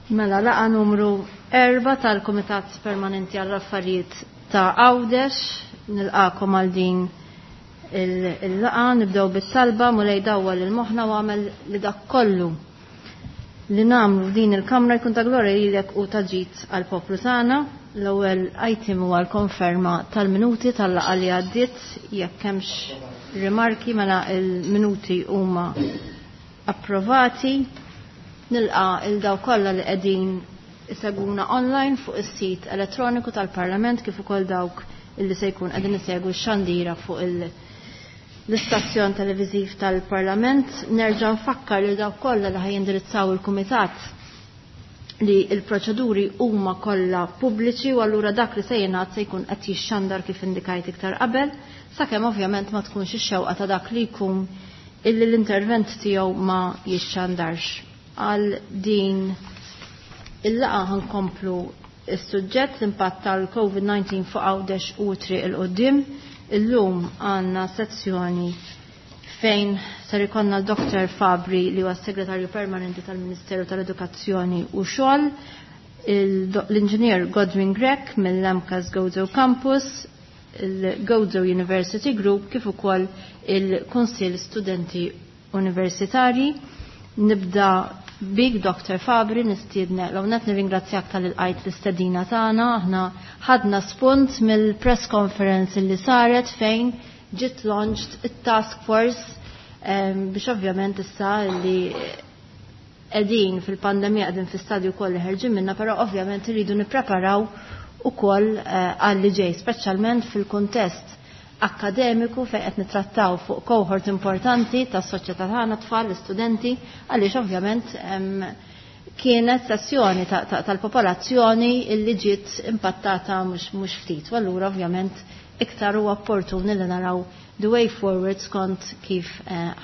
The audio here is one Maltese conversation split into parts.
Mela laqa numru 4 tal-Kumitat Permanenti għall-Affarijiet ta' Għawdex, nilqakom għal din il-laqa, nibdew bit-talba Mulej dawwal lil moħħna u għamel li dak kollu li nagħmlu f'din il-kamra jkun ta' glorja lilek u ta' ġid għall-poplu tagħna. L-ewwel item huwa l-konferma tal-minuti tal-laqgħa li għaddiet, jekk hemmx rimarki mela il-minuti huma approvati. Nilqa' il dawk kollha li qegħdin isegwuna online fuq is-sit elettroniku tal-Parlament kif ukoll dawk illi se jkun qegħdin isegwu x-xandira fuq l-istazzjon televiżiv tal-Parlament. Nerġa' nfakkar lil dawk kollha li ħajindirizzaw il-Kumitat li l-proċeduri huma kollha pubbliċi u allura dak li se jingħad se jkun qed jixxandar kif indikajt iktar qabel, sakemm ovvjament ma tkunx ix-xewqa ta' dak li jkun illi l-intervent tiegħu ma jixxandarx. Għal din il-laqgħa ħankomplu is-suġġett l-impatt tal-COVID-19 fuq Għawdex u triq il qudiem. Illum għandna sezzjoni fejn ser ikollna Dr. Fabri li huwa segretarju permanenti tal-Ministeru tal-Edukazzjoni u Xogħol, l-Inġinier Godwin Grech mill-MCAS Gozo Campus, il-Gozo University Group kif ukoll il-Kunsill Studenti Universitarji. Nibda bik Dr. Fabri nistiedne l net nirringrazzjak tal-ilqajt l-istedina tagħna. Aħna ħadna spunt mill-press conference li saret fejn ġiet launched it-task force biex ovvjament issa li qegħdin fil-pandemija qegħdin fi stadju wkoll li ħerġin minna, però ovvjament irridu nippreparaw ukoll għal li ġej, speċjalment fil-kuntest akkademiku fejn qed nittrattaw fuq cohort importanti tas-soċjetà tagħna tfal, l-istudenti, għaliex ovvjament kienet sessjoni tal-popolazzjoni illi ġiet impattata mhux ftit. U allura ovvjament iktar huwa opportun li naraw the way forward skont kif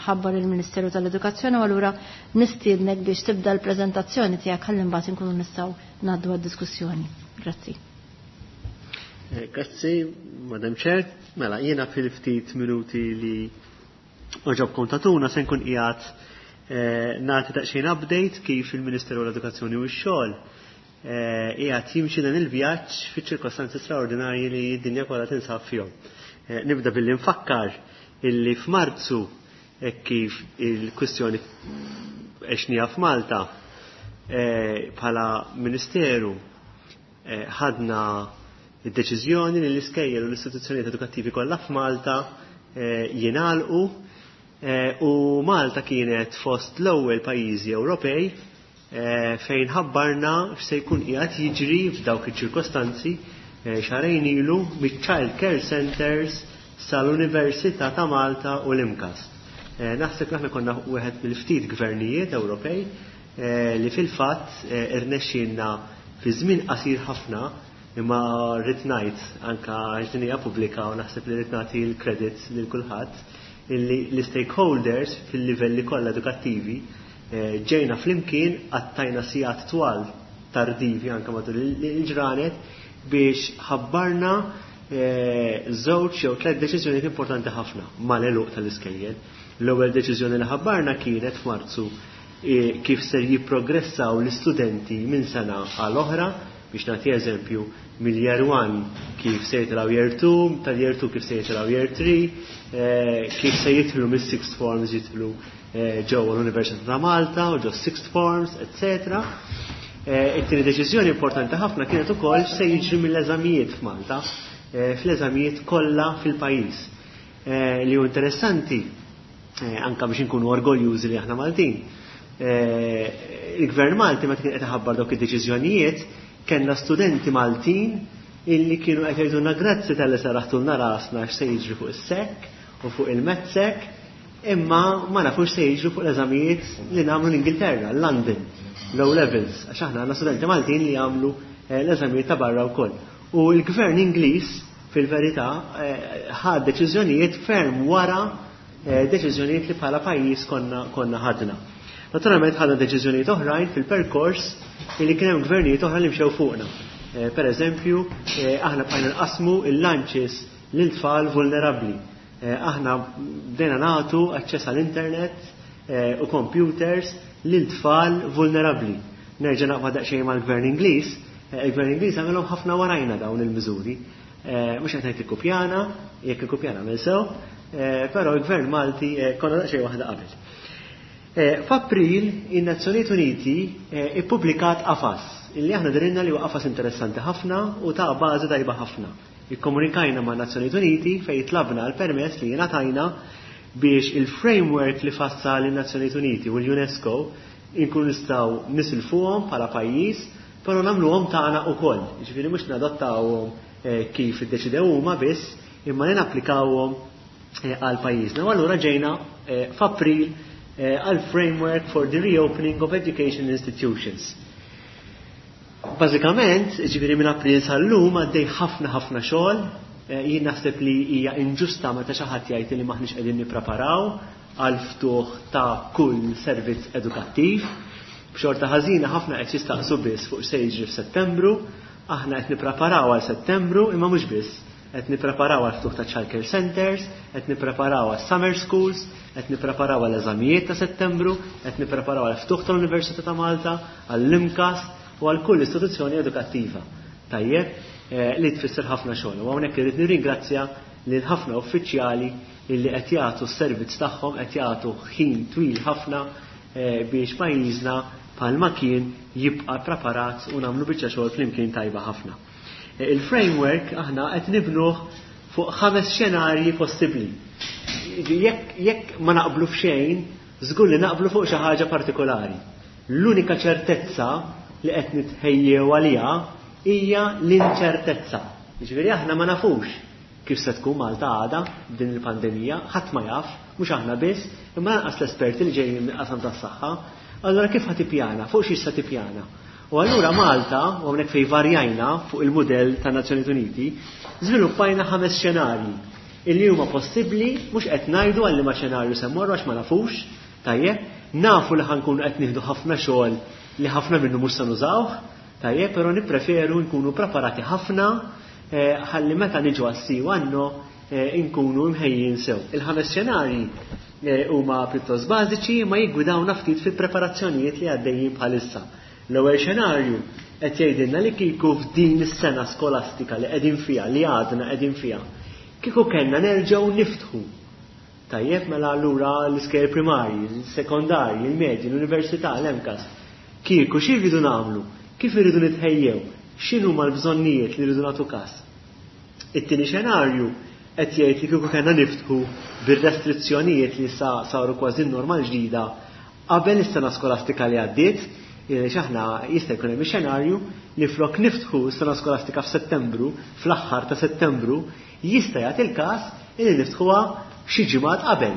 ħabbar il-Ministeru tal-Edukazzjoni u allura nistiednek biex tibda l-preżentazzjoni tiegħek ħalli mbagħad inkunu nistgħu ngħaddu għad-diskussjoni. Grazzi. Grazzi, Madam Chair. Mela, jiena fil-ftit minuti li oġobkom tatuna se nkun qiegħed nagħti daqsxejn update kif il-Ministeru l-Edukazzjoni u x-Xogħol qiegħed jimxi dan il-vjaġġ fiċ-ċirkostanzi straordinarji li d-dinja kollha tinsab fihom. Nibda billi nfakkar illi f'Marzu kif il-kwistjoni għexnija f'Malta bħala Ministeru ħadna id-deċiżjoni li l-iskejjel u l-istituzzjonijiet edukattivi kollha f'Malta jingħalqu u Malta kienet fost l-ewwel pajjiżi Ewropej fejn ħabbarna x'se jkun qiegħed jiġri f'dawk iċ-ċirkostanzi xahrejn ilu miċ-Child Care Centers sal-Università ta' Malta u l-MCAST. Naħseb aħna konna wieħed mill-ftit gvernijiet Ewropej li fil-fatt irnexxielna fi żmien qasir ħafna, imma rrid ngħid anke għax din hija pubblika u naħseb li rrid nagħti l-credit lil kulħadd illi l-stakeholders fil-livelli kollha edukattivi ġejna flimkien qattajna sigħat twal tardivi anke matul il-ġranet biex ħabbarna żewġ jew tliet deċiżjonijiet importanti ħafna mal-għeluq tal-iskejjel. L-ewwel deċiżjoni li ħabbarna kienet f'Marzu kif ser jipprogressaw l-istudenti minn sena għal oħra, biex nagħti eżempju mill-year 1 kif se jitilgħu year 2, tal-year 2 kif se jitilgħu year 3, kif se jidħlu mis-sixth forms jidħlu ġewwa l-Università ta' Malta u ġo sixth forms, eccetera. It-tieni deċiżjoni importanti ħafna kienet ukoll se jiġri mill-eżamijiet f'Malta, fl-eżamijiet kollha fil-pajjiż. Li hu interessanti, anke biex inkunu orgoljużi li aħna Maltin. Il-Gvern Malti meta kien qed iħabbar dawk id-deċiżjonijiet, kellna studenti Maltin illi kienu qed jgħidulna grazzi tal-li saraħtulna rasna x'se jiġri fuq is-SEC u fuq il-MATSEC, imma ma nafux se jiġri fuq l-eżamijiet li nagħmlu l-Ingilterra, London, low levels, għax aħna għandna studenti Maltin li jagħmlu l-eżamijiet ta' barra wkoll. U l-Gvern Ingliż fil-verità ħad deċiżjonijiet ferm wara deċiżjonijiet li bħala pajjiż konna ħadna. Naturalment ħadna deċiżjonijiet oħrajn fil-perkors li kien hemm gvernijiet oħra li mxew fuqna. Per eżempju, aħna bqajna nqasmu il-lunches lil tfal vulnerabbli. Aħna bdejna nagħtu aċċess għall-internet u computers lil tfal vulnerabbli. Nerġa' naqbad daqsxejn mal-Gvern Ingliż, il-Gvern Ingliż għamilhom ħafna warajna dawn il-miżuri. Mhux qed ngħid ikkupjana, jekk ikkupjana għamel sew, però l-Gvern Malti konna daqsxejn waħda qabel. F'April, in-Nazzjonijiet Uniti ippubblikat qafas illi aħna dirinna li huwa qafas interessanti ħafna u ta' bażi tajba ħafna. Ikkomunikajna ma' Nazzjonijiet Uniti fejn tlabna l-permess li jingħatajna biex il-framework li fassal in-Nazzjonijiet Uniti u l-UNESCO inkunu nistgħu nisilfuhom bħala pajjiż, però nagħmluhom tagħna wkoll. Jiġifieri mhux nadottawhom kif iddeċidew huma biss, imma li napplikawhom għal pajjiżna. U allura ġejna f'April għal Framework for the Reopening of Education Institutions. Bażikament, ġifieri minn April sal-lum għaddej ħafna ħafna xogħol, jien naħseb li hija inġusta meta xi ħadd jgħid li m'aħniex qegħdin nippreparaw għal ftuħ ta' kull servizz edukattiv. B'xorta ħażina ħafna qed jistaqsu biss fuq se jiġri f'Settembru, aħna qed nippreparaw għal Settembru imma mhux biss. Qed nippreparaw għal ftuħ ta' childcare centers, qed nippreparaw għal summer schools, qed nippreparaw għal eżamijiet ta' Settembru, qed nippreparaw għal ftuħ tal-Università ta' Malta, għall-MCAST u għal kull istituzzjoni edukattiva. Tajjeb, li tfisser ħafna xogħol. U hawnhekk irrid nirringrazzja lil ħafna uffiċjali illi qed jagħtu s-servizz tagħhom, qed jagħtu ħin twil ħafna biex pajjiżna bħalma kien jibqa' preparat u nagħmlu biċċa xogħol flimkien tajba ħafna. Il-framework aħna qed nibnuh fuq 5 xenarji possibbli. Jekk ma naqblu f'xejn, żgur li naqblu fuq xi ħaġa partikolari. L-unika ċertezza li qed nitħejjew għaliha hija l-inċertezza. Jiġifieri aħna ma nafux kif se tkun Malta għada b'din il-pandemija, ħadd ma jaf, mhux aħna biss, imma lanqas l-esperti li ġejjin mill-qasam tas-saħħa. Allura kif ħa tippjana? Fuq xiex se tippjana? U allura Malta, u hawnhekk fejn varjajna fuq il-mudell tan-Nazzjonijiet Uniti, żviluppajna 5 xenarji illi huma possibbli, mhux qed ngħidu għal liema xenarju se mmorru għax ma nafux, tajjeb, nafu li ħankunu qed nieħdu ħafna xogħol li ħafna minnu mhux se nużawh, tajjeb, però nippreferu nkunu preparati ħafna ħalli meta niġu għas-si u għan-no nkunu mħejjin sew. Il-5 xenarji huma pjuttost bażiċi ma jiggwidawna ftit fil-preparazzjonijiet li għaddejjin bħalissa. L-ewwel xenarju qed jgħidilna li kieku f'din is-sena skolastika li qegħdin fiha, li għadna qegħdin fiha, kieku kellna nerġgħu niftħu. Tajjeb, mela allura l-iskejjel primarji, l-sekondarji, il-medji, l-università, l-MCAST. Kieku xi rridu nagħmlu? Kif irridu nitħejjew? X'inhuma l-bżonnijiet li rridu nagħtu każ? It-tieni xenarju qed jgħid li kieku kellna niftħu bir-restrizzjonijiet li sa saru kważi normal ġdida qabel is-sena skolastika li għaddiet, għaliex aħna jista' jkun hemm xenarju li flok niftħu s-sena skolastika f'Settembru, fl-aħħar ta' Settembru, jista' jagħti l-każ li niftħuha xi ġimgħat qabel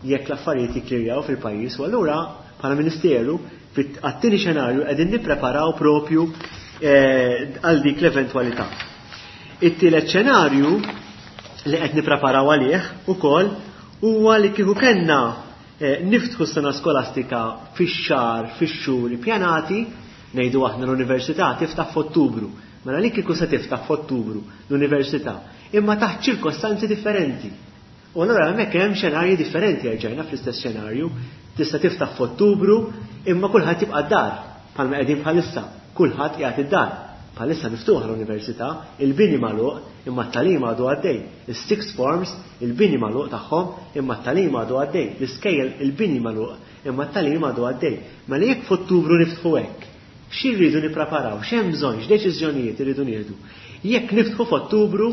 jekk l-affarijiet jikklirjaw fil-pajjiż. U allura bħala Ministeru għat-tieni xenarju qegħdin nippreparaw propju għal dik l-eventwalità. It-tielet xenarju li qed nippreparaw għalih ukoll huwa li kieku kellna niftħu s-sena skolastika fix-xahar, fix-xhur ippjanati, ngħidu aħna l-università tiftaħ f'Ottubru. Mela li kieku se tiftaħ f'Ottubru l-università, imma taħt ċirkostanzi differenti. U allura hemmhekk hemm xenarji differenti erġajna fl-istess xenarju, tista' tiftaħ f'Ottubru imma kulħadd jibqa' d-dar bħalma qegħdin bħalissa, kulħadd qiegħed id-dar. Bħalissa miftuħa l-università, il-bini magħluq imma t-tagħlim għadu għaddej. Is-sixth forms, il-bini magħluq tagħhom imma t-tagħlim għadu għaddej. L-iskejjel il-bini magħluq imma t-tagħlim għadu għaddej. Mela jekk f'Ottubru niftħu hekk, xi rridu nippreparaw, x'hemm bżonn, x'deċiżjonijiet irridu nieħdu. Jekk niftħu f'Ottubru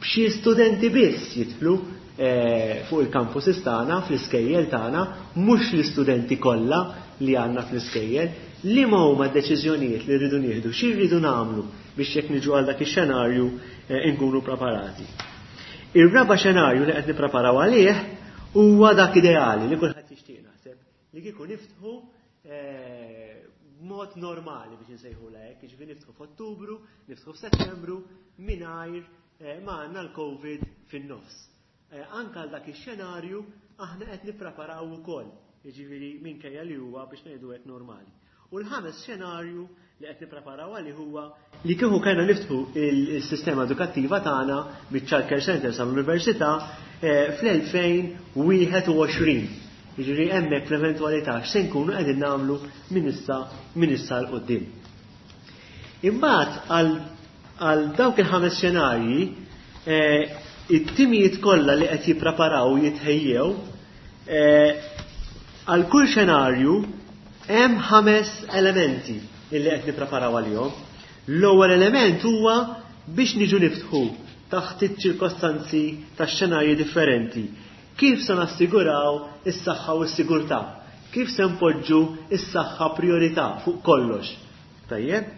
b'xi studenti biss jidħlu fuq il-campuses tagħna, fl-iskejjel tagħna, mhux l-istudenti kollha li għandna fl-iskejjel, li ma huma d-deċiżjonijiet li rridu nieħdu, xi rridu nagħmlu biex jekk niġu għal dak ix-xenarju nkunu preparati. Ir-raba' xenarju li qed nippreparaw għalih huwa dak ideali li kulħadd jixtieq naħseb, li kieku niftħu b'mod normali biex insejħulha hekk, jiġifieri niftħu f'Ottubru, niftħu f'Settembru mingħajr ma għandna l-COVID fin-nofs. Anka għal dak ix-xenarju aħna qed nippreparaw ukoll, jiġifieri minkejja li huwa biex ngħidu hekk normali. U l-ħames xenarju li qed nippreparaw għalih huwa li kieku kellna niftħu il-sistema edukattiva tagħna miċ-Child Care Center sal-Università fl-2021. Jiġifieri hemmhekk fl-eventwalità x'se nkunu qegħdin nagħmlu minn issa minn issa 'l quddiem. Imbagħad għal dawk il-ħames xenarji eh, it-timijiet kollha li qed jippreparaw jitħejjew eh, għal kull xenarju hemm ħames elementi illi qed nippreparaw għalihom. L-ewwel element huwa biex niġu niftħu taħt iċ-ċirkostanzi ta' xenarji differenti. Kif se nassiguraw is-saħħa u s-sigurtà? Kif se npoġġu is-saħħa priorità fuq kollox? Tajjeb?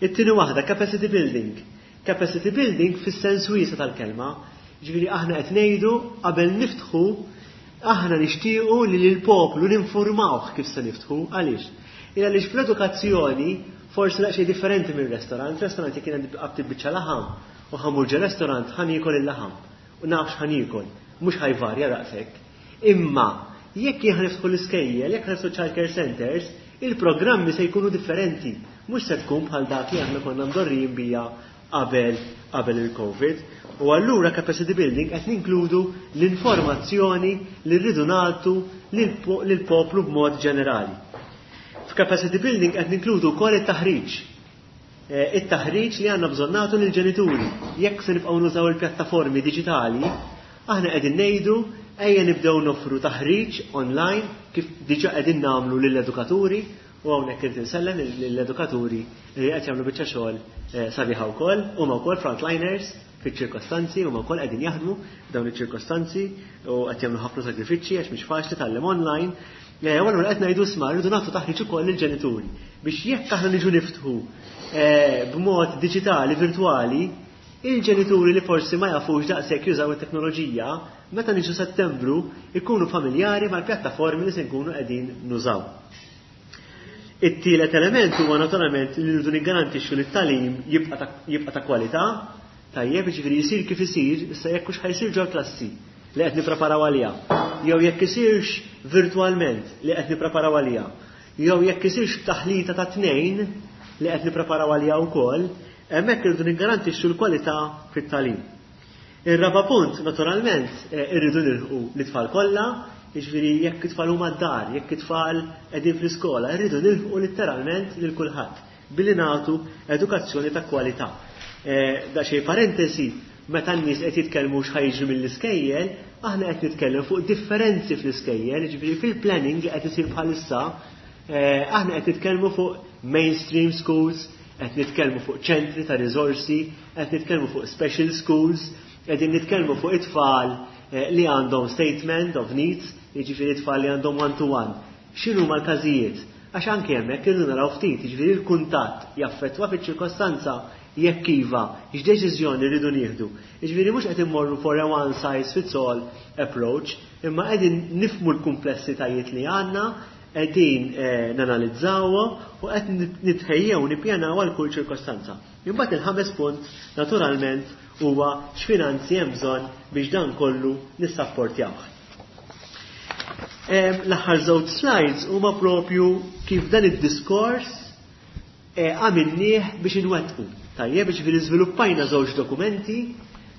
It-tieni waħda, capacity building. Capacity building fis-sens wiesa tal-kelma. Ġifieri aħna qed ngħidu qabel niftħu aħna nixtiequ li lill-poplu ninfurmawh kif se niftħu. Għaliex? Il għaliex fl-edukazzjoni forsi daqsxejn differenti minn restaurant. Restaurant jekk jien għandi biċċa laħam u ħa mmur ġo restaurant ħa niekol il-laħam u naf x'ħa niekol, mhux ħa jvarja daqshekk. Imma jekk jien niftħu l-iskejjel, jekk niftħu child care centers, il-programmi se jkunu differenti, mhux se tkun bħal dak li aħna konna mdorrijin bija qabel qabel il-Covid. U allura capacity building qed ninkludu l-informazzjoni li rridu nagħtu lill-poplu b'mod ġenerali. F'capacity building qed ninkludu wkoll it-taħriġ. Eh, it-taħriġ li għandna bżonn nagħtu lill-ġenituri. Jekk se nibqgħu nużaw il-pjattaformi diġitali, aħna qegħdin ngħidu ejja nibdew noffru taħriġ online kif diġà qegħdin nagħmlu lill-edukaturi u hawnhekk irid insellem lill-edukaturi li qed jagħmlu biċċa xogħol eh, sabiħa wkoll, huma wkoll frontliners fiċ-ċirkostanzi, huma wkoll qegħdin jaħdmu f'dawn iċ-ċirkostanzi u qed jagħmlu ħafna sagrifiċċji għax mhix faċli tgħallem online. Eh, u allura qed ngħidu isma' rridu nagħtu taħriġ ukoll lill-ġenituri biex jekk aħna niġu niftħu eh, b'mod diġitali, virtwali, il-ġenituri li forsi ma jafux daqshekk jużaw it-teknoloġija, meta niġu Settembru ikunu familjari mal-pjattaformi li se nkunu qegħdin nużaw. It-tielet element huwa naturalment li rridu niggarantixxu li t-tagħlim jibqa' ta' kwalità, tajjeb, jiġifieri jsir kif isir, issa jekk hux ħa jsir ġol-klassi li qed nippreparaw għaliha, jew jekk isirx virtwalment li qed nippreparaw għaliha, jew jekk isirx taħlita ta' tnejn li qed nippreparaw għaliha wkoll, hemmhekk irridu niggarantixxu l-kwalità fit-tagħlim. Ir-raba' punt, naturalment, eh, irridu nilħqu l-itfal kollha, jiġifieri jekk it-tfal huma d-dar, jekk it-tfal qegħdin fl-iskola, irridu nilħqu litteralment lil kulħadd billi nagħtu edukazzjoni ta' kwalità. Eh, da xejn parentesi, meta n-nies qed jitkellmu x'ħa jiġri mill-iskejjel, aħna qed nitkellem fuq differenzi fl-iskejjel, jiġifieri fil-planning li qed isir bħalissa, eh, aħna qed nitkellmu fuq mainstream schools, qed nitkellmu fuq ċentri ta' riżorsi, qed nitkellmu fuq special schools, qegħdin nitkellmu fuq it-tfal eh, li għandhom statement of needs, jiġifieri tfal li għandhom one-to-one. X'inhuma l-każijiet? Għax anke hemmhekk irridu naraw ftit, jiġifieri l-kuntatt jaffettwa fiċ-ċirkostanza jekk iva, x'deċiżjoni rridu nieħdu. Jiġifieri mhux qed immorru for a one size fits all approach, imma qegħdin nifhmu l-kumplessitajiet li għandna, qegħdin eh, nanalizzawhom u qed nitħejjew nippjanaw għal kull ċirkostanza. Imbagħad il-ħames punt naturalment huwa x'finanzi hemm bżonn biex dan kollu nissapportjawh. L-aħħar żewġ slides huma propju kif dan id-diskors eh, għamilnieh biex inwettqu. Tajjeb, ġifieri żviluppajna żewġ dokumenti.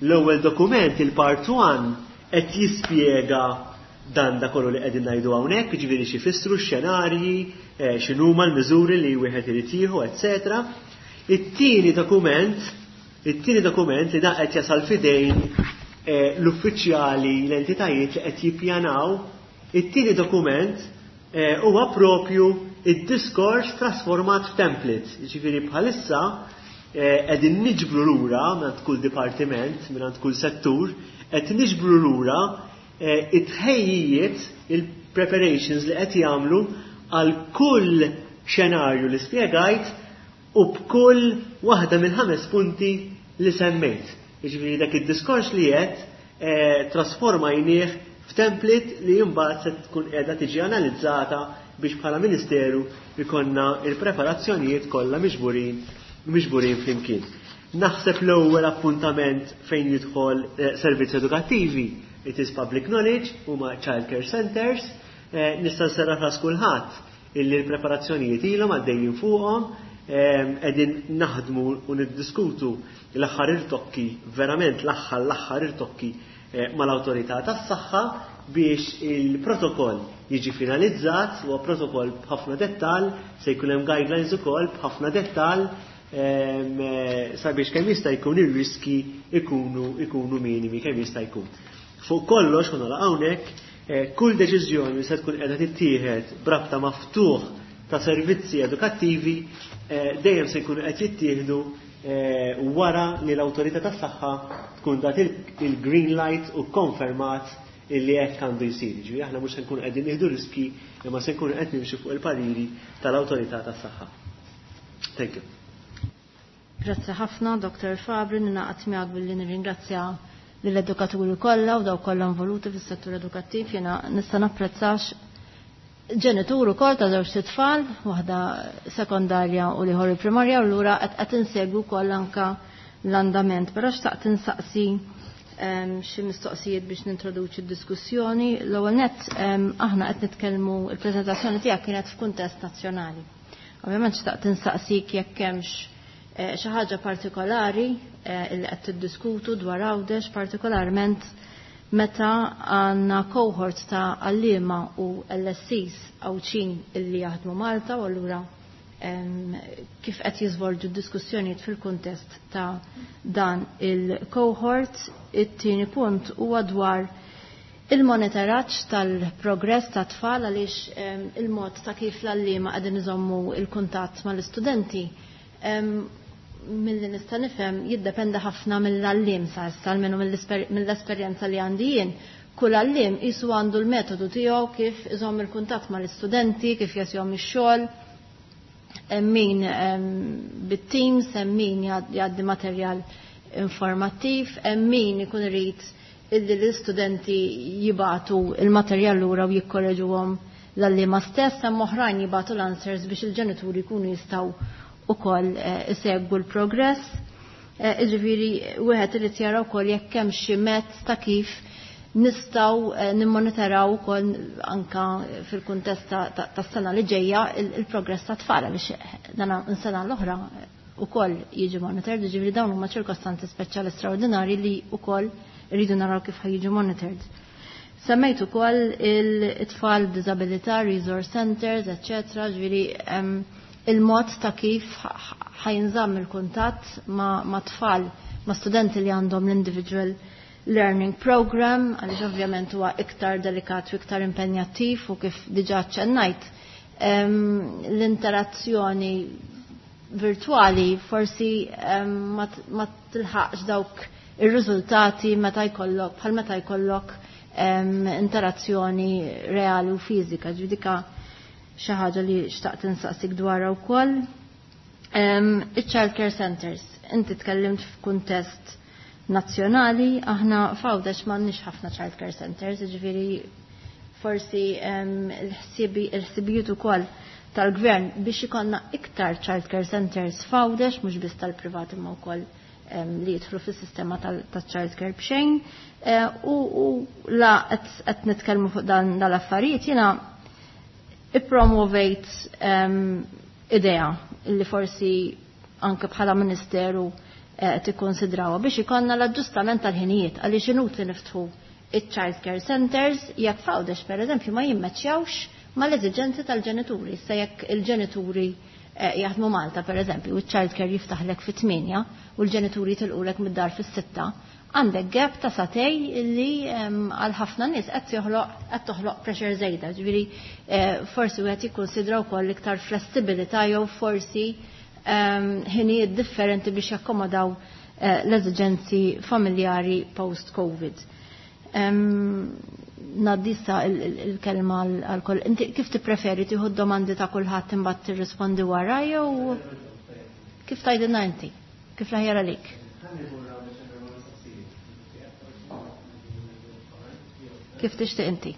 L-ewwel dokument, il-part 1, qed jispjega dan da kollu li qegħdin ngħidu hawnhekk, jiġifieri xi jfissru x-xenarji, eh, x'inhuma l-miżuri li wieħed irid jieħu, etc. It-tieni dokument, it-tieni dokument li da qed jasal fidejn eh, l-uffiċjali, l-entitajiet li qed jippjanaw, it-tieni dokument eh, huwa propju id-diskors trasformat f'template. Jiġifieri bħalissa qegħdin niġbru lura minn kull dipartiment, minn kull settur, qed niġbru lura Eh, it-tħejjijiet, il-preparations li qed jagħmlu għal kull xenarju li spjegajt u b'kull waħda mill-ħames punti li semmejt. Jiġifieri dak id-diskors li qed eh, trasformajnieh f'template li mbagħad se tkun qiegħda tiġi analizzata biex bħala Ministeru ikonna il-preparazzjonijiet kollha miġburin miġburin flimkien. Naħseb l-ewwel appuntament fejn jidħol eh, servizzi edukattivi it is public knowledge, huma child care centers, eh, nista' nserraħ ras kulħadd illi l-preparazzjonijiet ilhom għaddejjin fuqhom, qegħdin naħdmu u niddiskutu l-aħħar irtokki, verament l-aħħar l-aħħar irtokki mal-awtorità tas-saħħa biex il-protokoll jiġi finalizzat, huwa protokoll b'ħafna dettall, se jkun hemm guidelines ukoll b'ħafna dettall sabiex kemm jista' jkun ir-riski ikunu minimi kemm jista' jkun. Fuq kollox, u nagħlaq hawnhekk, kull deċiżjoni li se tkun qiegħda tittieħed b'rabta maftuħ ta' servizzi edukattivi dejjem se jkunu qed jittieħdu wara li l-awtorità tas-saħħa tkun dat il-green light u konfermat illi hekk għandu jsir. Ġifieri aħna mhux se nkunu qegħdin nieħdu riski imma se nkunu qed nimxu fuq il-pariri tal-awtorità tas-saħħa. Thank you. Grazzi ħafna, Dr. Fabri, ninaqat miegħek billi nirringrazzja lill-edukaturi kollha u dawk kollha involuti fis-settur edukattiv. Jiena nista' napprezzax ġenitur ukoll ta' żewġ tfal, waħda sekondarja u l-ieħor primarja, u lura qed insegwu wkoll anka l-andament. Però xtaqt insaqsi xi mistoqsijiet biex nintroduċi d-diskussjoni. L-ewwel nett, aħna qed nitkellmu, il-preżentazzjoni tiegħek kienet f'kuntest nazzjonali. Ovvjament xtaqt insaqsik jekk hemmx xi ħaġa partikolari li qed tiddiskutu dwar Għawdex, partikolarment meta għandna cohort ta' għalliema u LSCs Għawdxin illi jaħdmu Malta, u allura kif qed jiżvolġu d-diskussjonijiet fil-kuntest ta' dan il-cohort. It-tieni punt huwa dwar il-monitoraġġ tal-progress ta' tfal, għaliex il-mod ta' kif l-għalliema qegħdin iżommu il-kuntatt mal-istudenti, milli nista' nifhem, jiddependa ħafna mill-għalliem sa issa, almenu mill-esperjenza li għandi jien. Kull għalliem qisu għandu l-metodu tiegħu kif iżomm il-kuntatt mal-istudenti, kif jagħtihom ix-xogħol, hemm min bit-teams, hemm min jgħaddi materjal informattiv, hemm min ikun irid illi l-istudenti jibatu il-materjal lura u jikkorreġuhom l-għalliema stess, hemm oħrajn jibatu l-answers biex il-ġenituri jkunu jistgħu ukoll isegwu l-progress. Jiġifieri wieħed irid jara wkoll jekk hemm xi mezz ta' kif nistgħu nimmonitoraw ukoll anka fil-kuntest tas-sena li ġejja il-progress ta' tfal, għaliex dan sena l-oħra ukoll jiġi monitored, jiġifieri dawn huma ċirkostanzi speċjali straordinarji li wkoll rridu naraw kif ħajjiġu monitored. Semmejt ukoll il-tfal b'diżabilità, resource centers, eccetera, ġifieri il-mod ta' kif ħajnżamm il-kuntatt ma' tfal, ma' studenti li għandhom l-individual learning program, għaliex ovvjament huwa iktar delikat u iktar impenjattiv, u kif diġà ċennajt, l-interazzjoni virtuali forsi ma tilħaqx dawk ir-riżultati meta jkollok, bħal meta jkollok interazzjoni reali u fiżika. Ġudika xi ħaġa li xtaqt insaqsik dwarha wkoll. Il-child care centers, inti tkellimt f'kuntest nazzjonali, aħna f'Għawdex m'għandniex ħafna child care centers, jiġifieri forsi il-ħsibijiet ukoll tal-gvern biex ikollna iktar child care centers f'Għawdex, mhux biss tal-privat imma wkoll li jidħlu fis-sistema tal-child care b'xejn. U la qed nitkellmu fuq dan dal-affarijiet, jiena ippromovejt idea li forsi anke bħala ministeru tikkonsidrawha biex ikollna l-aġġustament tal-ħinijiet, għaliex inutli niftħu il-child care centers jekk f'Għawdex pereżempju ma jimmeċjawx mal-eżiġenzi tal-ġenituri. Issa jekk il-ġenituri jaħdmu Malta pereżempju u l-child care jiftaħlek fit-8 u l-ġenituri tilqulek mid-dar fis-6, għandek gap ta' sagħtejn li għal ħafna nies qed toħloq pressure żejda. Ġifieri forsi wieħed jikkonsidra wkoll iktar flessibilità jew forsi ħinijiet differenti biex jakkomodaw l-eżiġenzi familjari post-Covid. Ngħaddi issa il-kelma għal kull. Inti kif tippreferi, tieħu domandi ta' kulħadd imbagħad tirrispondi wara jew kif tgħidilna inti? Kif l-aħjar għalik? Kif tixtieq inti?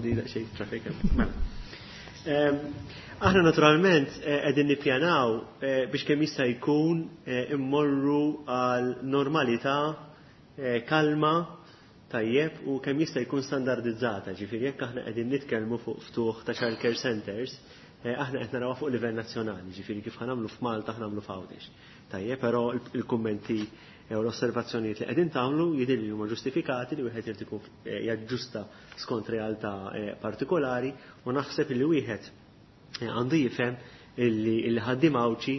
Di daqsxejn traffic. Mela. Aħna naturalment qegħdin nippjanaw biex kemm jista' jkun immorru għal normalità kalma, tajjeb, u kemm jista' jkun standardizzata. Ġifieri jekk aħna qegħdin nitkellmu fuq ftuħ ta' child care centers, aħna qed narawha fuq livell nazzjonali, ġifieri kif ħanamlu f'Malta ħanamlu f'Għawdex. Tajjeb, però il-kummenti u l-osservazzjonijiet li qegħdin tagħmlu jidhirli li huma ġustifikati li wieħed irid ikun jaġġusta skont realtà partikolari u naħseb li wieħed għandu jifhem illi ħaddiem Għawdxi,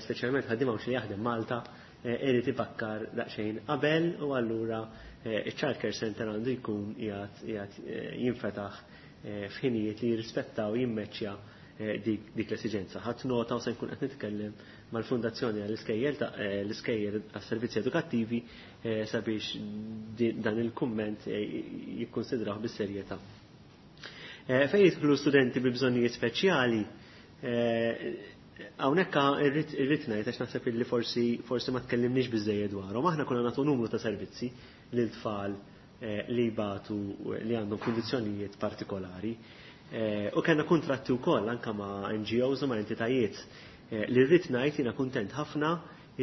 speċjalment ħaddiem Għawdxi li jaħdem Malta, irid ibakkar daqsxejn qabel u allura iċ-child care center għandu jkun qiegħed jinfetaħ f'ħinijiet li jirrispettaw jimmeċċja dik l-esiġenza. Ħadd nota u se nkun qed nitkellem mal-Fundazzjoni għall-Iskejjel l-Iskejjel għas-Servizzi Edukattivi sabiex dan il-kumment jikkonsidrah bis-serjetà. Fejn jidħlu studenti bi bżonnijiet speċjali, hawnhekk irrid ngħid għax naħseb illi forsi ma tkellimniex biżejjed dwarhom. Aħna konna nagħtu numru ta' servizzi lil tfal li jbatu li għandhom kundizzjonijiet partikolari. U kellna kuntratti wkoll anke ma' NGOs u ma' entitajiet li rrid ngħid jiena kuntent ħafna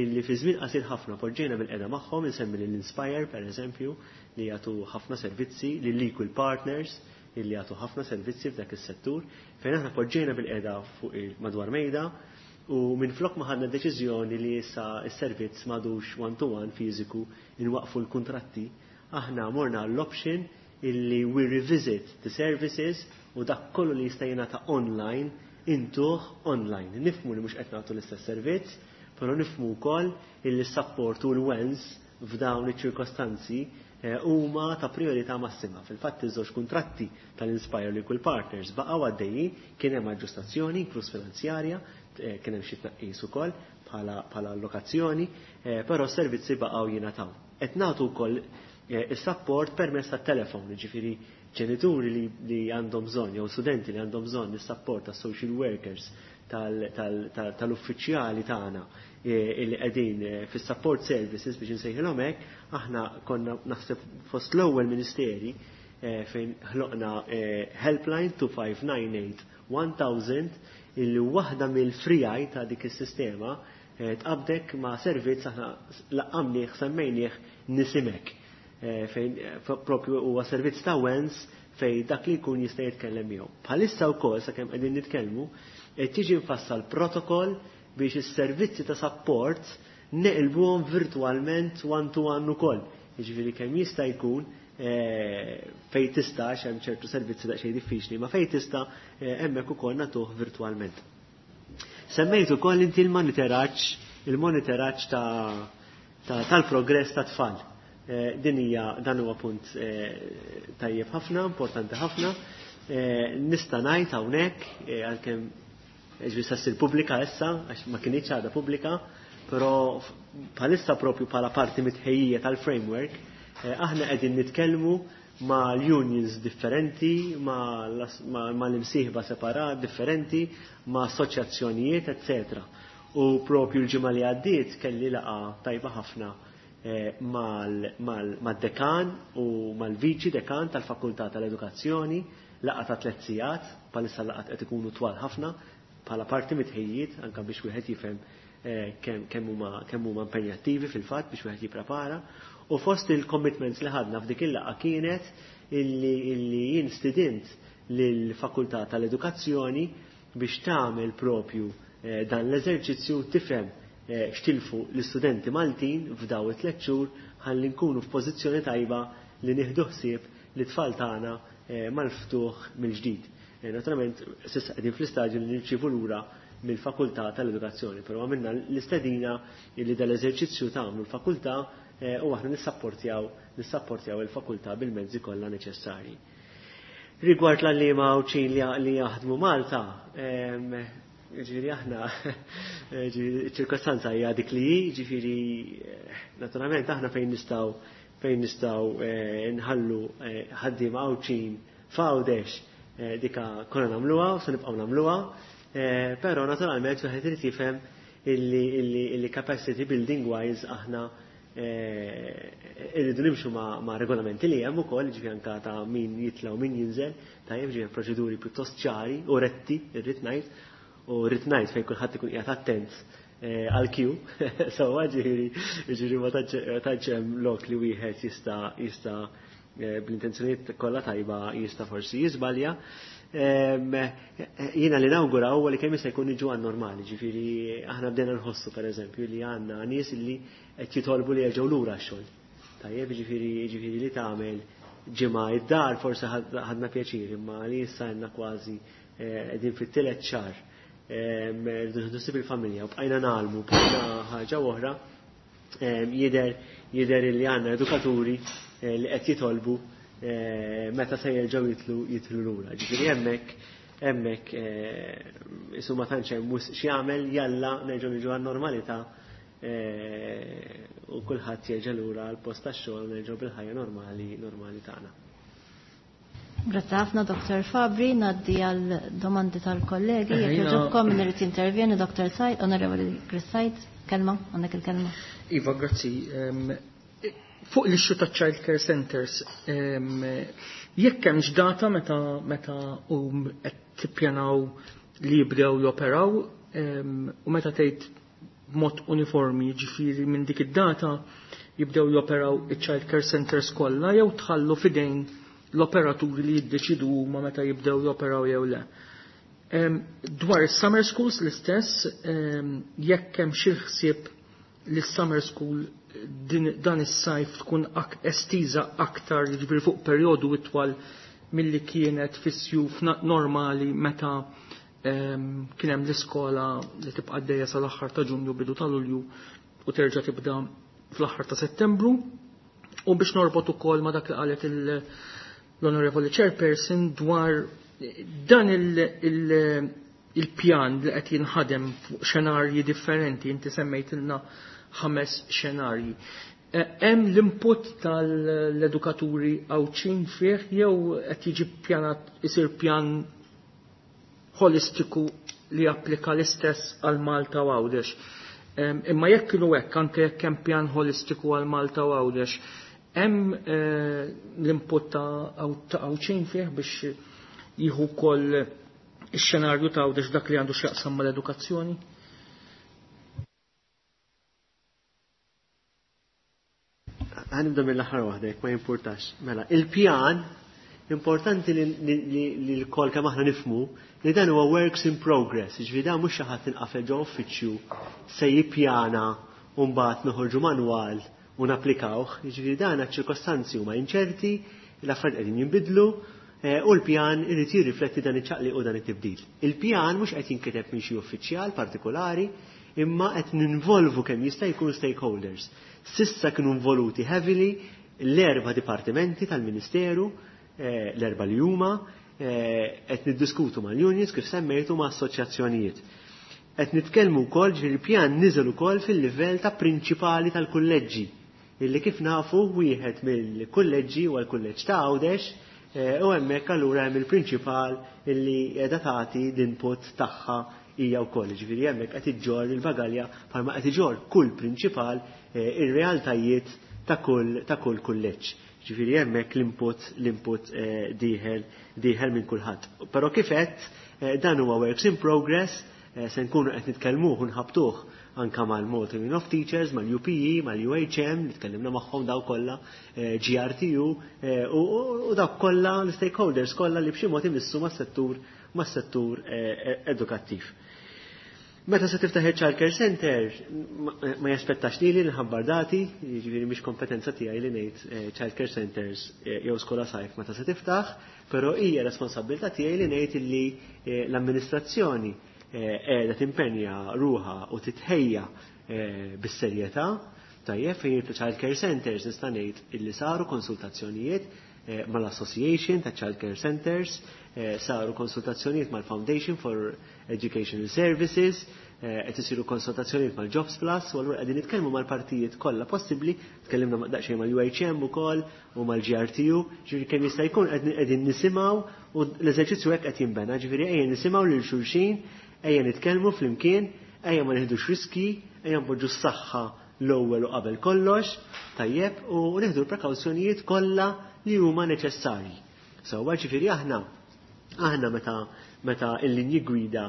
illi fi żmien qasir ħafna poġġejna bil-qeda magħhom, insemmi lil Inspire pereżempju li jagħtu ħafna servizzi, lil Equal Partners illi jagħtu ħafna servizzi f'dak is-settur, fejn aħna poġġejna bil-qeda fuq madwar mejda u minn flok ma ħadna deċiżjoni li issa s-servizz m'għadux one-to-one fiżiku inwaqfu l-kuntratti, aħna morna l-option illi we revisit the services u dak kollu li jista' jingħata online intuh online. Nifhmu li mhux qed nagħtu l-istess servizz, però nifhmu wkoll illi s-support u l-wens f'dawn iċ-ċirkostanzi huma ta' priorità massima. Fil-fatt iż-żewġ kuntratti tal-Inspire u Equal Partners baqgħu għaddejjin, kien hemm aġġustazzjoni inkluż finanzjarja, kien hemm xi tnaqqis ukoll bħala allokazzjoni, però s-servizzi baqgħu jingħataw. Qed nagħtu wkoll is-support permezz tat-telefon, jiġifieri ġenituri li għandhom bżonn jew studenti li għandhom bżonn is-support tas-social workers tal-uffiċjali tagħna li qegħdin fis-support services biex insejħilhom hekk, aħna konna naħseb fost l-ewwel ministeri fejn ħloqna helpline 2598 1000 illi waħda mill-frijaj ta' dik is-sistema tqabdek ma' servizz aħna laqqamnieh semmejnieh Nisimek, fejn propju huwa servizz ta' wens fejn dak li jkun jista' jitkellem miegħu. Bħalissa wkoll sakemm qegħdin nitkellmu qed tiġi mfassal protokoll biex is-servizzi ta' support neqilbuhom virtualment one to one ukoll. Jiġifieri kemm jista' jkun fejn tista', hemm ċertu servizzi daqsxejn diffiċli, ma fejn tista' hemmhekk ukoll nagħtuh virtualment. Semmejt ukoll inti il-monitoraġġ tal-progress ta' tfal. Din hija dan huwa punt tajjeb ħafna, importanti ħafna. Nista' ngħid hawnhekk għalkemm ġifieri sa ssir pubblika issa għax ma kinitx għadha pubblika, però bħalissa propju bħala parti mitħejjija tal-framework aħna qegħdin nitkellmu ma' unions differenti, ma' l-imsieħba separat differenti, ma' assoċjazzjonijiet, eccetera. U propju l-ġimgħa li għaddiet kelli laqgħa tajba ħafna mal-dekan u mal-viċi dekan tal-Fakultà tal-Edukazzjoni, laqgħa ta' 3 sigħat, bħalissa laqgħat qed ikunu twal ħafna, bħala parti mitħejjiet anke biex wieħed jifhem kemm huma impenjattivi fil-fatt biex wieħed jipprepara. U fost il-commitments li ħadna f'dik il-laqgħa kienet illi jien stidint lill-Fakultà tal-Edukazzjoni biex tagħmel propju dan l-eżerċizzju tifhem xtilfu l-istudenti Maltin f'daw it-3 xhur ħalli nkunu f'pożizzjoni tajba li nieħdu ħsieb li tfal tagħna mal-ftuħ mill-ġdid. Naturalment s'issa qegħdin fl-istadju li nirċievu lura mill-Fakultà tal-Edukazzjoni, però għamilna l-istedina li dal-eżerċizzju tagħmlu l-fakultà u aħna nissapportjaw il-fakultà bil-mezzi kollha neċessarji. Rigward l-għalliema Għawdxin li jaħdmu Malta, ġifieri aħna, ġifieri ċirkostanza hija dik li hi, ġifieri naturalment aħna fejn nistgħu nħallu ħaddiema Għawdxin f'Għawdex, dika konna nagħmluha u se nibqgħu nagħmluha, però naturalment wieħed irid jifhem illi capacity building wise aħna irridu nimxu ma' regolamenti li hemm ukoll, ġifieri anke ta' min jitla' u min jinżel, tajjeb, ġifieri proċeduri pjuttost ċari u retti, irrid ngħid, u rrid ngħid fejn kulħadd ikun qiegħed attent għal Q, sewwa, ġifieri ma tantx hemm lok li wieħed jista' bl-intenzjonijiet kollha tajba jista' forsi jiżbalja. Jiena li nawgura huwa li kemm jista' jkun niġu għan-normali, ġifieri aħna bdejna nħossu pereżempju li għandna nies li qed jitolbu li jerġgħu lura x-xogħol. Tajjeb, ġifieri li tagħmel ġimgħa id-dar forsi ħadna pjaċir, imma li issa għandna kważi qegħdin fit-tielet xahar rridu nieħdu ħsieb il-familja u bqajna nagħlmu bqajna ħaġa oħra jidher li għandna edukaturi li qed jitolbu meta se jerġgħu jitlu jitlu lura. Ġifieri hemmhekk isu ma tantx hemm x'jagħmel jalla nerġgħu niġu għan-normalità u kulħadd jerġa' lura għal post tax-xogħol u nerġgħu bil-ħajja normali tagħna. Grazzi ħafna Dr. Fabri, ngħaddi għal domandi tal-kollegi. Jekk jogħġobkom min irid jintervjeni Dr. Said, Onorevoli Chris Said, kelma, għandek il-kelma. Iva, grazzi. Fuq l-issue ta' child care centers, jekk hemmx data meta hum qed tippjanaw li jibdew joperaw, u meta tgħid b'mod uniformi, jiġifieri minn dik id-data jibdew joperaw iċ-child care centers kollha jew tħallu f'idejn l-operaturi li jiddeċidu huma meta jibdew joperaw jew le. Dwar is-summer schools l-istess, jekk hemm xi ħsieb li s-summer school dan is-sajf tkun estiża aktar, jiġifieri fuq perjodu itwal milli kienet fis-sjuf normali meta kien hemm l-iskola li tibqa' għaddejja sal-aħħar ta' Ġunju bidu ta' Lulju u terġa' tibda fl-aħħar ta' Settembru. U biex norbot ukoll ma' dak li qalet l-Onorevoli Chairperson dwar dan il-pjan li qed jinħadem fuq xenarji differenti, inti semmejtilna 5 xenarji. Hemm l-input tal-edukaturi Għawdxin fih jew qed jiġi pjanat isir pjan holistiku li japplika l-istess għal Malta u Għawdex. Imma jekk kienu hekk, anke jekk hemm pjan holistiku għal Malta u Għawdex, hemm l-input ta' Għawdxin fih biex jieħu wkoll ix-xenarju ta' Għawdex dak li għandu x'jaqsam mal-edukazzjoni? Ħanibda mill-aħħar waħda jekk ma jimpurtax. Mela, il-pjan importanti li l-kol kemm aħna nifhmu li dan huwa works in progress, jiġifieri dan mhux xi ħadd inqafel ġo uffiċċju se jippjana u mbagħad noħorġu manwal u napplikawh, jiġifieri dan ċ-ċirkostanzi huma inċerti, l-affarijiet qegħdin jinbidlu, u l-pjan irid jirrifletti dan iċ-ċaqliq u dan it-tibdil. Il-pjan mhux qed jinkiteb minn xi uffiċjal partikolari, imma qed ninvolvu kemm jista' jkun stakeholders. Sissa kienu involuti heavily l-4 dipartimenti tal-Ministeru, l-4 li huma, qed niddiskutu mal-unions kif semmejtu ma' assoċjazzjonijiet. Qed nitkellmu wkoll ġifieri pjan niżel ukoll fil-livell ta' prinċipali tal-kulleġġi, illi kif nafu wieħed mill-kulleġġi huwa l-kulleġġ ta' Għawdex, u hemmhekk allura hemm il-prinċipal illi qiegħda tagħti l-input tagħha hija wkoll. Ġifieri hemmhekk qed iġġorr il-bagalja bħalma qed iġorr kull prinċipal ir-realtajiet ta' kull kulleġġ. Ġifieri hemmhekk l-input dieħel minn kulħadd. Però kif għedt, dan huwa works in progress, se nkunu qed nitkellmuh u nħabtuh anka mal-Malta Union of Teachers, mal-UPE, mal-UHM, li tkellimna magħhom daw kollha, GRTU, u dawk kollha l-stakeholders kollha li b'xi mod imissu mas-settur edukattiv. Meta se tiftaħ il-Child Care Center, ma jaspettax lili nħabbar dati, jiġifieri mhix kompetenza tiegħi li ngħid Child Care Centers jew skola sajf meta se tiftaħ, però hija responsabilità tiegħi li ngħid illi l-amministrazzjoni qiegħda timpenja ruħha u titħejja bis-serjetà. Tajjeb, fejn jidħlu Child Care Centers nista' ngħid illi saru konsultazzjonijiet mal-Association ta' Child Care Centers, saru konsultazzjonijiet mal-Foundation for Educational Services, qed isiru konsultazzjonijiet mal-Jobs Plus, u allura qegħdin nitkellmu mal-partijiet kollha possibbli, tkellimna daqsxejn mal-UHM ukoll u mal-GRTU, ġifieri kemm jista' jkun qegħdin nisimgħu u l-eżerċizzju hekk qed jinbena, ġifieri ejja nisimgħu lil xulxin, ejja nitkellmu flimkien, ejja ma nieħdux riski, ejja npoġġu s-saħħa l-ewwel u qabel kollox, tajjeb, u nieħdu l-prekawzjonijiet kollha li huma neċessarji. Sewwa ġifieri aħna meta l-linji gwida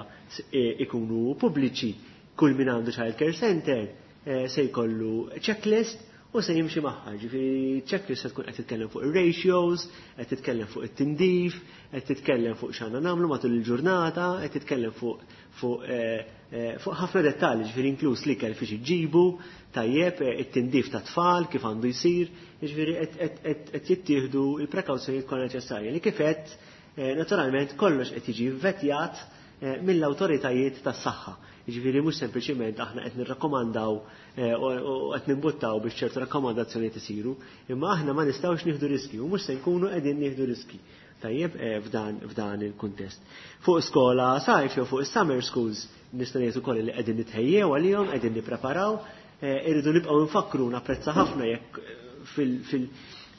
ikunu pubbliċi, kull min għandu child care center se jkollu checklist u se jimxi magħha. Ġifieri checklist se tkun qed titkellem fuq ir-ratios, qed titkellem fuq it-tindif, qed titkellem fuq x'għandna nagħmlu matul il-ġurnata, qed titkellem fuq fuq eh, eh, fuq ħafna dettalji, ġifieri inkluż l-ikel fiex iġibu, tajjeb, eh, it-tindif ta' tfal kif għandu jsir, ġifieri qed jittieħdu l-prekawzjonijiet kollha neċessarji li kif qed naturalment kollox qed jiġi vetjat mill-awtoritajiet tas-saħħa. Jiġifieri mhux sempliċiment aħna qed nirrakkomandaw eh, u qed nimbuttaw biex ċertu rakkomandazzjonijiet isiru, imma aħna ma nistgħux nieħdu riski u mhux se nkunu qegħdin nieħdu riski. Tajjeb eh, f'dan f'dan il-kuntest. Fuq skola sajf jew fuq is-summer schools nista' ngħid ukoll li qegħdin nitħejjew għalihom, qegħdin nippreparaw, eh, irridu nibqgħu nfakru napprezza ħafna jekk fil, fil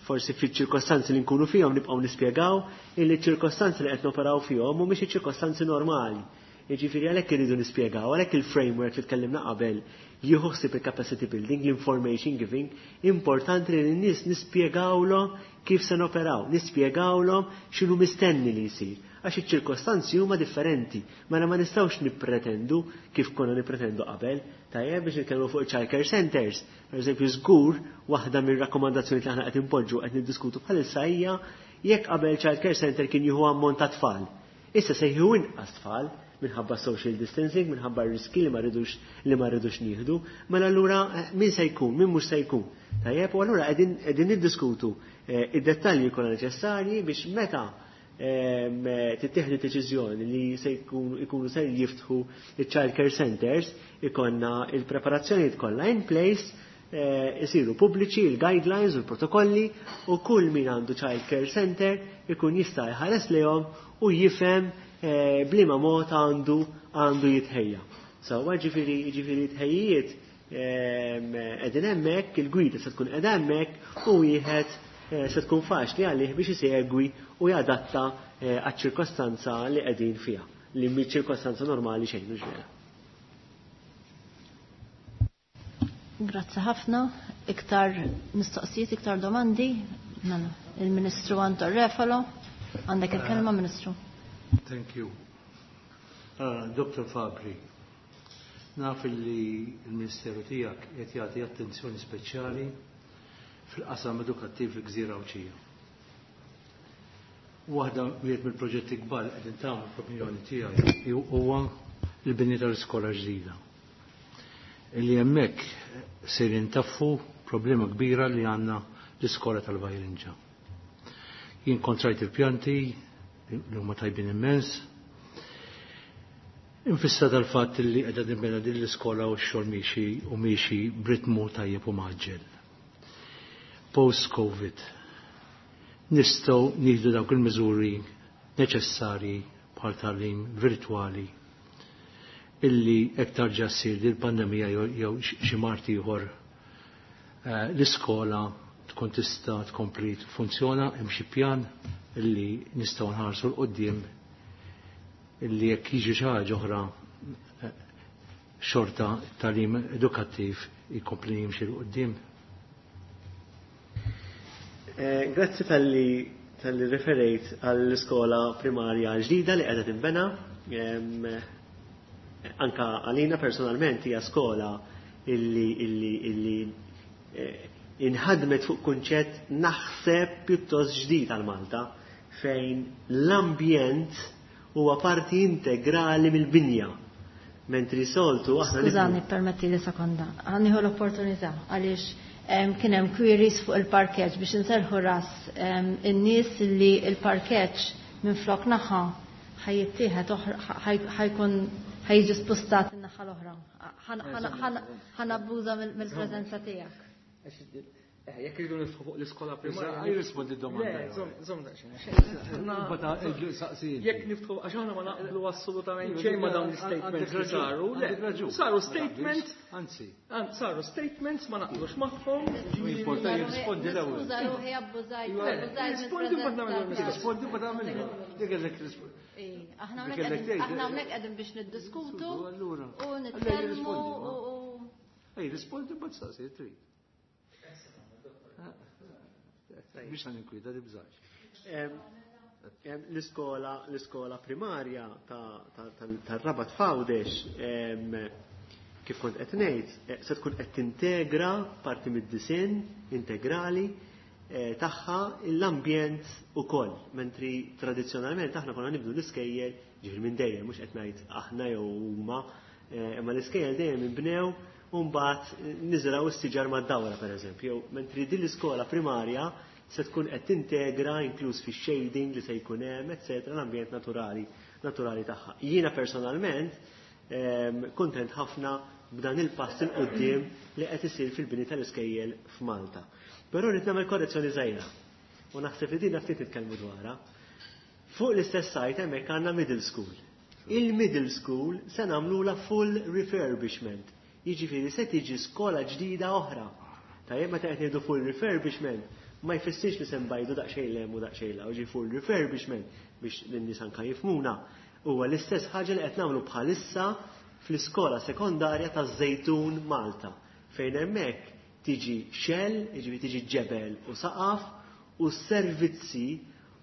forsi fiċ-ċirkostanzi li nkunu fihom nibqgħu nispjegaw illi ċ-ċirkostanzi li qed noperaw fihom mhumiex iċ-ċirkostanzi normali. Jiġifieri għalhekk irridu nispjegaw, għalhekk il-framework li tkellimna qabel jieħu ħsieb il-capacity building, l-information giving, importanti li n-nies nispjegawlhom kif se noperaw, nispjegawlhom x'inhu mistenni li jsir. Għax iċ-ċirkostanzi huma differenti, mela ma nistgħux nippretendu kif konna nippretendu qabel, tajjeb biex nitkellmu fuq child care centers. Per eżempju, żgur waħda mir-rakkomandazzjoni li aħna qed inpoġġu qed niddiskutu bħalissa hija jekk qabel child care center kien jieħu ammont ta' tfal. Issa se jieħu inqas tfal minħabba social distancing, minħabba riski li ma rridux li ma rridux nieħdu, mela allura eh, min se jkun, min mhux se jkun. Tajjeb, u allura qegħdin niddiskutu eh, id-dettalji kollha neċessarji biex meta ehm, tittieħdu deċiżjoni li se jkunu se jiftħu il-child care centers ikonna il-preparazzjonijiet kollha in place eh, isiru pubbliċi il-guidelines u l-protokolli u kull min għandu child care center ikun jista' jħares lejhom u jifhem eh, bliema mod għandu għandu jitħejja. Sewwa ġifieri ġifieri tħejjiet qegħdin hemmhekk, il-gwida se tkun qiegħda hemmhekk u wieħed eh, se tkun faċli għalih biex isegwi u jadatta eh, għaċ-ċirkostanza li qegħdin fiha, li mhi ċirkostanza normali xejn mhux vera. Grazzi ħafna. Iktar mistoqsijiet, iktar domandi? Mela, il-Ministru Anton Refalo. Għandek il-kelma, Ministru. Thank you. Dr. Fabri, naf li l-Ministeru tiegħek qed jagħti attenzjoni speċjali fil-qasam edukattiv fil-Gżira Għawdxija. Waħda wieħed mill-proġetti kbar li qegħdin tagħmlu fl-opinjoni tiegħi huwa l-bini tal-iskola ġdida. Illi hemmhekk se jintaffu problema kbira li għandna l-iskola tal-Vajrinġa. Jien kontrajt il-pjanti li huma tajbin immens. Infissa tal-fatt li qiegħda tinbena din l-iskola u x-xogħol miexi u miexi b'ritmu tajjeb u mgħaġġel. Post-Covid nistgħu nieħdu dawk il-miżuri neċessarji bħal tagħlim virtwali illi hekk tarġa' ssir din il-pandemija jew xi mart ieħor eh, l-iskola tkun tista' tkompli tfunzjona hemm xi pjan illi nistgħu nħarsu 'l quddiem illi jekk jiġi xi ħaġa oħra eh, xorta tagħlim edukattiv jkompli jimxi 'l quddiem. Eh, grazzi talli talli referejt għall-iskola primarja ġdida li qiegħda tinbena. Anka għalina personalment hija skola illi illi illi eh, inħadmet fuq kunċett naħseb pjuttost ġdid għal Malta fejn l-ambjent huwa parti integrali mill-binja. Mentri soltu aħna Skużani, permetti li sekonda. Ħa nieħu l-opportunità għaliex kien hemm queries fuq il-parkeġġ biex inserħu ras in-nies li il-parkeġġ minn flok naħa ħa jittieħed ħa jkun ħa jiġi spostat in-naħa l-oħra. Ħa nabbuża mill-preżenza tiegħek. Jekk irridu niftħu fuq l-iskola primarja. Jirrispondi d-domanda. Le, żomm daqsxejn. Jekk niftħu, għax aħna ma naqblu assolutament xejn ma dawn l-statements li saru. Le, saru statements, Anzi, saru statements ma naqblux magħhom. Importanti jirrispondi l-ewwel. Skuża ruħi abbużajt, abbużajt Rispondi mbagħad nagħmel mill-preżenza. Rispondi ma tagħmel. Dik kellek rispondi. Aħna hawnhekk qegħdin biex niddiskutu Allura. u nitkellmu u Ej, rispondi mbagħad saqsi trid. Biex għan tibżax. L-iskola l-iskola primarja tar-Rabat f'Għawdex. Kif kont qed ngħid, se tkun qed tintegra parti mid-disinn integrali tagħha l-ambjent ukoll, mentri tradizzjonalment aħna konna nibnu l-iskejjel, ġifieri minn dejjem, mhux qed ngħid aħna jew huma, imma l-iskejjel dejjem inbnew u mbagħad niżraw is-siġar mad-dawra pereżempju, mentri din l-iskola primarja se tkun qed tintegra inkluż fix-shading li se jkun hemm, eċetera, l-ambjent naturali tagħha. Jiena personalment kuntent ħafna b'dan il-pass il quddiem li qed isir fil-bini tal-iskejjel f'Malta. Però rrid nagħmel korrezzjoni żgħira u naħseb li din ftit nitkellmu dwarha. Fuq l-istess site hemmhekk għandna middle school. Il-middle school se nagħmlula full refurbishment. Jiġifieri se tiġi skola ġdida oħra. Tajjeb, meta qed ngħidu full refurbishment, ma jfissirx li se nbajdu daqsxejn 'l hemm u daqsxejn 'l hawn, ġi full refurbishment biex lin-nies anke jifhmuna. Huwa l-istess ħaġa li qed nagħmlu bħalissa fl-iskola sekondarja taż-Żejtun Malta, fejn hemmhekk tiġi shell, jiġifieri tiġi ġebel u saqaf u s-servizzi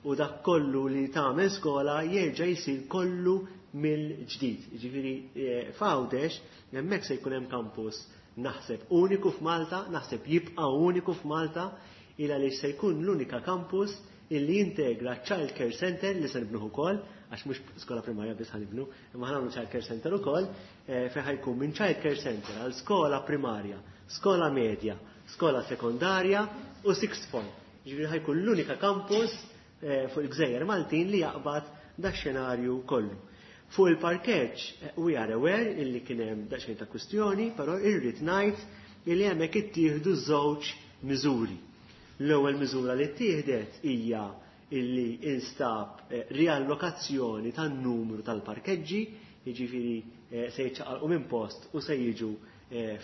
u dak kollu li tagħmel skola jerġa' jsir kollu mill-ġdid. Jiġifieri f'Għawdex hemmhekk se jkun hemm campus naħseb uniku f'Malta, naħseb jibqa' uniku f'Malta, il għaliex se jkun l-unika campus illi jintegra child care center li se nibnuh ukoll, għax mhux skola primarja biss ħa nibnu, imma ħa nagħmlu child care center ukoll, fejn ħa jkun minn child care center għal skola primarja, skola medja, skola sekondarja u sixth form. Ġifieri ħa jkun l-unika campus fuq il-Gżejjer Maltin li jaqbad da xenarju kollu. Fuq il-parkeġġ, we are aware illi kien hemm daqsxejn ta' kwistjoni, però irrid ngħid illi hemmhekk ittieħdu żewġ miżuri. L-ewwel miżura li ttieħdet hija illi instab riallokazzjoni tan-numru tal-parkeġġi, jiġifieri se jiċċaqalqu minn post u se jiġu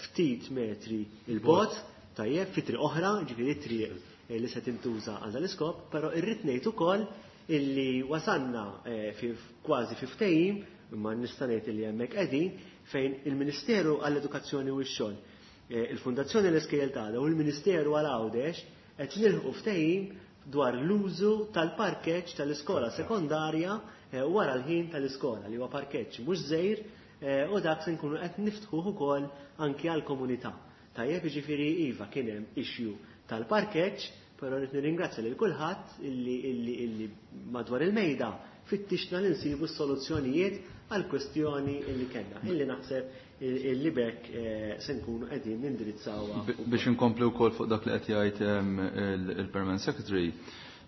ftit metri il-bogħod, tajjeb, fi triq oħra, jiġifieri triq li se tintuża għal dan l-iskop, però irrid ngħid ukoll illi wasalna kważi fi ftehim, imma nista' ngħid illi hemmhekk qegħdin, fejn il-Ministeru għall-Edukazzjoni u x-Xogħol, il-Fundazzjoni l-Iskejjel tagħna u l-Ministeru għal Għawdex qed nilħqu ftehim dwar l-użu tal-parkeġġ tal-iskola sekondarja wara l-ħin tal-iskola, li huwa parkeġġ mhux żgħir, u dak se nkunu qed niftħuh ukoll anki għall-komunità. Tajjeb, jiġifieri iva kien hemm issue tal-parkeġġ, però rrid nirringrazzja lil kulħadd illi madwar il-mejda fittixna li nsibu s-soluzzjonijiet għal kwestjoni illi kellna, illi naħseb illi bekk se nkunu qegħdin nindirizzawha. Biex inkompli wkoll fuq dak li qed jgħid il-Permanent Secretary,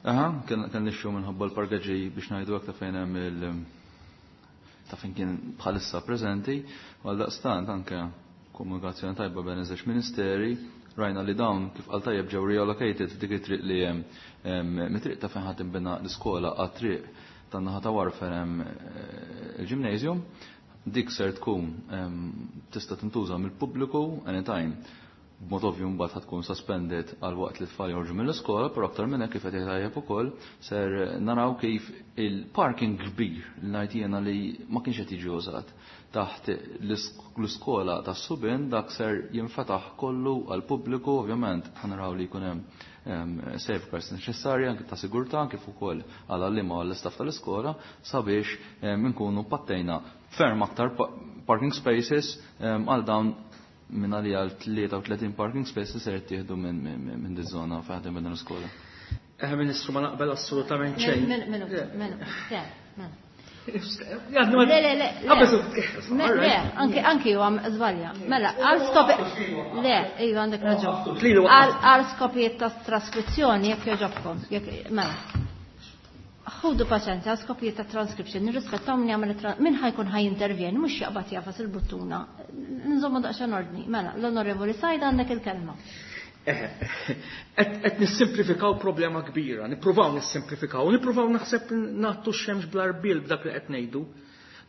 aha, kien issue minħabba l-parkeġġi biex ngħidu hekk ta' fejn hemm il- ta' fejn kien bħalissa preżenti, għal daqstant anke komunikazzjoni tajba bejn iż-żewġ ministeri, rajna li dawn kif qal tajjeb ġew reallocated f'dik it-triq li hemm mit-triq ta' fejn ħadd inbena l-iskola għat-triq tan-naħa ta' warfare hemm il-gymnasium, dik ser tkun tista' tintuża mill-pubbliku anytime. B'mod ovvju mbagħad ħad tkun suspended għal waqt li t-tfal joħorġu mill-iskola, però aktar minn hekk kif qed tajjeb ukoll ser naraw kif il-parking kbir li ngħid jiena li ma kienx qed jiġi użat taħt l-iskola tas-subien, dak ser jinfetaħ kollu għal pubbliku, ovvjament ħanaraw li jkun hemm safeguards neċessarji anke ta' sigurtà kif ukoll għal għalliema u għall-istaff tal-iskola sabiex inkunu pattejna ferm aktar parking spaces għal dawn minn għalija għal 33 parking spaces ser jittieħdu minn di żona fejn ħadem minn l-iskola. Ministru, ma naqbel assolutament xejn. Minuta, minuta, le, Le, Le, le, le. Le, anki ju għam żbalja. Mela, għal skopi. Le, iju għandek raġun. Għal skopijiet ta' traskrizzjoni, jekk jogħġobkom. Mela. Ħudu paċenzja, għal skopijiet ta' transcription, nirrispettaw min jagħmel min ħa jkun ħa jintervjeni, mhux jaqbad jagħfas il-buttuna. Nżommu daqsxejn ordni. Mela, l-Onorevoli Said għandek il-kelma. Qed nissimplifikaw problema kbira, nippruvaw nissimplifikaw, nippruvaw naħseb nagħtu x-xemx bl-arbil b'dak li qed ngħidu.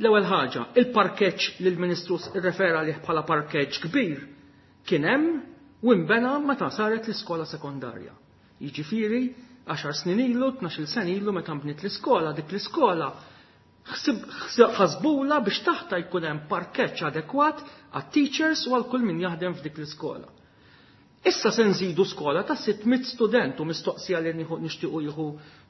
L-ewwel ħaġa, il-parkeġġ li l-Ministru rrefera lih bħala parkeġġ kbir kien hemm u nbena meta saret l-iskola sekondarja. Jiġifieri 10 snin ilu, 12 sena ilu meta nbniet l-iskola, dik l-iskola ħasbula biex taħta jkun hemm parkeġġ adekwat għat-teachers u għal kull min jaħdem f'dik l-iskola. Issa se nżidu skola ta' 600 student u mistoqsija li nixtiequ jieħu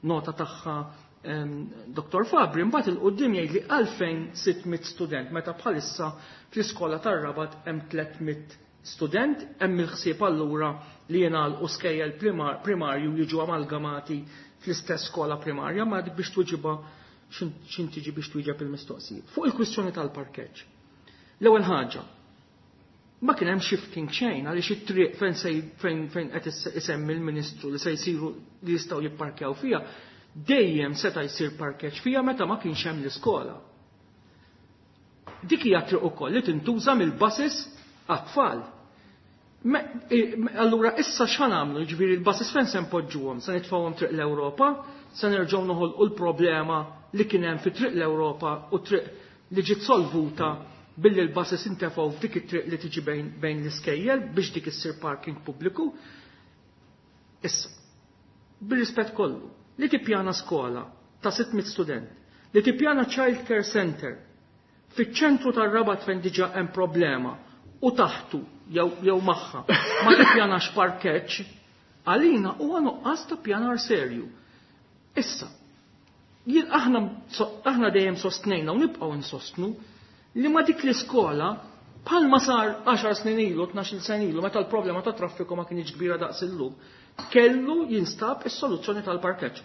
nota tagħha Dr. Fabri mbagħad il-qudiem jgħid li għalfejn 600 student meta bħalissa fl-iskola tar-Rabat hemm 300 student, hemm il-ħsieb allura li jingħalqu skejjel primarju jiġu amalgamati fl-istess skola primarja, ma dik biex tweġibha x'in tiġi biex twieġeb il-mistoqsijiet. Fuq il-kwistjoni tal-parkeġġ. L-ewwel ħaġa, ma kien hemm shifting xejn għaliex it-triq fejn fejn fejn qed isemmi l-Ministru li se jsiru li jistgħu jipparkjaw fiha, dejjem seta' jsir parkeġġ fiha meta ma kienx hemm l-iskola. Dik hija triq ukoll li tintuża mill-buses għat-tfal. Allura issa x'ħa nagħmlu? Jiġifieri l-buses fejn se npoġġuhom? Se nitfgħuhom triq l-Ewropa? Se nerġgħu noħolqu l-problema li kien hemm fi triq l-Ewropa u triq li ġiet solvuta billi l-buses intefgħu f'dik it-triq li tiġi bejn l-iskejjel biex dik issir parking pubbliku. Issa, bir-rispett kollu, li tippjana skola ta' 600 student, li tippjana child care center fiċ-ċentru tar-Rabat fejn diġà hemm problema u taħtu jew magħha ma tippjanax parkeġġ, għalina huwa nuqqas ta' pjanar serju. Issa, jien aħna dejjem sostnejna u nibqgħu nsostnu li ma dik l-iskola bħalma sar 10 snin ilu, 12 sena ilu, meta l-problema ta' traffiku ma kienx kbira daqs illum, kellu jinstab is-soluzzjoni tal-parkeġġ.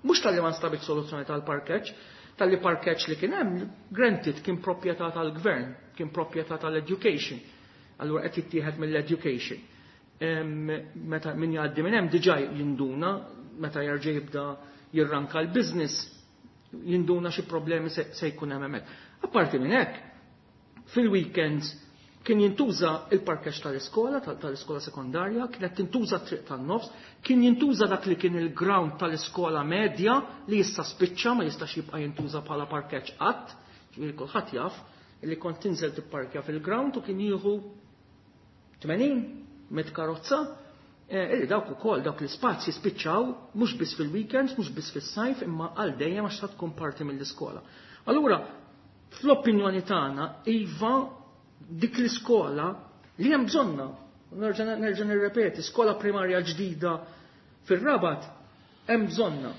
Mhux talli ma nstabit soluzzjoni tal-parkeġġ, talli parkeġġ li kien hemm, granted kien proprjetà tal-gvern, kien proprjetà tal-education. Allura qed jittieħed mill-education. Meta min jgħaddi minn hemm diġà jinduna, meta jerġa' jibda jirranka l-business, jinduna xi problemi se jkun hemm hemmhekk. Apparti minn hekk, fil-weekends kien jintuża il-parkeġġ tal-iskola, tal-iskola sekondarja, kienet tintuża triq tan-nofs, kien jintuża dak li kien il-ground tal-iskola medja li issa spiċċa ma jistax jibqa' jintuża bħala parkeġġ qatt, ġifieri kulħadd jaf li kont tinżel tipparkja fil-ground u kien jieħu 80 mit karozza, illi dawk ukoll dawk l-ispazji spiċċaw mhux biss fil-weekends, mhux biss fis-sajf, imma għal dejjem għax tkun parti mill-iskola. Allura, fl-opinjoni tagħna, iva dik l-iskola li hemm bżonna, nerġa' nirrepeti, skola primarja ġdida fir-Rabat hemm bżonna.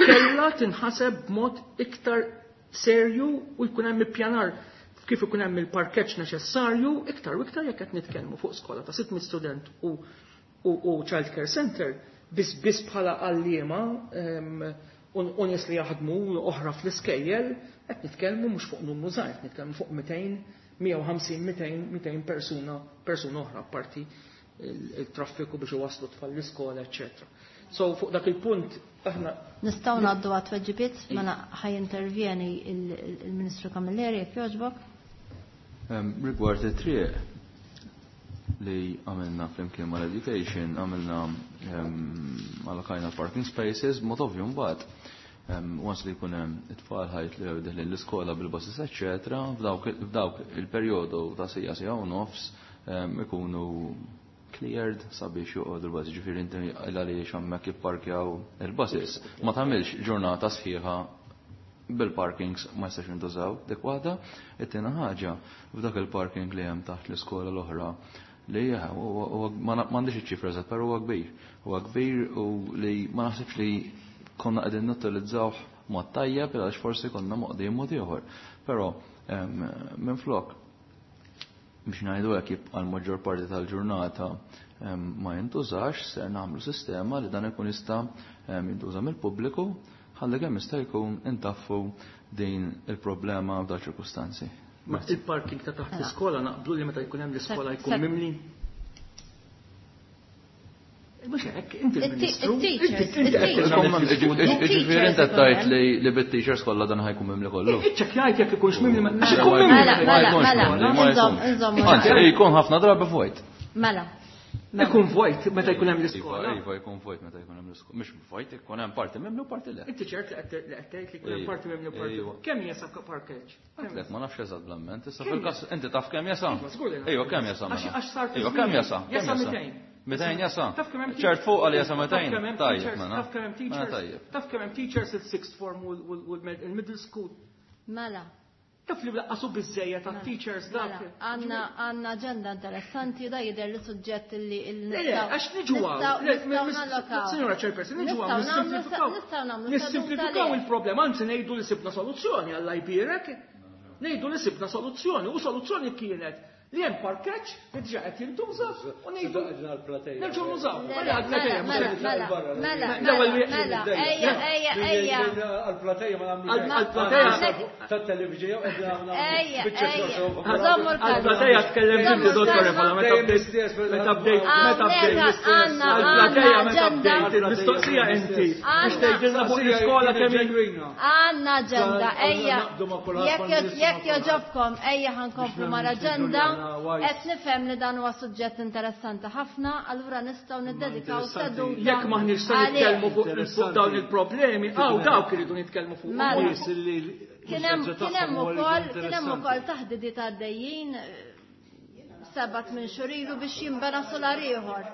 Kellha tinħaseb b'mod iktar serju u jkun hemm ippjanar kif ikun hemm il-parkeġġ neċessarju iktar u iktar jekk qed nitkellmu fuq skola ta' 600 student u child care center biss biss bħala għalliema u nies li jaħdmu oħra fl-iskejjel qed nitkellmu mhux fuq numru żgħir, qed nitkellmu fuq 200, 150, 200, 200 persuna oħra apparti il-traffiku biex iwasslu tfal l-iskola, eċċetera. So fuq dak il-punt aħna nistgħu ngħaddu għat-tweġibiet, mela ħaj intervjeni il-Ministru Camilleri jekk jogħġbok. Rigward it-triq li għamilna flimkien mal-education, għamilna allokajna parking spaces, mod ovvju mbagħad. Once li jkun hemm it-tfal ħajt li deħlin l-iskola bil-buses, eċċetera, f'dawk il-perjodu ta' sija sija u nofs ikunu cleared sabiex joqogħdu l-buses. Ġifieri inti għaliex hemmhekk jipparkjaw il-buses. Ma tagħmilx ġurnata sħiħa bil-parkings ma jistax jintużaw dik waħda. It-tieni ħaġa f'dak il-parking li hemm taħt l-iskola l-oħra li m'għandix iċ-ċifra eżatt, però huwa kbir. Huwa kbir u li ma naħsibx li konna qegħdin nutilizzawh mod tajjeb għaliex forsi konna moqdijin mod ieħor. Però minflok biex ngħidu hekk jibqa' l-maġġor parti tal-ġurnata ma jintużax, ser nagħmlu sistema li dan ikun jista' jintuża mill-pubbliku ħalli kemm jista' jkun intaffu din il-problema f'dal ċirkustanzi. Ma il-parking ta' taħt l-iskola naqblu li meta jkun hemm l-iskola jkun mimli? Mhux hekk, inti l-Ministru. Ġifieri inti qed tgħid li bit-teachers kollha dan ħajkun mimli kollu. Iċċekkjajt jekk ikunx mimli, ma għax ikun mimli. Mela, mela, mela, Anzi, jkun ħafna drabi vojt. Mela. Ikun vojt meta jkun hemm l-iskola. Iva, jkun vojt meta jkun hemm l-iskola. Mhux vojt, ikun hemm parti mimli u parti le. Inti ċert li qed tgħid li jkun hemm parti mimli u parti. Kemm jesa parkeġġ? Għedtlek, ma nafx eżatt bl-amment. Issa fil-każ inti taf kemm jesa? Iva, żgur li naf. Ejwa, kemm jesa mela? Għax sar Ejwa, kemm jesa? Jesa 200. 200 jesa? Taf kemm hemm ċert fuq għal jesa Taf 200. kemm hemm Tajjeb, teachers, mela. taf kemm hemm Mela teachers, tajjeb. Taf kemm hemm teachers il-sixth form u l-middle school. Mela. Taf li laqqasu biżejjed ta' teachers dak. Mela, Għanna għanna aġenda interessanti da jidher li suġġett li Le, għax niġu hawn. Signora Chairperson, niġu hawn, nissimplifikaw. Nistgħu nagħmlu Nissimplifikaw il-problema, anzi ngħidu li sibna soluzzjoni għalla jbierek. Ngħidu li sibna soluzzjoni, u soluzzjoni kienet li hemm parkeġġ li diġà qed jintuża u ngħidu nerġgħu nużaw. Mela, Mela, għal-plateja, mela, mhux mela, mela, L-ewwel mela, mela, ejja, ejja, ejja. Għal-plateja ma nagħmlu Għal-plateja. tat-television Ejja, ejja. Żommu l-kalma. Għal-plateja tkellem inti, Żommu dottor l-kalma. Evala, meta bdejt, meta bdejt, meta Hawnhekk bdejt. għandna Għal-plateja għandna meta aġenda. bdejt, il-mistoqsija inti. Biex Għandna- tgħidilna fuq l-iskola kemm hi- Għanna aġenda, ejja. Naqbdu ma' kulħadd, Jekk ma' ministru, jekk ma' kulħadd. joġobkom, ejja ħankomplu Biex mal-aġenda. nagħmlu wise. Qed nifhem li dan huwa suġġett interessanti ħafna, allura nistgħu niddedikaw Interessanti. seduta. Jekk maħniex se għalih. nitkellmu fuq fuq dawn il-problemi, għaw dawk iridu nitkellmu fuq. Mela. Nies li Kien hemm kien hemm ukoll kien hemm ukoll taħdidiet għaddejjin sebat minn xurilu biex jinbena solar ieħor.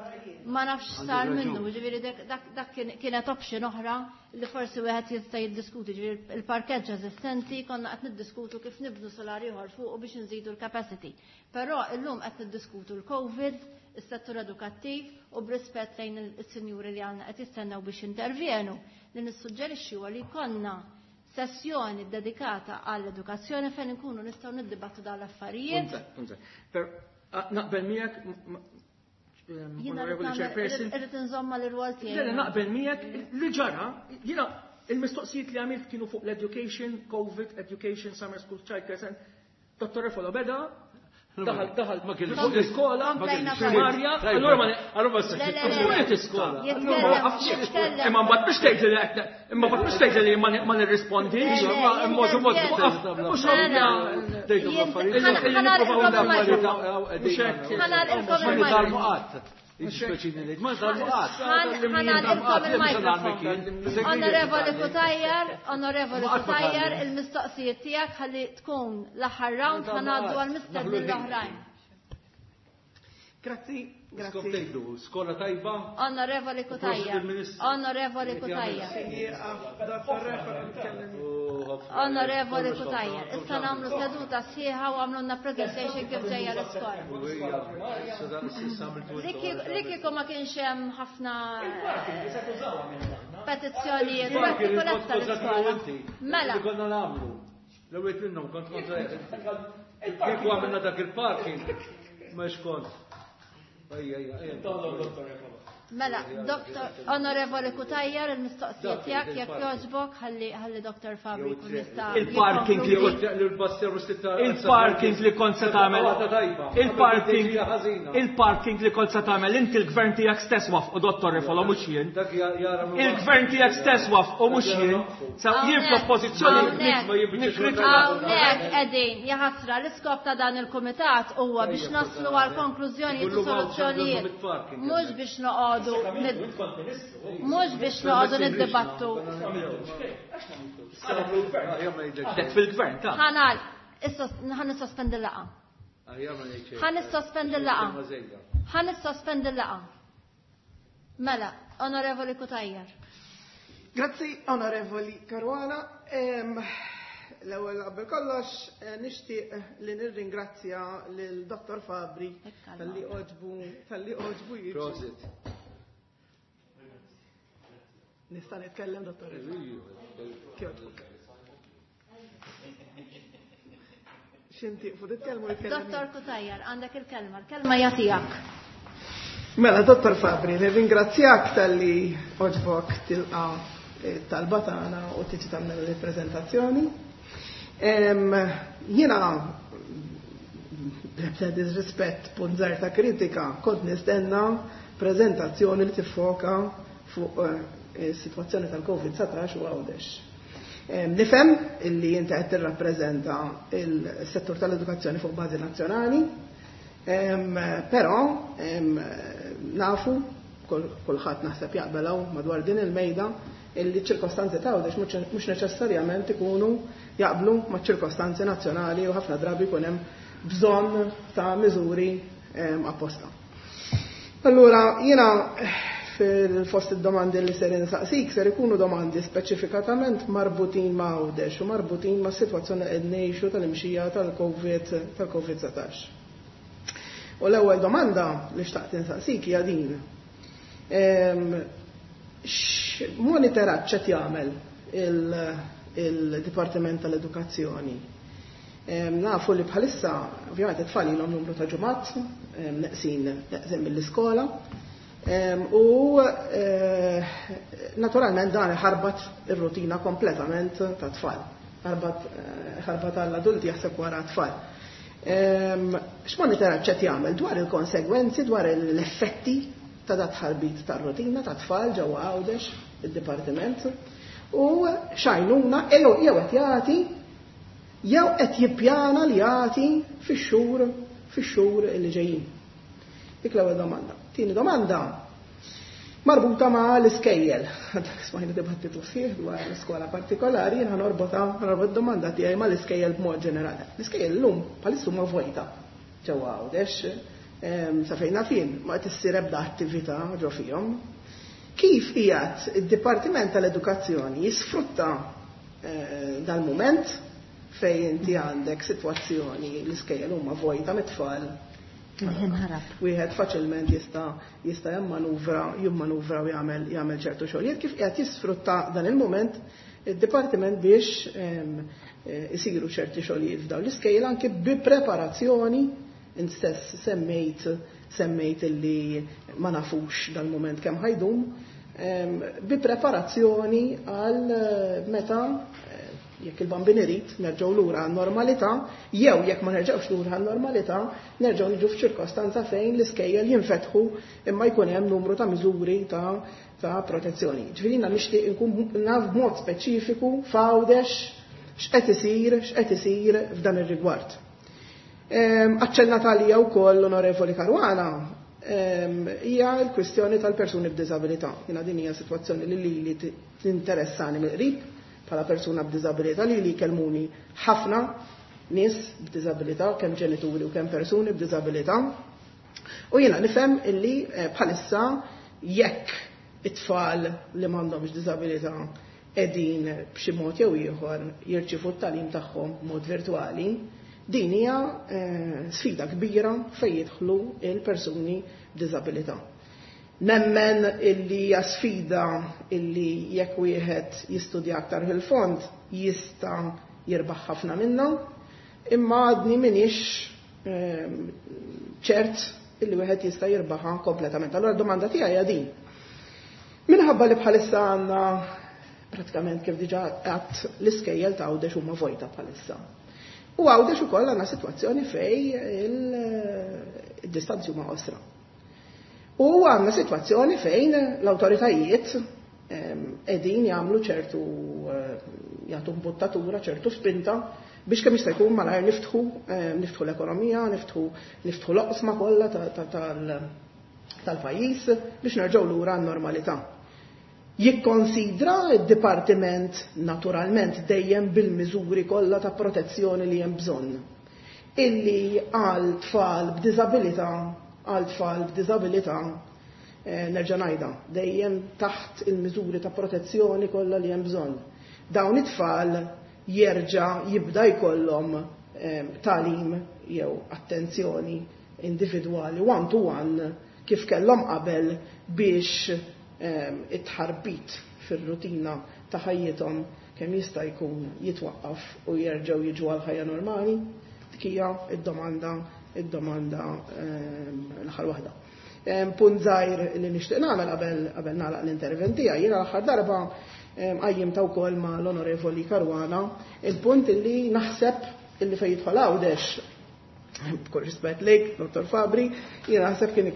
Ma nafx sar minnu, ġifieri dak dak kienet option oħra li forsi wieħed jista' jiddiskuti, ġifieri il-parkeġġ eżistenti konna qed niddiskutu kif nibnu solar ieħor fuq biex nżidu l-capacity. Però illum qed niddiskutu l-COVID, is-settur edukattiv u b'rispett lejn is-sinjuri li għandna qed jistennew biex intervjenu li nissuġġerixxi huwa li jkollna sessjoni dedikata għall-edukazzjoni fejn inkunu nistgħu niddibattu dawn l-affarijiet. Per, naqbel miegħek, Jiena Onorevoli Chairperson, irrid inżomma l-irwol Le, tiegħi. naqbel miegħek li ġara, jiena il-mistoqsijiet li għamilt kienu fuq l-education, COVID, education, summer school, childcare, center. Dottor Refolo beda, daħal daħal Ma kienx. fuq l-iskola, Ma kienx. primarja, allura ma Allura ma Le, le, le. Fuq iskola. Jitkellem, jitkellem. Imma mbagħad mhux tgħid li qed imma mbagħad mhux tgħid li ma nirrispondix. Le, le, Ma mod mod jintervjeni. mhux Mela. Tgħidu l-affarijiet. Ħanalqilkom il-mikrofon. Mhux hekk. Ħanalqilkom Ma nitalmu il-mikrofon. qatt. Jiġifieri ngħid, ma nitalmu qatt. Ħanalqilkom il-mikrofon. Onorevoli Cutajar, Onorevoli Ma qatt ma Cutajar, tgħallem. il-mistoqsijiet tiegħek ħalli tkun l-aħħar round ħanaddu għal-mistednin l-oħrajn. Grazzi, Skop grazzi. tgħidu, skola tajba. Onorevoli Cutajar, Onorevoli Cutajar. Dottor Refalo nitkellem. Onorevoli Cutajar, issa nagħmlu seduta sħiħa u għamlunna presentation kif ġejja l-iskola. Li kieku ma kienx hemm ħafna petizzjonijiet, u hekk kieku lesta l-iskola. Mela, Li konna nagħmlu. L-ewwel minnhom kont kontra. Kieku għamilna dak il-parking. Ma kont. Ejja, ejja, ejja. mela, Doktor Onorevoli Cutajar, il-mistoqsija tiegħek jekk jogħġbok ħalli ħalli Dr. Fabri jkun jista' Il-parking li jikkonkludi. Il-parking li kont se tagħmel. Il-parking il-parking li kont se tagħmel inti l-gvern tiegħek stess wafqu Dottor Refolo mhux jien. Dak jara Il-gvern tiegħek stess wafqu mhux jien. Sa jien fl-oppożizzjoni Hawnhekk. nikkritika. Hawnhekk qegħdin jaħasra l-iskop ta' dan il-kumitat huwa biex naslu għal konklużjonijiet u soluzzjonijiet. Mhux biex noqogħdu mhux biex noqogħdu niddibattu. Għadek fil-gvern ta' Ħanal, ħan nissospendi l-laqa. Ħan nissospendi l-laqa. Ħan nissospendi l-laqa. Mela, Onorevoli Cutajar. Grazzi, Onorevoli Caruana. L-ewwel qabel kollox nixtieq li nirringrazzja lil Dr. Fabri Ekk talli oġbu talli oġbu jiġi. Prosit. Nista' nitkellem Dr. Kjoġbuk. Xinti, fu titkellmu jitkellem. Dottor Cutajar, għandek il-kelma, il-kelma hija tiegħek. Mela, Dottor Fabri, nirringrazzjak talli oġbok tilqa talba tagħna u tiġi tagħmel il-preżentazzjoni. Jiena b'ebda disrispett punt żgħar ta' kritika kont nistenna preżentazzjoni li tiffoka fuq is-sitwazzjoni tal-COVID-19 u Għawdex. Nifhem illi inti qed tirrappreżenta il-settur tal-edukazzjoni fuq bażi nazzjonali, però nafu kulħadd naħseb jaqbel hawn madwar din il-mejda illi ċirkostanzi ta' Għawdex mhux neċessarjament ikunu jaqblu ma' ċirkostanzi nazzjonali u ħafna drabi jkun hemm bżonn ta' miżuri apposta. Allura jiena fil-fost id-domandi li ser insaqsik ser ikunu domandi speċifikatament marbutin ma' Għawdex u marbutin ma' sitwazzjoni qed ngħixu tal-imxija tal-Covid tal-Covid-19. U l-ewwel domanda li xtaqt insaqsik hija din. X'monitoraġġ qed jagħmel il-Dipartiment tal-Edukazzjoni? Nafu li bħalissa, ovvjament it-tfal ilhom numru ta' ġimgħat neqsin neqsin mill-iskola. U naturalment dan ħarbat ir-rutina kompletament ta' tfal. Ħarbat ħarbat għall-adulti, jaħseb wara tfal. X'monitoraġġ qed jagħmel dwar il-konsegwenzi, dwar l-effetti ta' dat ħarbit tar-rutina ta' tfal ġewwa Għawdex id-dipartiment u x'għajnuna jew qed jagħti jew qed jippjana li jagħti fix-xhur li ġejjin? Dik l-ewwel domanda. Tieni domanda marbuta ma' l-iskejjel. Dak smajna dibattitu sħiħ dwar l-iskola partikolari, jien ħanorbot domanda tiegħi ma' l-iskejjel b'mod ġenerali. L-iskejjel llum bħalissa huma vojta ġewwa Għawdex, sa fejn fin ma qed issir ebda attività ġo fihom. Kif qiegħed id-Dipartiment tal-Edukazzjoni jisfrutta dal-mument fejn inti għandek sitwazzjoni l-iskejjel huma vojta mit-tfal? Il-ħin ħarab. Wieħed faċilment jista' jimmanuvra u jagħmel ċertu xogħlijiet. Kif qiegħed jisfrutta dan il-mument id-dipartiment biex isiru ċerti xogħlijiet f'dawn l-iskejjel anke bi preparazzjoni? Int stess semmejt illi ma nafux dal-mument kemm ħajdum, bi preparazzjoni għal meta, jekk il-Bambin irid, nerġgħu lura għan-normalità, jew jekk ma nerġgħux lura għan-normalità, nerġgħu niġu f'ċirkostanza fejn l-iskejjel jinfetħu imma jkun hemm numru ta' miżuri ta' protezzjoni. Ġifieri jiena nixtieq inkun naf b'mod speċifiku f'Għawdex x'qed isir f'dan ir-rigward. Aċċennat għalija wkoll l-Onorevoli Caruana hija l-kwistjoni tal-persuni b'diżabilità. Jiena din hija sitwazzjoni li tinteressani mill-qrib bħala persuna b'diżabilità, li kelmuni ħafna nies b'diżabilità, kemm ġenituri u kemm persuni b'diżabilità. U jiena nifhem illi bħalissa jekk it-tfal li m'għandhomx diżabilità qegħdin b'xi mod jew ieħor jirċievu t-tagħlim tagħhom b'mod virtwali, din hija sfida kbira fejn jidħlu il-persuni b'diżabilità. Nemmen illi hija sfida illi jekk wieħed jistudja aktar fil-fond jista' jirbaħ ħafna minnha, imma għadni m'iniex ċert illi wieħed jista' jirbaħha kompletament. Allura d-domanda tiegħi hija din. Minħabba li bħalissa għandna pratikament, kif diġà għedt, l-iskejjel ta' Għawdex huma vojta bħalissa. U Għawdex ukoll għandna sitwazzjoni fejn il-distanzi huma qosra. U għandna sitwazzjoni fejn l-awtoritajiet qegħdin jagħmlu ċertu jagħtu mbuttatura, ċertu spinta biex kemm jista' jkun malajr niftħu l-ekonomija, niftħu l-oqsma kollha tal-pajjiż biex nerġgħu lura għan-normalità. Jikkonsidra id-dipartiment, naturalment dejjem bil-miżuri kollha ta' protezzjoni li hemm bżonn, illi għal tfal b'diżabilità, nerġa' ngħidha, dejjem taħt il-miżuri ta' protezzjoni kollha li hemm bżonn, dawn it-tfal jerġa' jibda jkollhom tagħlim jew attenzjoni individwali one to one kif kellhom qabel biex it-tħarbit fir-rutina ta' ħajjithom kemm jista' jkun jitwaqqaf u jerġgħu jiġu għal ħajja normali? Dik hija id-domanda l-aħħar waħda. Punt żgħir li nixtieq nagħmel qabel nagħlaq l-intervent tiegħi: jiena l-aħħar darba qajjimt ukoll ma' l-Onorevoli Caruana il-punt illi naħseb illi fejn jidħol Għawdex, b'kull rispett lejk, Dr. Fabri, jiena naħseb kien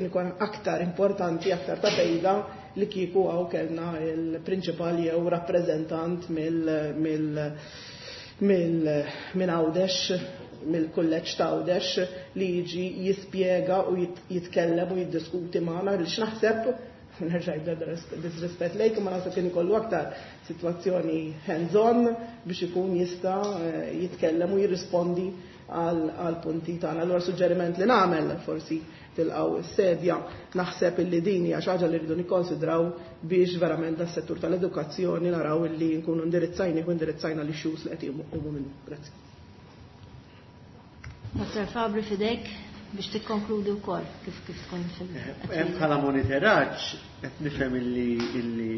ikun aktar importanti, aktar ta' fejda li kieku hawn kellna il-prinċipal jew rappreżentant minn Għawdex, mill-kulleġġ ta' Għawdex, li jiġi jispjega u jitkellem u jiddiskuti magħna, li naħseb Nerġa' disrispett lejk, ma naħseb kien ikollu aktar sitwazzjoni hands-on biex ikun jista' jitkellem u jirrispondi għal punti tagħna. Allura suġġeriment li nagħmel forsi tilqgħu s-sedja naħseb illi din hija xi ħaġa li rridu nikkonsidraw biex verament das-settur tal-edukazzjoni naraw illi nkunu indirizzajni u indirizzajna l-issues li qed jqumu minnu. Grazzi. Dr. Fabri fidejk biex tikkonkludi wkoll kif kif tkun fil Hemm bħala monitoraġġ qed nifhem illi illi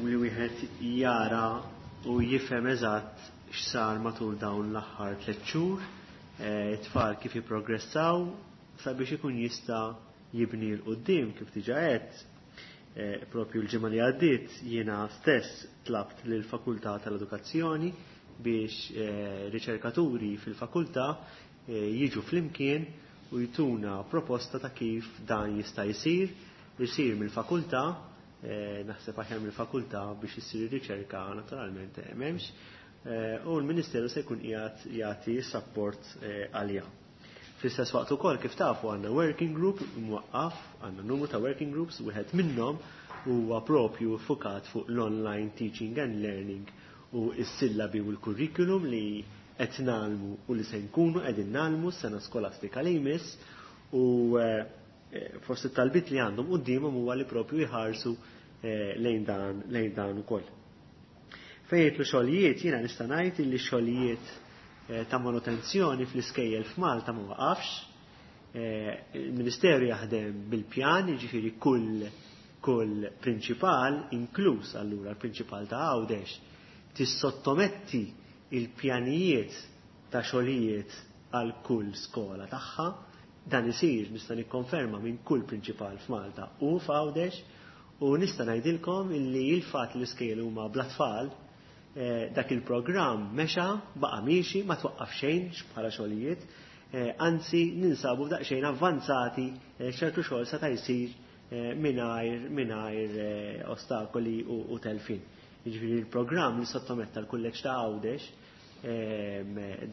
li wieħed jara u jifhem eżatt x'sar matul dawn l-aħħar 3 xhur, it-tfal kif jipprogressaw sabiex ikun jista' jibni 'l quddiem kif diġà għedt. Propju l-ġimgħa li għaddiet jiena stess tlabt lill-Fakultà tal-Edukazzjoni biex riċerkaturi fil-fakultà jiġu flimkien u jtuna proposta ta' kif dan jista' jsir, isir mill-fakultà, naħseb aħjar mill-fakultà biex issir ir-riċerka naturalment m'hemmx, u l-Ministeru se jkun qiegħed jagħti support għaliha. Fl-istess waqt ukoll kif tafu għandna working group mwaqqaf, għandna numru ta' working groups, wieħed minnhom huwa propju fukat fuq l-online teaching and learning u s-sillabi u l-curriculum li qed nagħmlu u li se nkunu qegħdin nagħmlu s-sena skolastika li jmiss u forsi t-talbiet li għandhom quddiemhom huwa li propju jħarsu lejn dan lejn dan ukoll. Fejn jidħlu xogħlijiet jiena nista' ngħid illi xogħlijiet ta' manutenzjoni fl-iskejjel f'Malta ma waqafx. Il-Ministeru jaħdem bil-pjan, jiġifieri kull kull prinċipal, inkluż allura l-prinċipal ta' Għawdex, tissottometti il-pjanijiet ta' xogħlijiet għal kull skola tagħha. Dan isir nista' nikkonferma minn kull prinċipal f'Malta u f'Għawdex u nista' ngħidilkom illi il-fatt li l-iskejjel huma bla tfal, dak il-programm mexa, baqa' miexi, ma twaqqaf xejn bħala xogħlijiet, anzi ninsabu daqsxejn avvanzati ċertu xogħol seta' jsir mingħajr ostakoli u telfin. Jiġifieri il-programm li sottometta l-kulleġġ ta' Għawdex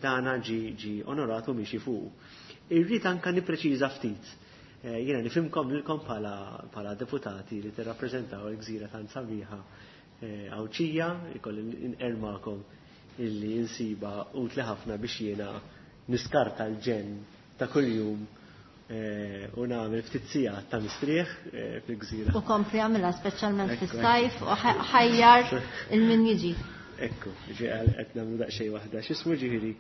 dana ġi onorat u miexi fuq. Irrid anka nippreċiża ftit. Jiena nifhimkom lilkom bħala deputati li tirrappreżentaw il-gżira tant sabiħa Għawdxija, ikolli nqermakom illi insiba utli ħafna biex jiena niskarta l-ġenn ta' kuljum u nagħmel ftit sigħat ta' mistrieħ fil-gżira. U kompli għamilha speċjalment fis-sajf u ħajjar il-min jiġi. Ekku, ġi qed nagħmlu daqsxejn waħda. X'ismu ġifieri.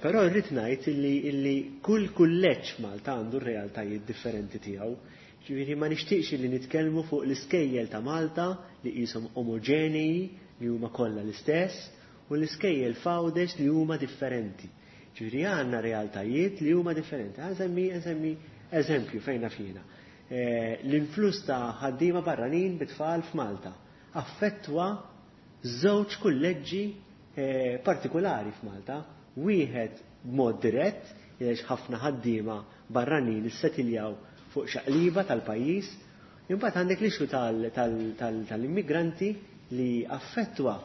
Però rrid ngħid illi kull kulleġġ Malta għandu r-realtajiet differenti tiegħu. Ġifieri ma nixtieqx li nitkellmu fuq l-iskejjel ta' Malta li qishom omoġenei li huma kollha l-istess u l-iskejjel f'Għawdex li huma differenti. Ġifieri għandna realtajiet li huma differenti. Ħa nsemmi eżempju fejn naf jiena. L-influss ta' ħaddiema barranin bit-tfal f'Malta affettwa żewġ kulleġġi partikolari f'Malta, wieħed b'mod dirett, għaliex ħafna ħaddiema barranin issetiljaw fuq xaqliba tal-pajjiż, imbagħad għandek l-issue tal-immigranti li affettwa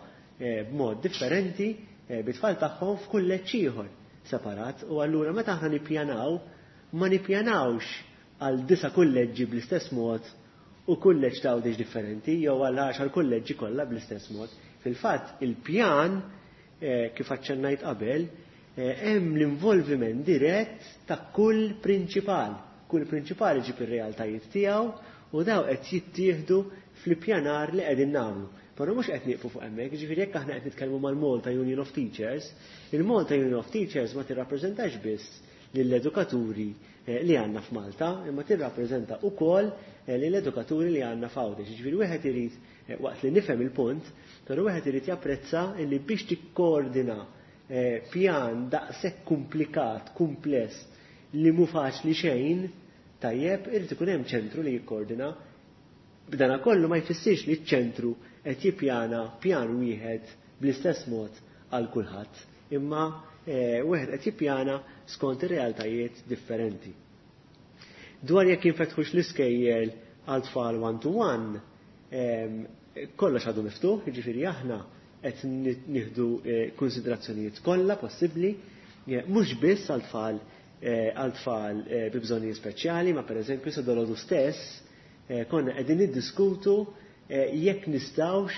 b'mod differenti bit-tfal tagħhom f'kulleġġ ieħor separat u allura meta aħna nippjanaw ma nippjanawx għal 9 kulleġġi bl-istess mod u kulleġġ ta' Għawdex differenti jew għal 10 kulleġġi kollha bl-istess mod. Fil-fatt il-pjan kif aċċennajt qabel hemm l-involviment dirett ta' kull prinċipal. Kull prinċipal iġib ir-realtajiet tiegħu u daw qed jittieħdu fl-ippjanar li qegħdin nagħmlu. Però mhux qed nieqfu fuq hemmhekk, jiġifieri jekk aħna qed nitkellmu mal-Malta Union of Teachers, il-Malta Union of Teachers ma tirrappreżentax biss lill-edukaturi li għandna f'Malta, imma tirrappreżenta wkoll lill-edukaturi li għandna f'Għawdex. Jiġifieri wieħed irid waqt li nifhem il-punt, però wieħed irid japprezza li biex tikkoordina pjan daqshekk komplikat, kumpless, li mhu faċli xejn, tajjeb, irid ikun hemm ċentru li jikkoordina. B'dana kollu ma jfissirx li ċ-ċentru qed jippjana pjan wieħed bl-istess mod għal kulħadd, imma wieħed qed jippjana skont ir-realtajiet differenti. Dwar jekk jinfetħux l-iskejjel għal tfal one to one, kollox għadu miftuħ, jiġifieri aħna qed nieħdu konsiderazzjonijiet kollha possibbli, mhux biss għal tfal bi bżonnijiet speċjali, ma pereżempju sa dolodu stess Konna qegħdin niddiskutu jekk nistgħux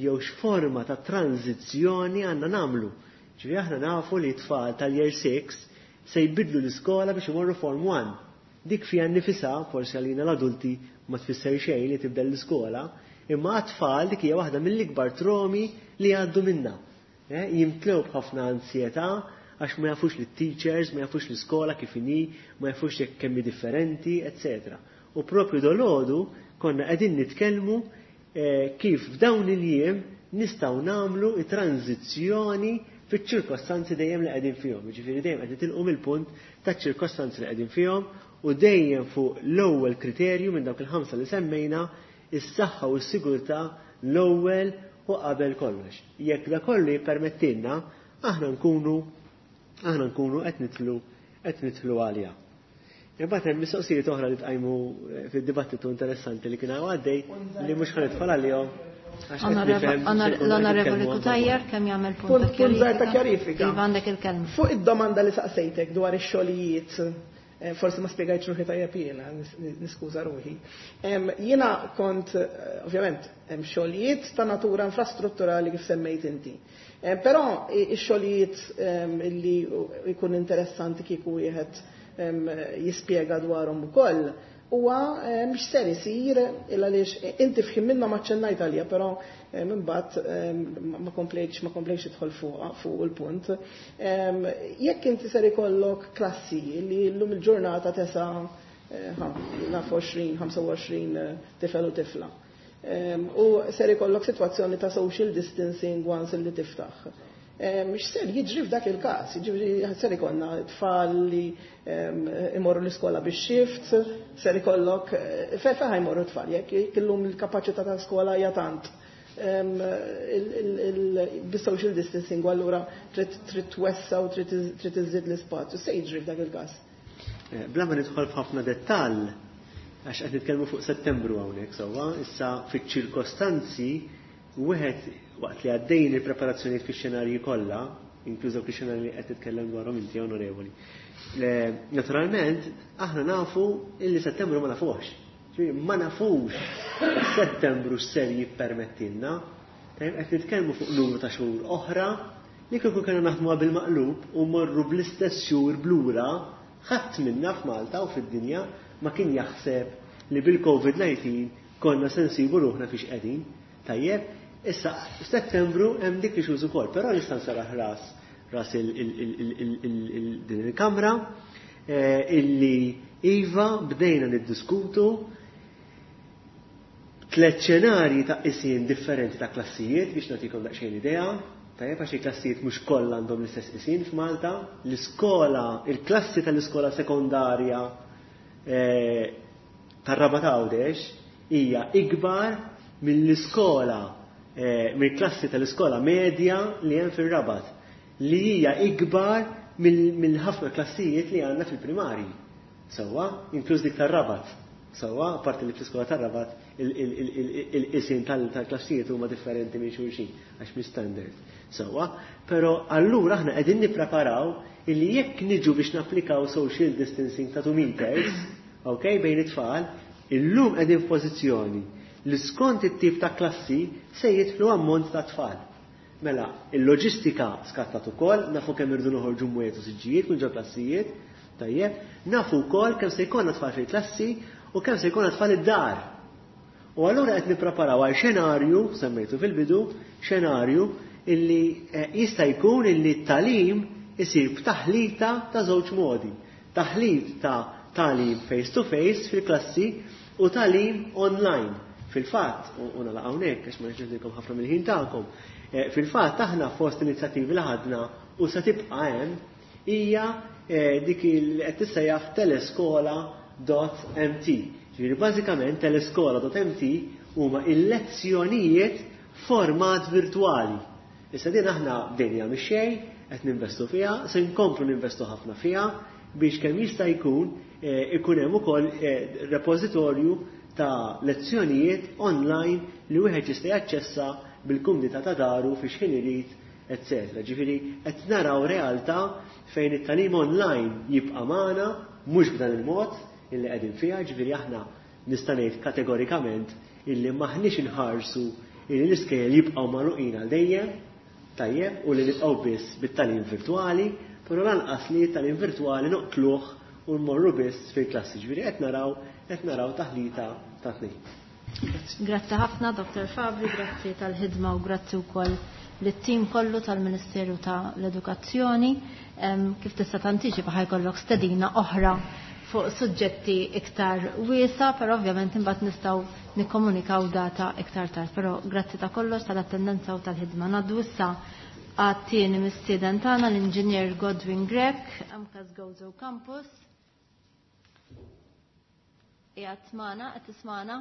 jew x'forma ta' tranzizzjoni għandna nagħmlu. Ġifieri aħna nafu li tfal tal-year 6 se jbidlu l-iskola biex imorru form 1. Dik fiha nnifisha, forsi għalina l-adulti ma tfisser xejn li tibdel l-iskola, imma għat-tfal dik hija waħda mill-ikbar tromi li jgħaddu minnha. Jimtlew b'ħafna ansjetà għax ma jafux lit-teachers, ma jafux l-iskola kif inhi, ma jafux jekk kemm hi differenti, etc. U propju dolodu konna qegħdin nitkellmu kif f'dawn il-jiem nistgħu nagħmlu it-tranzizzjoni fiċ-ċirkostanzi dejjem li qegħdin fihom. Jiġifieri dejjem qed nitilqu mill-punt taċ-ċirkostanzi li qegħdin fihom u dejjem fuq l-ewwel kriterju minn dawk il-ħamsa li semmejna, is-saħħa u s-sigurtà l-ewwel u qabel kollox. Jekk da kollu jippermettilna, aħna nkunu qed nidħlu għalija. Imbagħad hemm mistoqsijiet oħra li tqajmu fid-dibattitu interessanti li kien għaddej li mhux ħa nidħol għalihom. L-Onorevoli Cutajar kemm jagħmel punt Punt żgħir ta' kjarifika. Iva, għandek il-kelma. Fuq id-domanda li saqsejtek dwar ix-xogħlijiet, forsi ma spjegajtx ruħi tajjeb jiena, niskuża ruħi. Jiena kont, ovvjament, hemm xogħlijiet ta' natura infrastrutturali kif semmejt inti. Però ix-xogħlijiet li jkun interessanti kieku wieħed jispjega dwarhom ukoll huwa mhux ser isir illa għaliex inti f'ħin minnhom aċċennajt għalija, però imbagħad ma komplejtx idħol fuq il-punt. Jekk inti ser ikollok klassi li llum il-ġurnata tesa' naf 20, 25 tifel u tifla. U ser ikollok sitwazzjoni ta' social distancing once li tiftaħ. Mhux ser jiġri f'dak il-każ, jiġri ser ikollna tfal li imorru l-iskola bix shift, ser ikollok fe ħa jmorru tfal, jekk illum il-kapaċità ta' skola hija tant. Bis-social distancing allura trid twessa u trid iżid l-ispazju, se jiġri f'dak il-każ. Bla ma nidħol f'ħafna dettall, għax qed nitkellmu fuq Settembru hawnhekk sewwa, issa fiċ-ċirkostanzi wieħed waqt li għaddejn il-preparazzjonijiet fix-xenarji kollha, inkluż dawk ix-xenarji li qed titkellem dwarhom inti, onorevoli. Naturalment, aħna nafu illi Settembru ma nafuhx. Ġifieri ma nafux Settembru x'ser jippermettilna. Tajjeb, qed nitkellmu fuq numru ta' xhur oħra li kieku kellna naħdmuha bil-maqlub u morru bl-istess xhur blura, ħadd minna f'Malta u fid-dinja ma kien jaħseb li bil-COVID-19 konna se nsibu ruħna fiex qegħdin. Tajjeb, issa Settembru hemm dik li xhur ukoll, però nista' nsaraħ ras din il-kamra illi iva bdejna niddiskutu tliet xenarji ta' qisien differenti ta' klassijiet biex nagħtikom daqsxejn idea. Tajjeb, għax il-klassijiet mhux kollha għandhom l-istess qisien f'Malta. L-iskola, il-klassi tal-iskola sekondarja tar-Rabat Għawdex hija ikbar mill-iskola mill-klassi tal-iskola medja li hemm fir-Rabat, li hija ikbar mill-ħafna klassijiet li għandna fil-primarji. Sewwa, inkluż dik tar-Rabat. Sewwa, apparti li fl-iskola tar-Rabat il-qisien tal-klassijiet huma differenti minn xulxin għax mhix standard. Sewwa, però allura aħna qegħdin nippreparaw illi jekk niġu biex napplikaw social distancing ta' 2 meters, ok, bejn it-tfal, illum qegħdin f'pożizzjoni li skont it-tip ta' klassi se jidħlu ammont ta' tfal. Mela, il-loġistika skattat ukoll, nafu kemm irdu noħorġu mwiet u siġġijiet minn ġo klassijiet, tajjeb, nafu wkoll kemm se jkollna tfal fil-klassi u kemm se jkollna tfal id-dar. U allura qed nippreparaw għal xenarju, semmejtu fil-bidu, xenarju illi jista' jkun illi t-tagħlim isir b'taħlita ta' żewġ modi. Taħlit ta' tagħlim face to face fil-klassi u tagħlim online. Fil-fatt, u nagħlaq hawnhekk għax ma nixtieqilkom ħafna mill-ħin tagħkom, fil-fatt aħna fost inizjattivi li ħadna u se tibqa' hemm hija dik li qed tissejjaħ teleskola.mt. Ġifieri bażikament teleskola.mt huma il-lezzjonijiet format virtuali. Issa din aħna bdejna mix-xejn, qed ninvestu fiha, se nkomplu ninvestu ħafna fiha biex kemm jista' jkun ikun hemm ukoll repożitorju ta' lezzjonijiet online li wieħed jista' jaċċessa bil-kumdità ta' daru fi xħin irid, etc. Ġifieri qed naraw realtà fejn it-tagħlim online jibqa' magħna mhux b'dan il-mod illi qegħdin fiha, ġifieri aħna nista' ngħid kategorikament illi m'aħniex inħarsu illi l-iskejjel jibqgħu magħluqin għal dejjem, tajjeb, u li nibqgħu biss bit-tagħlim virtwali, però lanqas li t-tagħlim virtwali noqtluh u nmorru biss fil-klassi. Ġifieri qed naraw qed naraw taħlita ta' tnejn. Grazzi ħafna, Dr. Fabri, grazzi tal-ħidma u grazzi wkoll lit-tim kollu tal-Ministeru ta' l-Edukazzjoni. Kif tista' tantiċipa ħa jkollok stedina oħra fuq suġġetti iktar wiesa, però ovvjament imbagħad nistgħu nikkomunikaw data iktar tard. Però grazzi ta' kollox tal-attendenza u tal-ħidma. Ngħaddu issa għat-tieni mistieden tagħna l-Inġinier Godwin Grech, MCAST Gozo Campus. Qiegħed magħna, qed tismagħna?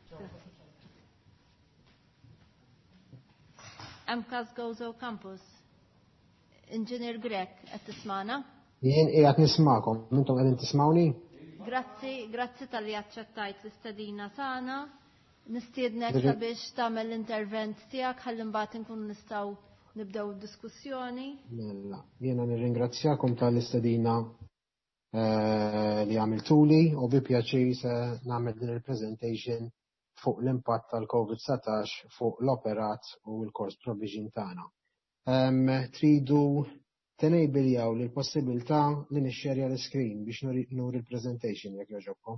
Grazzi. MCAST Gozo Campus. Inġinier Grech, qed tismagħna? Jien qiegħed nismakom, intom qegħdin tismawni? Grazzi, grazzi talli aċċettajt l-istedina tagħna. Nistiednek sabiex tagħmel l-intervent tiegħek ħalli mbagħad inkunu nistgħu nibdew id-diskussjoni. Mela, jiena nirringrazzjakom tal-istedina li għamiltuli u bi pjaċir se nagħmel din il-presentation fuq l-impatt tal-COVID-19 fuq l-operat u l-course provision tagħna. Tridu tenejbiljaw li l-possibilità li nixxerja l-screen biex nuri l-presentation jekk jogħġobkom.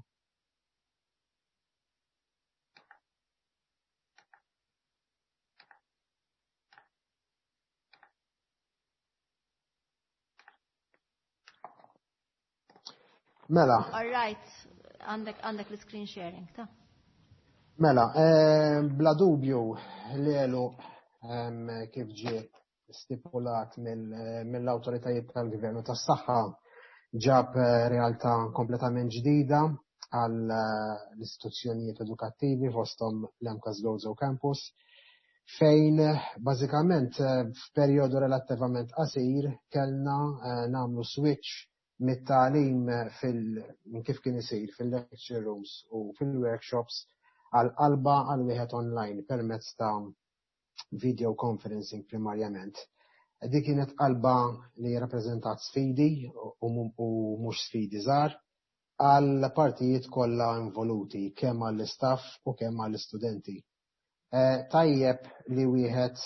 Mela. All right, għandek l-screen sharing, ta' Mela, bla dubju li għelu kif ġie stipulat mill-autoritajiet tal-gvernu tas-saħħa ġab realtà kompletament ġdida għal l-istituzzjonijiet edukattivi fosthom l-MCAST Gozo Campus, fejn bażikament f'perjodu relattivament qasir kellna nagħmlu switch mit-tagħlim fil minn kif kien isir fil-lecture rooms u fil-workshops għal qalba għal wieħed online permezz ta' video conferencing primarjament. Dik kienet qalba li rappreżentat sfidi u mhux sfidi żgħar għal partijiet kollha involuti, kemm għall-istaff u kemm għall-istudenti. Tajjeb li wieħed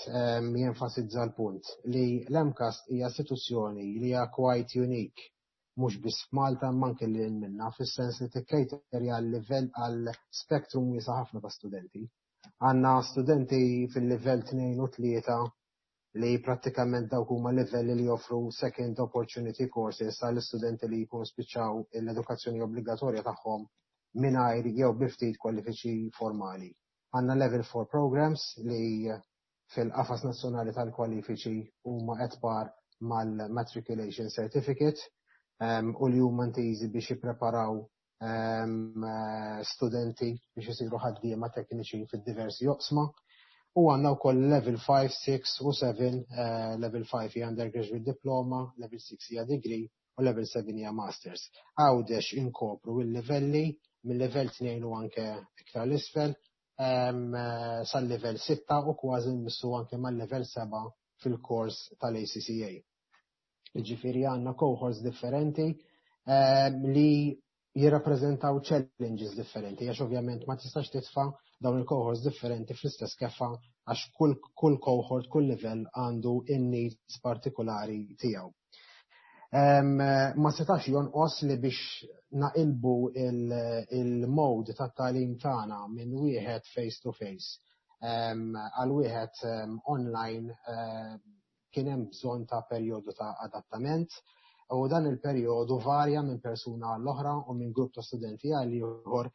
jenfasizza l-punt li l-MCAST hija istituzzjoni li hija quite unique, mhux biss f'Malta imma anke lil hinn minnha, fis-sens li tikkejterja għal livell għal spektrum wiesa' ħafna ta' studenti. Għandna studenti fil-livell 2 u 3 li prattikament dawk huma livelli li joffru second opportunity courses għall istudenti li jkunu spiċċaw l-edukazzjoni obbligatorja tagħhom mingħajr jew bi ftit kwalifiċi formali. Għandna level 4 programs li fil-qafas nazzjonali tal-kwalifiċi huma at par mal-matriculation certificate u li huma intiżi biex jippreparaw studenti biex isiru ħaddiema tekniċi fid-diversi oqsma. U għandna wkoll level 5, 6 u 7, level 5 hija undergraduate diploma, level 6 hija degree u level 7 hija masters. Għawdex inkopru il-livelli mill-level 2 u anke iktar l-isfel sal-level 6 u kważi nmissu anke mal-level 7 fil-kors tal-ACCA. Ġifieri għandna cohorts differenti li jirrappreżentaw challenges differenti, għax ovvjament ma tistax titfa' dawn il-cohorts differenti fl-istess keffa għax kull cohort, kull livell għandu in-needs partikolari tiegħu. Ma setax jonqos li biex naqilbu il-mode tat-tagħlim tagħna minn wieħed face to face għal wieħed online kien hemm bżonn ta' perjodu ta' adattament u dan il-perjodu varja minn persuna għall-oħra u minn grupp ta' studenti għal ieħor,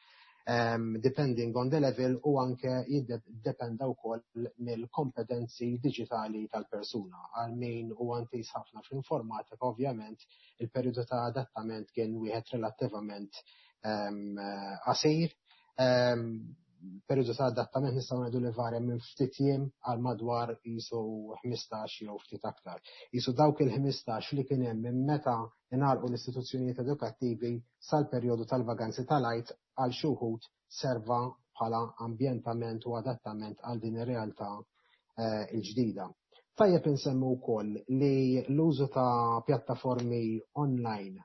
depending on the level, u anke jiddependa wkoll mill-kompetenzi diġitali tal-persuna. Għal min huwa intiż ħafna fl-informatika, ovvjament il-perjodu ta' adattament kien wieħed relattivament qasir. Perjodu ta' adattament nistgħu ngħidu li varja minn ftit jiem għal madwar qisu 15 jew ftit aktar. Qisu dawk il-15 li kien hemm minn meta ingħalqu l-istituzzjonijiet edukattivi sal-perjodu tal-vaganzi tal-Għid għal xi wħud serva bħala ambjentament u adattament għal din ir-realtà il-ġdida. Tajjeb insemmu wkoll li l-użu ta' pjattaformi online.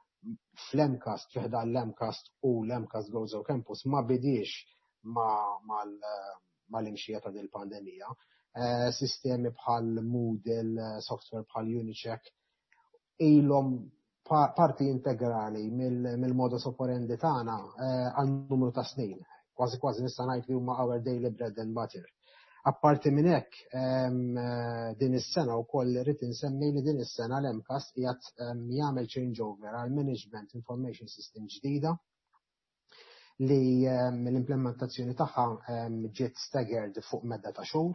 fl-MCAST, fi ħdan l-MCAST u l-MCAST Gozo Campus ma bidiex mal-imxija ta' din il-pandemija. Sistemi bħal Moodle, software bħal Unicheck, ilhom parti integrali mill-modus operandi tagħna għal numru ta' snin. Kważi kważi nista' ngħid li huma our daily bread and butter. Apparti minn hekk, din is-sena wkoll irrid insemmi li din is-sena l-MCAST qiegħed jagħmel changeover għal Management Information System ġdida li l-implementazzjoni tagħha ġiet staggered fuq medda ta' xhur.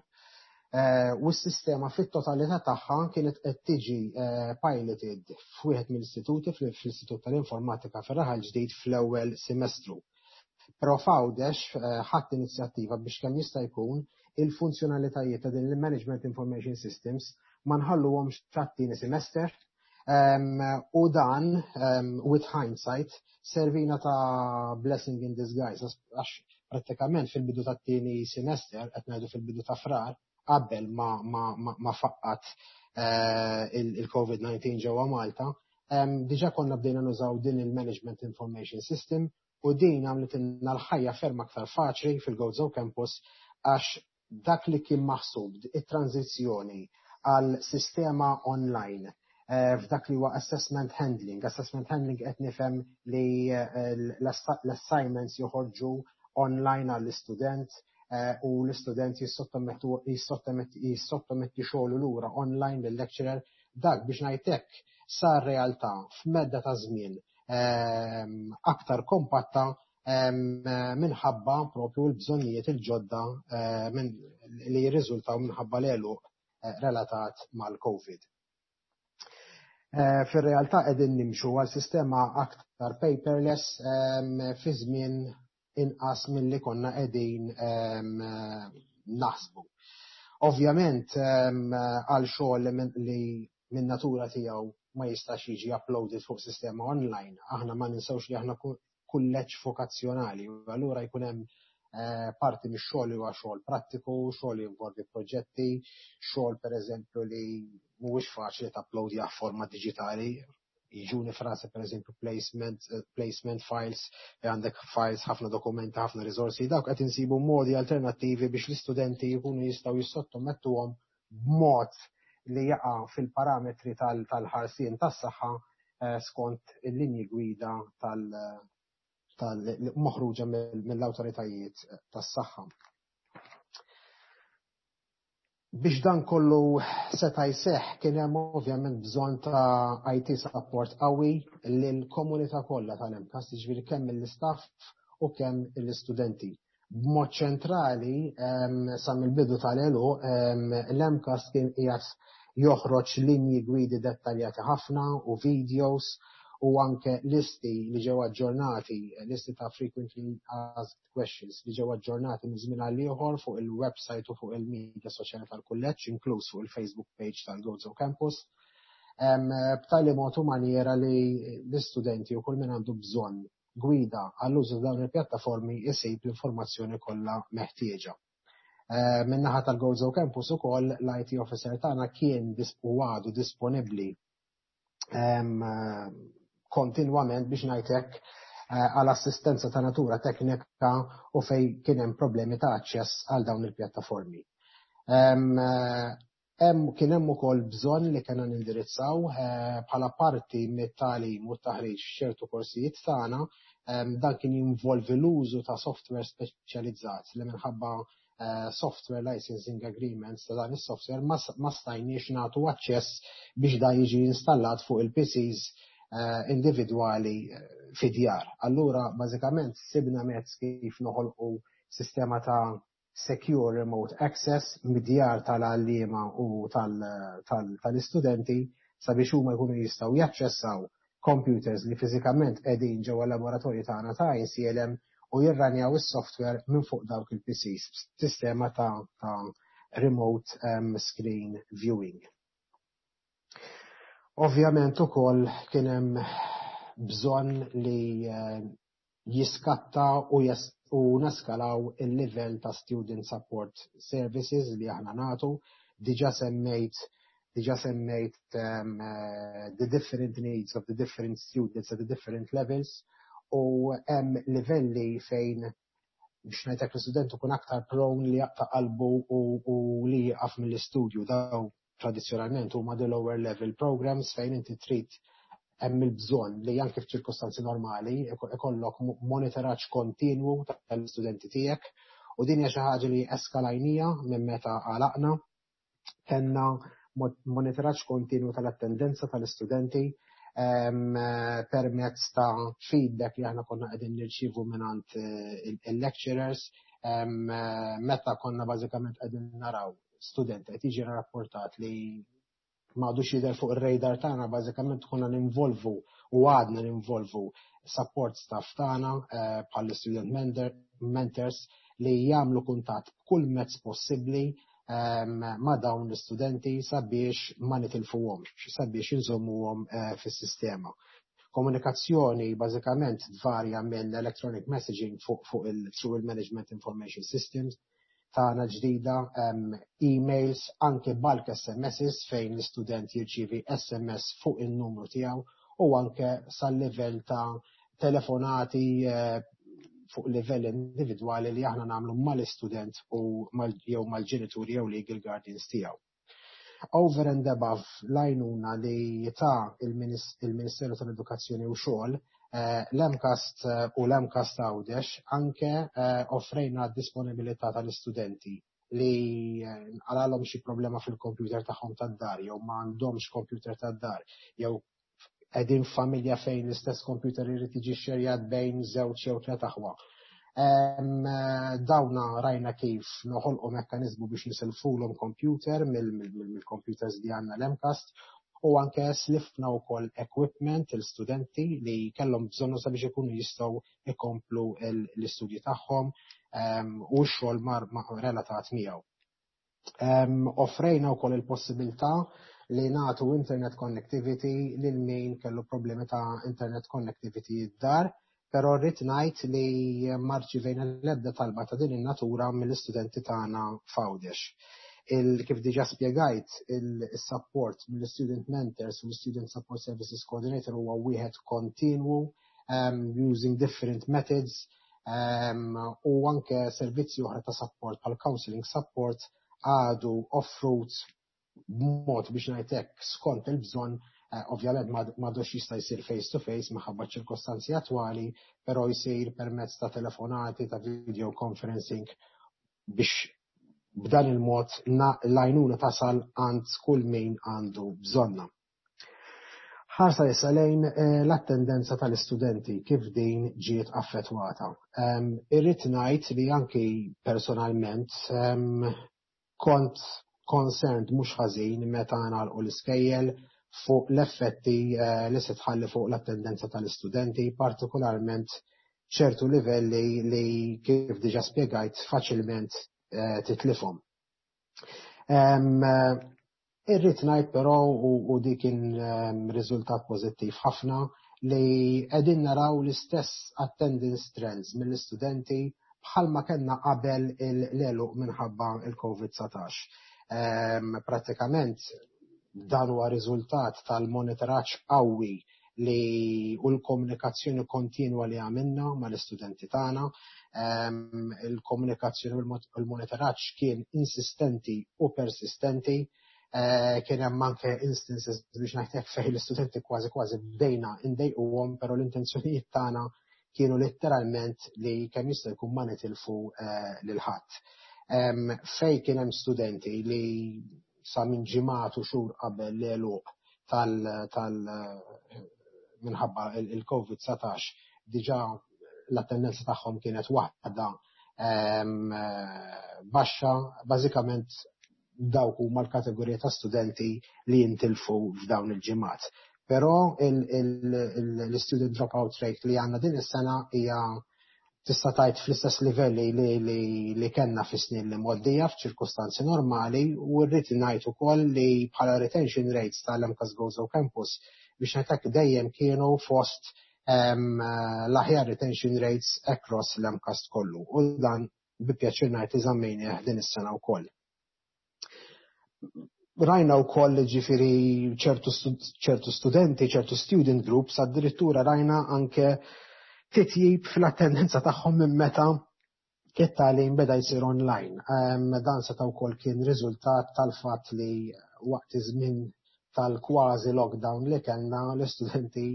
U s-sistema fit-totalità tagħha kienet qed tiġi piloted f'wieħed mill-istituti, fl-Istitut tal-Informatika fir-Raħal Ġdid fl-ewwel semestru. Però f'Għawdex ħadt inizjattiva biex kemm jista' jkun il-funzjonalitajiet ta' din il-Management Information Systems ma nħalluhomx tat-tieni semester. U dan, with hindsight, servina ta' blessing in disguise, għax prattikament fil-bidu tat-tieni semester, qed ngħidu fil-bidu ta' Frar, qabel ma faqqat il-COVID-19 ġewwa Malta, diġà konna bdejna nużaw din il-Management Information System u din għamlitilna l-ħajja ferm aktar faċli fil-Gozo Campus għax dak li kien maħsub it-tranzizzjoni għal sistema online f'dak li huwa assessment handling. Assessment handling qed nifhem li l-assignments joħorġu online għall-istudent u l-istudent jissottometti xogħlu lura online lill-lecturer. Dak biex ngħid hekk sar realtà f'medda ta' żmien aktar kompatta minħabba propju l-bżonnijiet il-ġodda li jirriżultaw minħabba l-għeluq relatat mal-COVID. Fir-realtà qegħdin nimxu għal sistema aktar paperless fi żmien inqas milli konna qegħdin naħsbu. Ovvjament għal xogħol li minn natura tiegħu ma jistax jiġi uploaded fuq sistema online, aħna ma ninsewx li aħna kulleġġ vokazzjonali, u allura jkun hemm parti mix-xogħol li huwa xogħol prattiku, xogħol li jinvolvi proġetti, xogħol pereżempju li mhuwiex faċli tapplowdjah f'forma diġitali. Jiġuni frasi pereżempju placement files, li għandek files, ħafna dokumenti, ħafna riżorsi, dawk qed insibu modi alternattivi biex l-istudenti jkunu jistgħu jissottomettuhom b'mod li jaqa' fil-parametri tal-ħarsien tas-saħħa skont il-linji gwida tal moħruġa mill-awtoritajiet tas-saħħa. Biex dan kollu seta' jseħħ kien hemm ovvjament bżonn ta' IT support qawwi lill-komunità kollha tal-MCAST, jiġifieri kemm mill-istaff u kemm l-istudenti. B'mod ċentrali, sa mill-bidu tal-għeluq, l-MCAST kien qiegħed joħroġ linji gwidi dettaljati ħafna u videos u anke listi li ġew aġġornati, listi ta' frequently asked questions li ġew aġġornati minn żmien għal ieħor fuq il-website u fuq il-media soċjali tal-kulleġġ, inkluż fuq il-Facebook page tal-Gozo Campus. B'tali mod u maniera li l-istudenti u kull min għandu bżonn gwida għall-użu ta' dawn il-pjattaformi jsib l-informazzjoni kollha meħtieġa. Min-naħa tal-Gozo Campus ukoll l-IT officer tagħna kien u għadu disponibbli kontinwament biex ngħid hekk għal assistenza ta' natura teknika u fej kien hemm problemi ta' aċċess għal dawn il-pjattaformi. Kien hemm ukoll bżonn li kellna nindirizzaw bħala parti mit-tagħlim u t-taħriġ f'ċertu korsijiet tagħna, dan kien jinvolvi l-użu ta' software speċjalizzat li minħabba software licensing agreements ta' dan is-software ma stajniex nagħtu aċċess biex da jiġi installat fuq il-PCs individwali fid-djar. Allura bażikament sibna mezz kif noħolqu sistema ta' secure remote access mid-djar tal-għalliema u tal-istudenti sabiex huma jkunu jistgħu jaċċessaw computers li fiżikament qegħdin ġewwa laboratorju tagħna ta' ICLM u jirranjaw is-software minn fuq dawk il-PCs sistema ta' remote screen viewing. Ovvjament ukoll kien hemm bżonn li jiskatta u neskalaw il-livell ta' student support services li aħna nagħtu. Diġà semmejt. Diġà semmejt the different needs of the different students at the different levels u hemm livelli fejn, biex ngħidlek, l-istudent ikun aktar prone li jaqta' qalbu u li jieqaf mill-istudju. Daw tradizzjonalment huma the lower level programs fejn inti trid, hemm il-bżonn li anke f'ċirkostanzi normali ikollok monitoraġġ kontinwu tal-istudenti tiegħek, u din hija xi ħaġa li eskalajnija minn meta għalaqna. Kellna monitoraġġ kontinwu tal-attendenza tal-istudenti permezz ta' feedback li aħna konna qegħdin nirċievu mingħand il-lecturers. Meta konna bażikament qegħdin naraw student qed jiġi rapportat li m'għadux jidher fuq ir-radar tagħna, bażikament konna ninvolvu u għadna ninvolvu support staff tagħna bħal student mentors li jagħmlu kuntatt b'kull mezz possibbli ma' dawn l-istudenti sabiex ma nitilfuhomx, sabiex inżommuhom fis-sistema. Komunikazzjoni bażikament tvarja minn electronic messaging fuq il through il-Management Information Systems tagħna ġdida, emails, anke bulk SMSs fejn l-istudent jirċievi SMS fuq il-numru tiegħu u anke sal-livell ta' telefonati fuq livell individwali li aħna nagħmlu mal-istudent u jew mal-ġenituri jew legal guardians tiegħu. Over and above l-għajnuna li ta il-Ministeru tal-Edukazzjoni u Xogħol, l-MCAST u l-MCAST Għawdex anke offrejna disponibilità tal-istudenti li nqalalhom xi problema fil-computer tagħhom tad-dar jew ma għandhomx computer tad-dar jew qegħdin familja fejn l-istess computer irid jiġi xerjat bejn żewġ jew tliet aħwa. Dawna rajna kif noħolqu mekkaniżmu biex nisilfulhom computer mill-computers li għandna l-MCAST u anke slifna wkoll equipment il-studenti li kellhom bżonnu sabiex ikunu jistgħu ikomplu l-istudji tagħhom u x-xogħol mar relatat miegħu. Offrejna wkoll il-possibilità li nagħtu internet connectivity lil min kellu problemi ta' internet connectivity id-dar, però rrid ngħid li ma rċivejna l-ebda talba ta' din in-natura mill-istudenti tagħna f'Għawdex. Kif diġà spjegajt, il-support mill-student mentors u l-Student Support Services Coordinator huwa wieħed kontinwu using different methods u anke servizzi oħra ta' support bħal counseling support għadu offrut b'mod, biex ngħidlek, skont il-bżonn. Ovvjament m'għadux jista' jsir face to face minħabba ċirkostanzi attwali, però jsir permezz ta' telefonati, ta' video conferencing, biex b'dan il-mod l-għajnuna tasal għand kull min għandu bżonna. Ħarsa issa lejn l-attendenza tal-istudenti, kif din ġiet affettwata. Irrid ngħid li anki personalment kont concerned mhux ħażin meta nagħlqu l-iskejjel fuq l-effetti li se tħalli fuq l-attendenza tal-istudenti, partikolarment ċertu livelli li, kif diġa spjegajt, faċilment titlifhom. Irrid ngħid però, u dik kien riżultat pożittiv ħafna, li qegħdin naraw l-istess attendance trends mill-istudenti bħalma kellna qabel l-għeluq minħabba il-COVID-19. Pratikament dan huwa riżultat tal-monitoraġġ qawwi li u l-komunikazzjoni kontinwa li għamilna mal-istudenti tagħna. Il-komunikazzjoni u l-monitoraġġ kien insistenti u persistenti. Kien hemm anke instances, biex ngħidlek, fejn l-istudenti kważi kważi bdejna ndejquhom, però l-intenzjonijiet tagħna kienu letteralment li kemm jista' jkun ma nitilfu lil ħadd. Fej kien hemm studenti li sa minn ġimgħat u xhur qabel l-għeluq tal minħabba il-COVID-19 diġà l-attendenza tagħhom kienet waħda baxxa, bażikament dawk huma l-kategorija ta' studenti li jintilfu f'dawn il-ġimgħat. Però l-student dropout rate li għandna din is-sena hija, tista' tgħid, fl-istess livelli li kellna fis-snin li mgħoddija f'ċirkustanzi normali, u rrid ngħid ukoll li bħala retention rates tal-MCAST Gozo Campus, biex ngħidlek, dejjem kienu fost l-aħjar retention rates across l-MCAST kollu u dan bi pjaċir ngħid li żammejnieh din is-sena wkoll. Rajna wkoll, ġifieri, ċertu studenti, ċertu student groups, addirittura rajna anke titjib fl-attendenza tagħhom minn meta it-tagħlim beda jsir online. Dan seta' wkoll kien riżultat tal-fatt li waqt iż-żmien tal-kważi lockdown li kellna, l-istudenti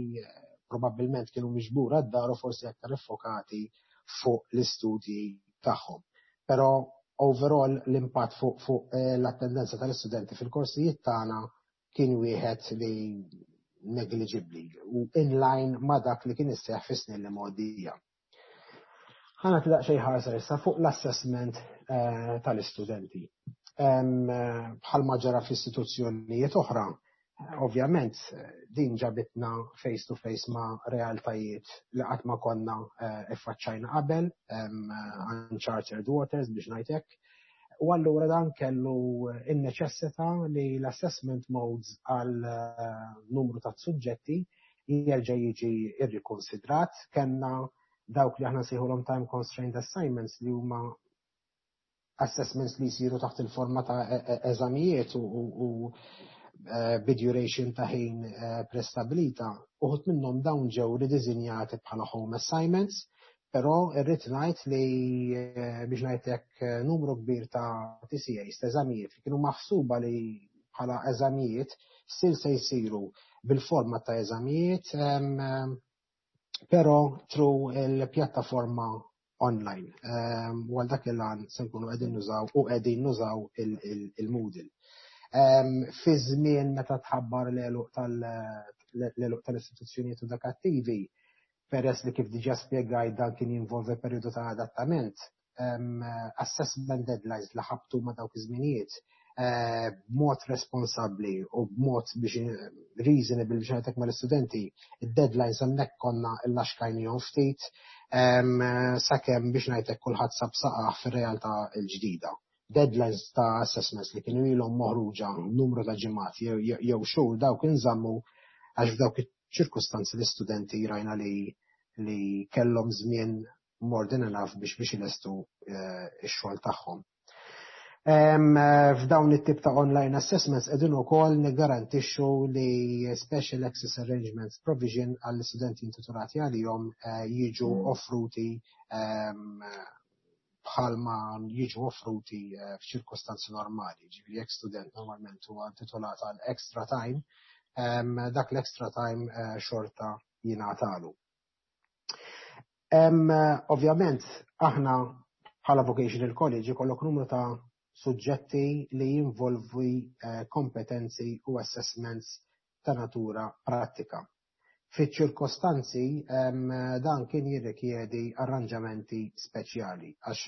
probabbilment kienu miġbura d-dar u forsi aktar iffokati fuq l-istudji tagħhom. Però overall l-impatt fuq l-attendenza tal-istudenti fil-korsijiet tagħna kien wieħed li negliġibbli u in line ma' dak li kien isseħ fis-snin li mgħoddija. Ħa nagħti daqsxejn ħarsa issa fuq l-assessment tal-istudenti. Bħalma ġara f'istituzzjonijiet oħra, ovvjament din ġabitna face to face ma' realtajiet li qatt ma konna iffaċċajna qabel, uncharted waters biex ngħidlek. U allura dan kellu in-neċessità li l-assessment modes għal numru ta' suġġetti jerġa' jiġi irrikonsidrat. Kellna dawk li aħna nsejħulhom time constrained assignments, li huma assessments li jsiru taħt il-forma ta' eżamijiet u bi duration ta' ħin prestabilita. Uħud minnhom dawn ġew ridisinjati bħala home assignments, però irrid ngħid li, biex ngħidlek, numru kbir ta' TCAs, ta' eżamijiet li kienu maħsuba li bħala eżamijiet, still se jsiru bil-forma ta' eżamijiet, però through il-pjattaforma online. U għal dak il-għan se nkunu qegħdin nużaw u qegħdin nużaw il-Moodle. Fi żmien meta tħabbar l-għeluq tal-istituzzjonijiet edukattivi, peress li kif diġà spjegajt dan kien jinvolvi periodu ta' adattament, assessment deadlines li ħabtu ma' dawk iż-żminijiet, b'mod responsabbli u b'mod biex reasonable, biex ngħidlek, mal-istudenti, id-deadlines hemmhekk konna illaxkajnihom ftit sakemm, biex ngħidlek, kulħadd sab saqah fir-realtà l-ġdida. Deadlines ta' assessments li kienu ilhom moħruġa numru ta' ġimgħat jew xhur, dawk inżammu għax f'dawk iċ-ċirkustanzi l-istudenti rajna li kellhom żmien more than enough biex ilestu ix-xogħol tagħhom. F'dawn it-tip ta' online assessments qegħdin ukoll niggarantixxu li special access arrangements provision għall-istudenti intitolati għalihom jiġu offruti bħalma jiġu offruti f'ċirkostanzi normali. Ġifieri jekk student normalment huwa intitolat għal extra time, dak l-extra time xorta jingħatalu. Ovvjament, aħna bħala vocational college ikollok numru ta' suġġetti li jinvolvi kompetenzi u assessments ta' natura pratika. Fiċ-ċirkostanzi dan kien jirrikjedi arranġamenti speċjali għax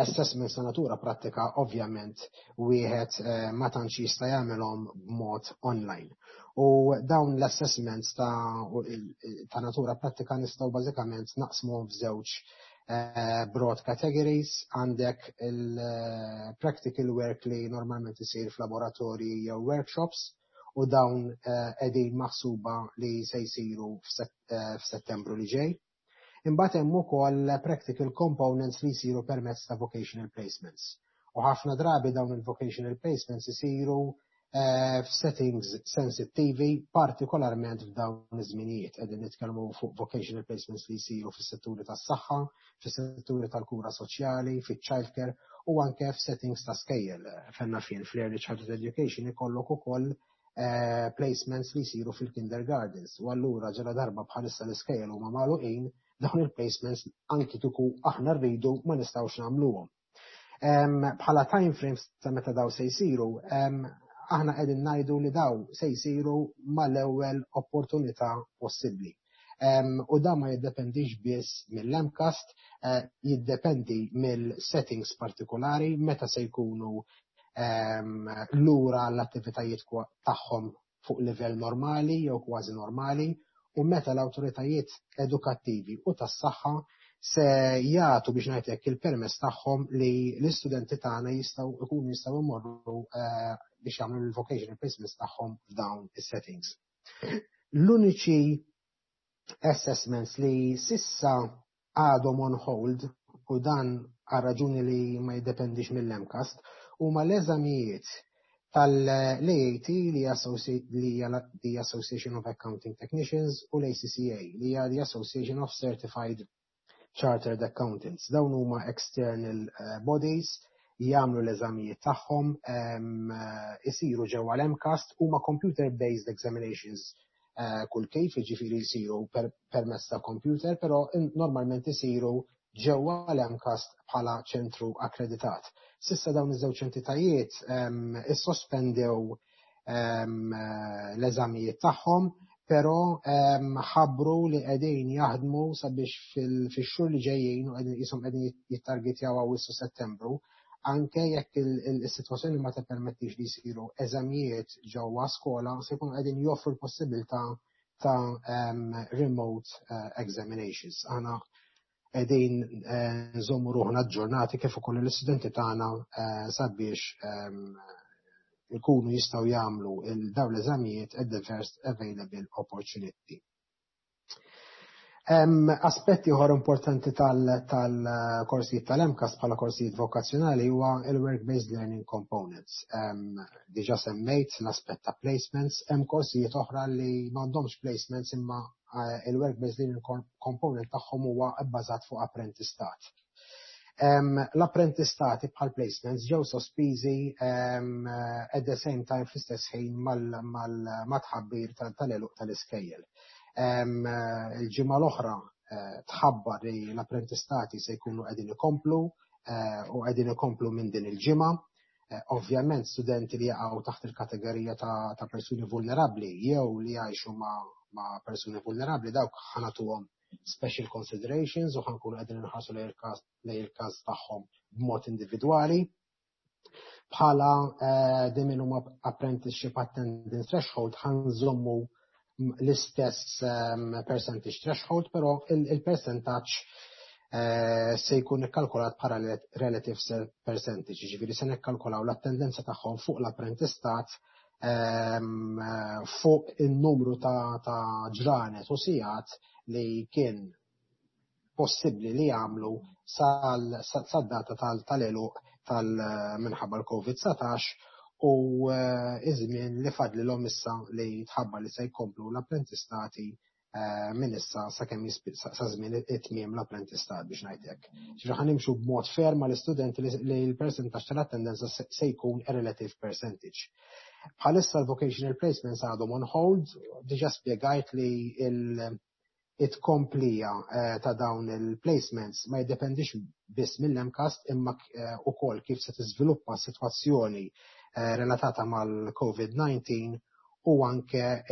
assessments ta' natura pratika ovvjament wieħed ma tantx jista' jagħmelhom b'mod online. U dawn l-assessments ta' natura pratika nistgħu bażikament naqsmuhom f'żewġ broad categories. Għandek il-practical work li normalment isir f'laboratorji jew workshops u dawn qegħdin maħsuba li se jsiru f'Settembru li ġej. Imbagħad hemm ukoll practical components li jsiru permezz ta' vocational placements. U ħafna drabi dawn il-vocational placements isiru f'settings sensittivi, partikolarment f'dawn iż-żminijiet. Qegħdin nitkellmu fuq vocational placements li jsiru fis-setturi tas-saħħa, fis-setturi tal-kura soċjali, fiċ-childcare u anke f'settings ta' skejjel. Fenna fien fl-early childhood education ikollok ukoll placements li jsiru fil-kindergartens. U allura ġala darba bħalissa l-iskejjel huma magħluqin, dawn il-placements anki kieku aħna rridu ma nistgħux nagħmluhom. Bħala time frames ta' meta daw se jsiru, aħna qegħdin ngħidu li daw se jsiru mal-ewwel opportunità possibbli. U da ma jiddependix biss mill-MCAST, jiddependi mill-settings partikolari meta se jkunu lura l-attivitajiet tagħhom fuq livell normali jew kważi normali u meta l-awtoritajiet edukattivi u tas-saħħa se jagħtu, biex ngħidlek, il-permess tagħhom li l-istudenti tagħna jistgħu ikunu jistgħu jmorru biex jagħmlu l-vocational placements tagħhom f'dawn is-settings. L-uniċi assessments li sissa għadhom on hold, u dan għal raġuni li ma jiddependix mill-MCAST, huma l-eżamijiet tal-AAT, li hija the Association of Accounting Technicians, u l-ACCA, li hija the Association of Certified Chartered Accountants. Dawn huma external bodies, jagħmlu l-eżamijiet tagħhom, isiru ġewwa l-MCAST, huma computer-based examinations kull kif, jiġifieri jsiru permezz ta' computer, però normalment isiru ġewwa l-MCAST bħala ċentru akkreditat. S'issa dawn iż-żewġ entitajiet issospendew l-eżamijiet tagħhom, però ħabbru li qegħdin jaħdmu sabiex fix-xhur li ġejjin, u qegħdin qishom qegħdin jittargetjaw Awwissu, Settembru, anke jekk is-sitwazzjoni ma tippermettix li jsiru eżamijiet ġewwa skola, se jkunu qegħdin joffru l-possibilità ta' remote examinations. Aħna qegħdin nżommu ruħna aġġornati kif ukoll l-istudenti tagħna sabiex ikunu jistgħu jagħmlu dawn l-eżamijiet at the first available opportunity. Aspetti oħra importanti tal-korsijiet tal-MCAST bħala korsijiet vokazzjonali huwa il-work-based learning components. Diġà semmejt l-aspett ta' placements, hemm korsijiet oħra li m'għandhomx placements imma il-work-based learning component tagħhom huwa bbażat fuq apprentistat. L-apprentistati bħal placements ġew sospiżi at the same time, fl-istess ħin mat-tħabbir tal-għeluq tal-iskejjel. Il-ġimgħa l-oħra tħabbar li l-apprentistati se jkunu qegħdin ikomplu u qegħdin ikomplu minn din il-ġimgħa. Ovvjament studenti li jaqgħu taħt il-kategorija ta' persuni vulnerabbli jew li jgħixu ma' persuni vulnerabbli, dawk ħa nagħtuhom special considerations u ħa nkunu qegħdin inħarsu lejn il-każ tagħhom b'mod individwali. Bħala the minimum apprenticeship attendance threshold ħa nżommu l-istess percentage threshold, però il-percentage se jkun ikkalkulat bħala relative percentage, ġifieri se nikkalkulaw l-attendenza tagħhom fuq l-apprentistat fuq il-numru ta' ġranet u sigħat li kien possibbli li jagħmlu sad-data tal-għeluq tal-minħabba l-COVID-19 u iż-żmien li fadlilhom issa li tħabbar li se jkomplu l-apprentistati minn issa sakemm sa żmien it-tmiem l-apprentistat, biex ngħidlek. Ġifieri ħa nimxu b'mod fair mal-istudenti li l-percentaġġ tal-attendenza se jkun a relative percentage. Bħalissa l-vocational placements għadhom on hold, diġà spjegajt li it-komplija ta' dawn il-placements ma jiddependix biss mill-MCAST imma ukoll kif se tiżviluppa s-sitwazzjoni relatata mal-COVID-19 u anke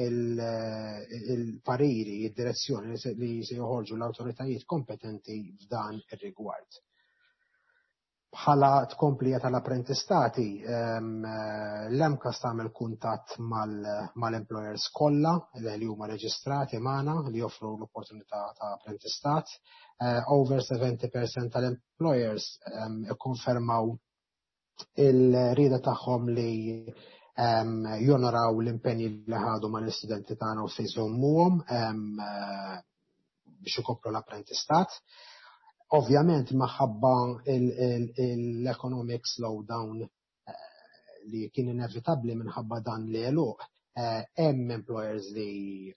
il-pariri, id-direzzjoni li se joħorġu l-awtoritajiet kompetenti f'dan ir-rigward. Bħala tkomplija tal-apprentistati, l-MCAST tagħmel kuntatt mal-employers kollha li huma reġistrati magħna li joffru l-opportunità ta' apprentistat. Over 70% tal-employers ikkonfermaw il-rieda tagħhom li jonoraw l-impenji li ħadu mal-istudenti tagħna u se jżommuhom biex ikopru l-apprentistat. Ovvjament minħabba l-economic slowdown li kien inevitabli minħabba dan l-għeluq, hemm employers li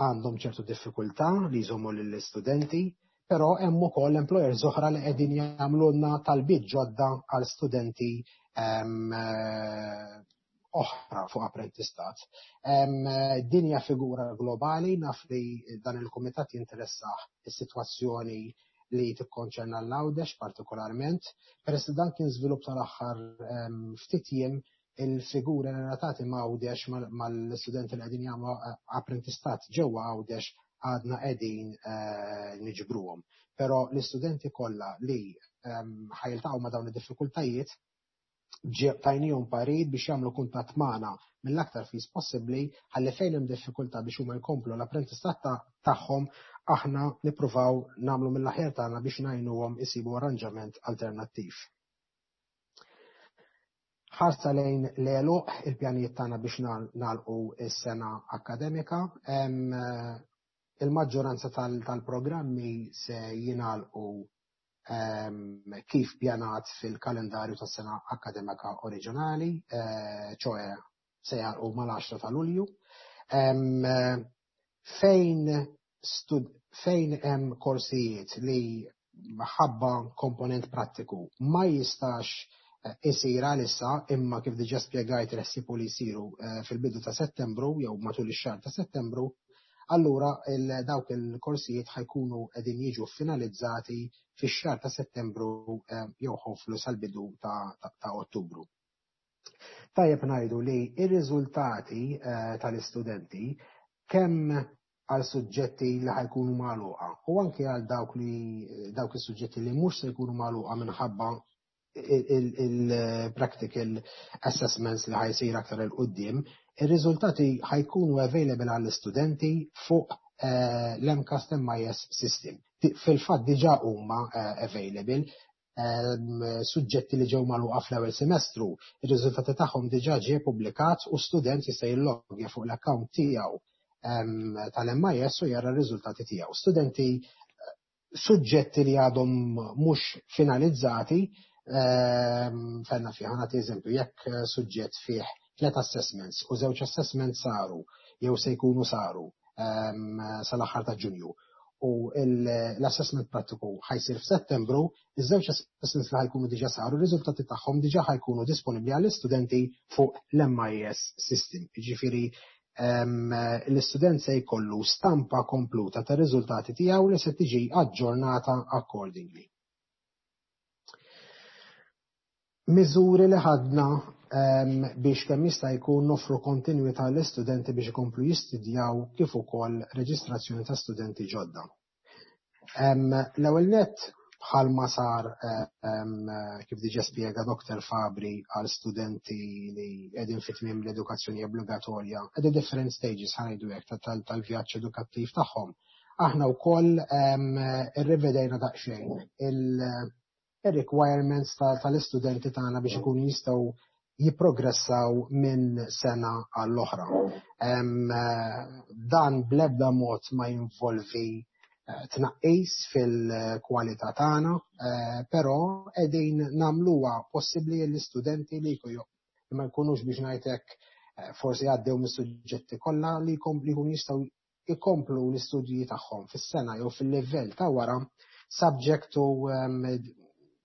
għandhom ċertu diffikultà li jżommu lill-istudenti, però hemm ukoll employers oħra li qegħdin jagħmlulna talbiet ġodda għal studenti oħra fuq apprentistat. Din hija figura globali, naf li dan il-kumitat jinteressah is-sitwazzjoni li tikkonċerna l-Għawdex partikolarment, peress li dan kien żvilupp tal-aħħar ftit jiem, il-figuri relatati ma' Għawdex, mal-studenti li qegħdin jagħmlu apprentistat ġewwa Għawdex, għadna qegħdin niġbruhom. Però l-istudenti kollha li ħa jiltaqgħu ma' dawn id-diffikultajiet tajnihom parir biex jagħmlu kuntatt magħna mill-aktar fis possibbli ħalli fejn hemm diffikultà biex huma jkomplu l-apprentistat tagħhom, aħna nippruvaw nagħmlu mill-aħjar tagħna biex ngħinuhom isibu arranġament alternattiv. Ħarsa lejn l-għeluq, il-pjanijiet tagħna biex nagħlqu s-sena akademika. Il-maġġoranza tal-programmi se jingħalqu. kif pjanat fil-kalendarju tas-sena akkademika oriġinali, ċoe se jagħlqu mal-10 ta' Lulju. Fejn fejn hemm korsijiet li ħabba komponent prattiku ma jistax isir għalissa, imma kif diġà spjegajt il-ħsieb li jsiru fil-bidu ta' Settembru jew matul ix-xahar ta' Settembru, allura dawk il-korsijiet ħa jkunu qegħdin jiġu finalizzati fix-xahar ta' Settembru jew hopefully sal-bidu ta' Ottubru. Tajjeb ngħidu li ir-riżultati tal-istudenti, kemm għal suġġetti li ħa jkunu magħluqa u anke għal dawk is-suġġetti li mhux se jkunu magħluqa minħabba il-practical assessments li ħa jsir aktar 'il quddiem, ir-riżultati ħa jkunu available għall-istudenti fuq l-MCAST MIS system. Fil-fatt diġà huma available. Suġġetti li ġew magħluqa fl-ewwel semestru, ir-riżultati tagħhom diġà ġie publikat u student jista' jillogja fuq l-account tiegħu tal-MIS u jara r-riżultati tiegħu. Studenti, suġġetti li għadhom mhux finalizzati, fenna fih, nagħti eżempju, jekk suġġett fih tliet assessments u żewġ assessments saru jew se jkunu saru sal-aħħar ta' Ġunju u l-assessment prattiku ħa jsir f'Settembru, iż-żewġ assessments li ħa jkunu diġà saru, r-riżultati tagħhom diġà ħa jkunu disponibbli għall-istudenti fuq l-MIS system. Jiġifieri l-istudent se jkollu stampa kompluta ta' riżultati tiegħu li se tiġi aġġornata accordingly. Miżuri li ħadna biex kemm jista' jkun noffru kontinwità l-istudenti biex ikomplu jistudjaw kif ukoll reġistrazzjoni ta' studenti ġodda. L-ewwel net, bħalma sar, kif diġà spjega Dr. Fabri, għal studenti li qegħdin fi tmiem l-edukazzjoni obbligatorja at the different stages, ħa ngħidu hekk, tal-vjaġġ edukattiv tagħhom. Aħna wkoll irrivedejna daqsxejn il-requirements tal-istudenti tagħna biex ikunu jistgħu jipprogressaw minn sena għall-oħra. Dan bl-ebda mod ma jinvolvi tnaqqis fil-kwalità tagħna, però qegħdin nagħmluha possibbli l-istudenti li ma jkunux, biex ngħidlek, forsi għaddew mis-suġġetti kollha, li jkunu jistgħu jkomplu l-istudji tagħhom fis-sena jew fil-livell ta' wara, subject to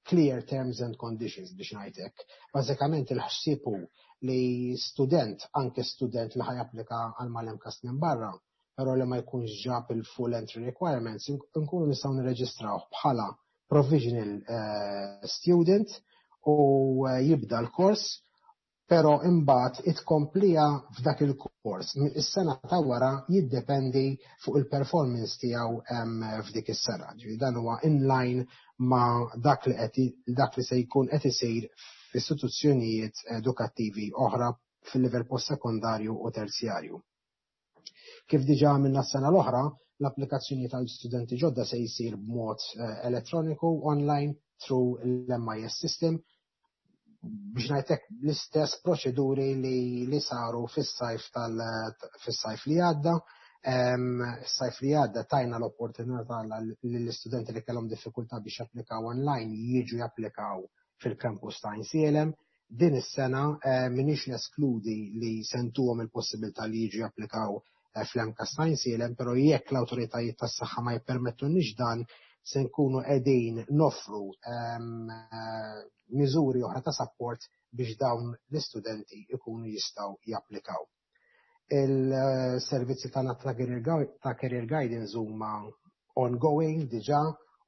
clear terms and conditions, biex ngħidlek. Bażikament il-ħsieb hu li student, anke student li ħa japplika għal mal-MCAST minn barra, però li ma jkunx ġab il-full entry requirements, nkunu nistgħu nirreġistraw bħala provisional student u jibda l-kors, pero imbagħad itkomplija f'dak il-kors. Is-sena ta' wara jiddependi fuq il-performance tiegħu f'dik is-sena. Ġifieri dan huwa in line ma' dak li se jkun qed isir f'istituzzjonijiet edukattivi oħra fil-livell post-sekondarju u terzjarju. Kif diġà għamilna s-sena l-oħra, l-applikazzjoni tal-studenti ġodda se jsir b'mod elettroniku online through l-MIS system, biex ngħidlek l-istess proċeduri li saru fis-sajf li għadda. Sajf li għadda tajna l-opportunità l-istudenti li kellhom diffikultà biex japplikaw online jiġu japplikaw fil-campus ta' Għajnsielem. Din is-sena m'iniex neskludi li se ntuhom il-possibilità li jiġu japplikaw fl-MCAST ta' Għajnsielem, però jekk l-awtoritajiet tas-saħħa ma jippermettunniex dan, se nkunu qegħdin noffru miżuri oħra ta' support biex dawn l-istudenti ikunu jistgħu japplikaw. Il-servizzi tagħna ta' career guidance huma ongoing diġà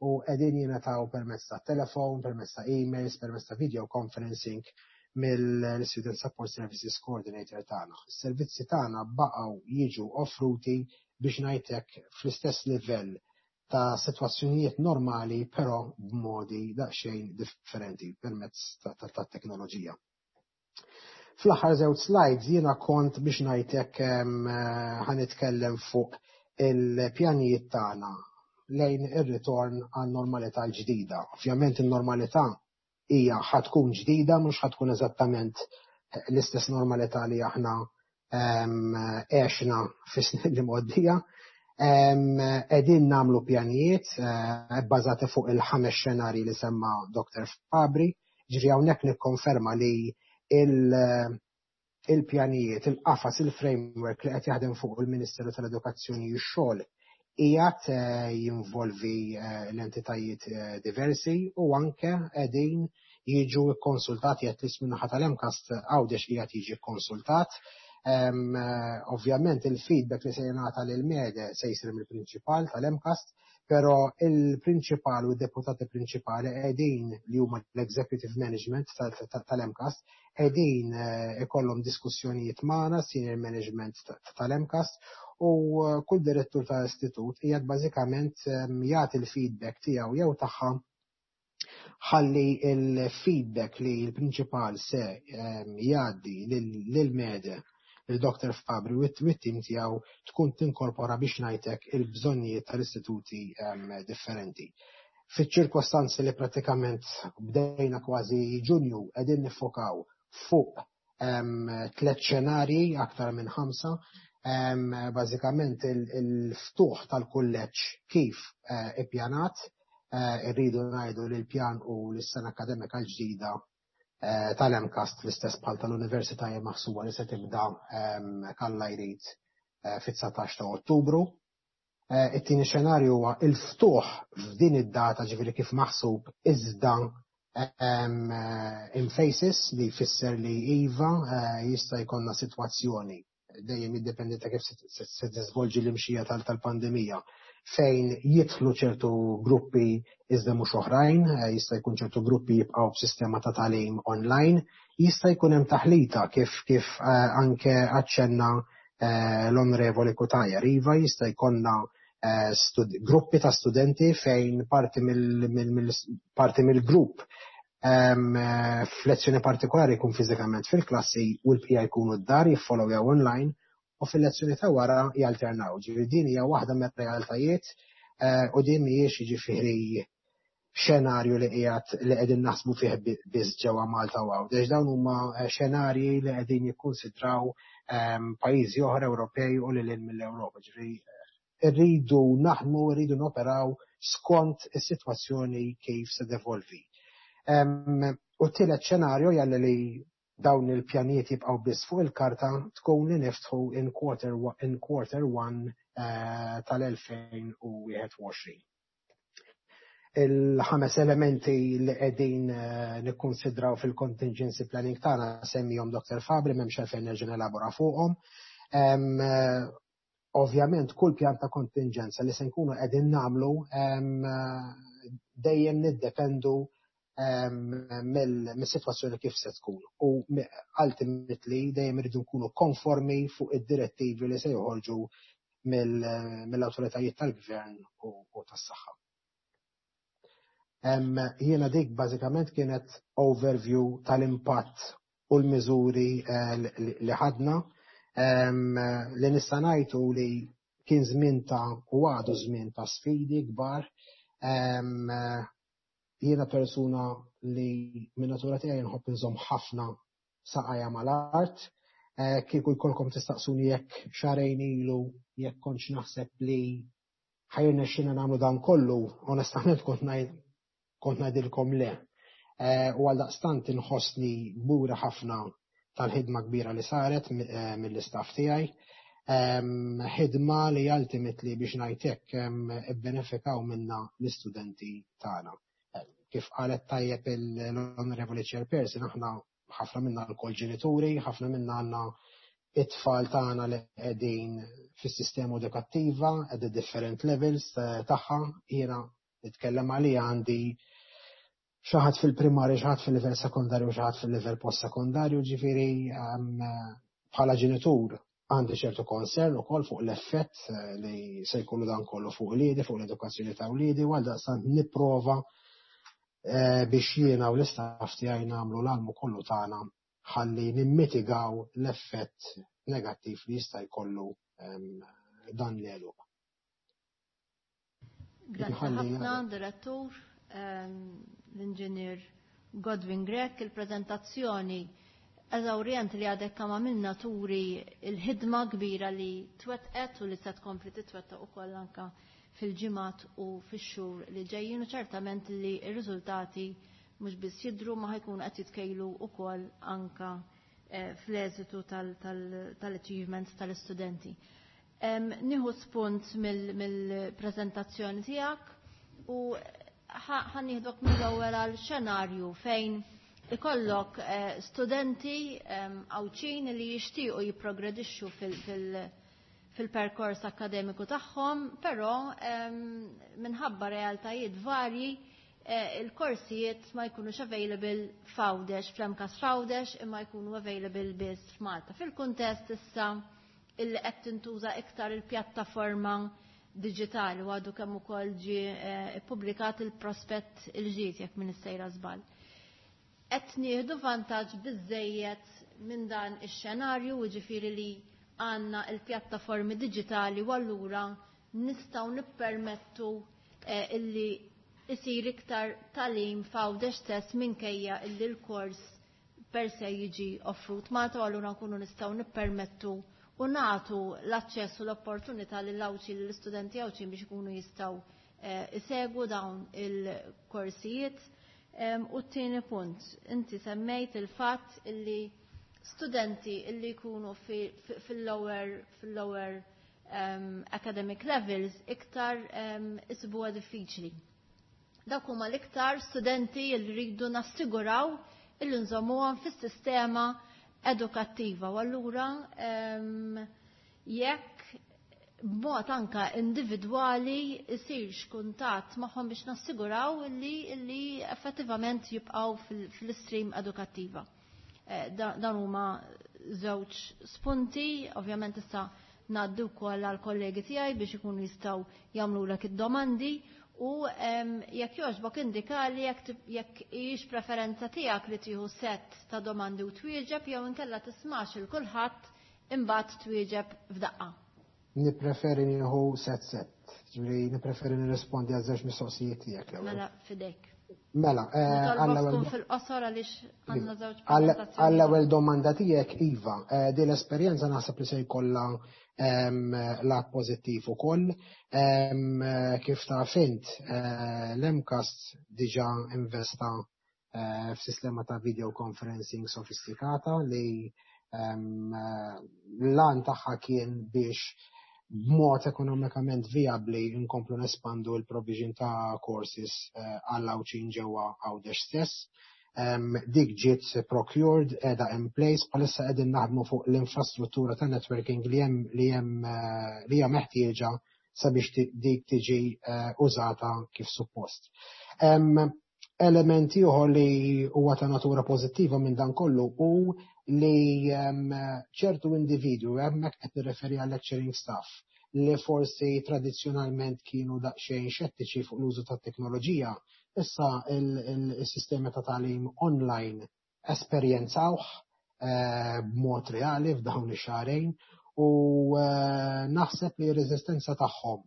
u qegħdin jingħataw permezz ta' telefon, permezz ta' emails, permezz ta' video conferencing mill-Student Support Services Coordinator tagħna. Is-servizzi tagħna baqgħu jiġu offruti, biex ngħidlek, fl-istess livell ta' sitwazzjonijiet normali, però b'modi daqsxejn differenti permezz ta' teknoloġija. Fl-aħħar żewġ slides jiena kont, biex ngħidlek, ħa nitkellem fuq il-pjanijiet tagħna lejn ir-ritorn għan normalità l-ġdida. Ovvjament in-normalità hija ħa tkun ġdida, mhux ħa tkun eżattament l-istess normalità li aħna għexna fis-snin li mgħoddija. Qegħdin nagħmlu pjanijiet bbażati fuq il-ħames xenarji li semma Dr. Fabri, ġifieri hawnhekk nikkonferma li il-pjanijiet, il-qafas, il-framework li qed jaħdem fuq il-Ministeru tal-Edukazzjoni u x-Xogħol qiegħed jinvolvi l-entitajiet diversi u anke qegħdin jiġu kkonsultati, at least min-naħa tal-MCAST Għawdex qiegħed jiġi kkonsultat. Ovvjament il-feedback li se jingħata lil MEDE se jsir mill-prinċipal tal-MCAST, però il-prinċipal u d-deputati prinċipali qegħdin, li huma l-executive management tal-MCAST, qegħdin ikollhom diskussjonijiet magħna, senior management tal-MCAST, u kull direttur tal-istitut qiegħed bażikament jagħti l-feedback tiegħu jew tagħha, ħalli il-feedback li l-prinċipal se jgħaddi lil-MEDE, il-Dr. Fabri u t-tim tiegħu, tkun tinkorpora, biex ngħidlek, il-bżonnijiet tal-istituti differenti. Fiċ-ċirkostanzi li pratikament bdejna kważi Ġunju, qegħdin niffokaw fuq tliet xenarji aktar minn ħamsa. Bażikament il-ftuħ tal-kulleġġ kif ippjanat. Irridu ngħidu li l-pjan u l-sena akademika l-ġdida tal-MCAST, l-istess bħal tal-Università, hija maħsuba li se tibda, Alla jrid, fit-19 ta' Ottubru. It-tieni xenarju huwa il-ftuħ f'din id-data, ġifieri kif maħsub, iżda in phases, li jfisser li iva, jista' jkollna sitwazzjoni, dejjem jiddependi ta' kif se tiżvolġi l-imxija tal-pandemija, fejn jidħlu ċertu gruppi iżda mhux oħrajn, jista' jkun ċertu gruppi jibqgħu b'sistema ta' tagħlim online, jista' jkun hemm taħlita kif anke aċċenna l-Onorevoli Cutajar. Iva, jista' jkollna gruppi ta' studenti fejn parti mill-grupp f'lezzjoni partikolari jkun fiżikament fil-klassi u l-bqija jkunu d-dar jiffollowjaw online u fil-lezzjoni ta' wara jalternaw. Ġifieri din hija waħda mir-realtajiet u din mhijiex, jiġifieri, xenarju li qiegħed li qegħdin naħsbu fih biss ġewwa Malta u Għawdex. Dawn huma xenarji li qegħdin jikkunsidraw pajjiżi oħra Ewropej u lil mill-Ewropa. Ġifieri irridu naħdmu, irridu noperaw skont is-sitwazzjoni kif se tevolvi. U t-tielet xenarju jalli li dawn il-pjanijiet jibqgħu biss fuq il-karta tkun li niftħu in quarter one tal-2021. Il-ħames elementi li qegħdin nikkonsidraw fil-contingency planning tagħna semmihom Dr. Fabri, m'hemmx għalfejn nerġa' nelabora fuqhom. Ovvjament kull pjan ta' kontingenza li se nkunu qegħdin nagħmlu, dejjem niddependu mill-sitwazzjoni kif se tkun. U ultimately dejjem irridu nkunu konformi fuq id-direttivi li se joħorġu mill-awtoritajiet tal-gvern u tas-saħħa. Jiena dik bażikament kienet overview tal-impatt u l-miżuri li ħadna. Li nista' ngħidu li kien żmien ta' u għadu żmien ta' sfidi kbar. Jiena persuna li minn natura tiegħi nħobb inżomm ħafna saqajja mal-art. Kieku jkollkom tistaqsuni jekk xahrejn ilu jekk kontx naħseb li ħa jirnexxilna nagħmlu dan kollu, onestament kont ngħidilkom le. U għal daqstant inħossni kburi ħafna tal-ħidma kbira li saret mill-istaff tiegħi. Ħidma li ultimately, biex ngħidlek, ibbenefikaw minna l-istudenti tagħna. Kif qalet tajjeb l-Honorable Chairperson, aħna ħafna minna lkoll ġenituri, ħafna minna għandna it-tfal tagħna li qegħdin fis-sistema edukattiva at the different levels tagħha. Jiena nitkellem għalija, għandi xi ħadd fil-primarju, xi ħadd fil-livell sekondarju, xi ħadd fil-livell post-sekondarju, ġifieri bħala ġenitur għandi ċertu concern ukoll fuq l-effett li se jkollu dan kollu fuq uliedi, fuq l-edukazzjoni ta' uliedi, u għaldaqstant nipprova biex jiena u l-istaff tiegħi nagħmlu l-almu kollu tagħna ħalli nimmitigaw l-effett negattiv li jista' jkollu dan l-għeluq. Grazie ħafna, direttur, l-inġinier Godwin Grech, il-prezentazzjoni. eżawrjenti li għadek kemm għamilna turi l-ħidma kbira li twettqet u li se tkompli titwettaq ukoll anke fil-ġimgħat u fix-xhur li ġejjin u ċertament li r-riżultati mhux biss jidhru ma ħajkunu qed jitkejlu wkoll anke fl-eżitu tal-achievements tal-istudenti. Nieħu spunt mill-preżentazzjoni tiegħek u ħa nieħdok mill-ewwel għal xenarju fejn ikollok studenti Għawdxin li jixtiequ jipprogredixxu fil-perkors akkademiku tagħhom, però minħabba realtajiet varji il-korsijiet ma jkunux available f'Għawdex, fl-MCAST f'Għawdex, imma jkunu available biss f'Malta. Fil-kuntest issa illi qed tintuża iktar il-pjattaforma diġitali u għadu kemm ukoll ġie ippubblikat il-prospett il-ġdid jekk m'iniex sejra żball. Qed nieħdu vantaġġ biżejjed minn dan ix-xenarju, jiġifieri li għandna il-pjattaformi diġitali u allura nistgħu nippermettu illi isir iktar tagħlim f'Għawdex stess minkejja illi l-kors per se jiġi offrut Malta u allura nkunu nistgħu nippermettu u nagħtu l-aċċess u l-opportunità lill-Għawdxin lill-istudenti Għawdxin biex ikunu jistgħu isegwu dawn il-korsijiet. U t-tieni punt, inti semmejt il-fatt illi studenti illi jkunu fil-lower fil-lower academic levels iktar isibuha diffiċli. Dawk huma l-iktar studenti li rridu nassiguraw illi nżommuhom fis-sistema edukattiva u allura jekk b'mod anka individwali isirx kuntatt magħhom biex nassiguraw li effettivament jibqgħu fil-stream edukattiva. Dan huma żewġ spunti, ovvjament issa ngħaddi wkoll għal kollegi tiegħi biex ikunu jistgħu jagħmlulek id-domandi u jekk jogħġbok indikali jekk hijiex preferenza tiegħek li tieħu set ta' domandi u twieġeb jew inkella tismax il kulħadd imbagħad twieġeb f'daqqa. Nippreferi nieħu set set, ġifieri nippreferi nirrispondi għal żewġ mistoqsijiet tiegħek l-ewwel. Mela fidejk. Mela, għall-ewwel fil-qosor għaliex għandna żewġ Għall-ewwel domanda tiegħek iva, din l-esperjenza naħseb li se jkollha lat pożittiv ukoll. Kif taf int, l-MCAST diġà investa f'sistema ta' video conferencing sofistikata li l-għan tagħha kien biex b'mod ekonomikament viabli nkomplu nespandu l-provision ta' courses għall-Għawdxin ġewwa Għawdex stess. Dik ġiet procured, qiegħda in place, bħalissa qegħdin naħdmu fuq l-infrastruttura ta' networking li hemm li hemm li hija meħtieġa sabiex dik tiġi użata kif suppost. Element ieħor li huwa ta' natura pożittiva minn dan kollu hu li ċertu individwi, hemmhekk qed nirreferi għal lecturing staff, li forsi tradizzjonalment kienu daqsxejn xettiċi fuq l-użu tat-teknoloġija, issa il-sistema ta' tagħlim online esperjenzawh b'mod reali f'dawn ix-xahrejn u naħseb li r-reżistenza tagħhom,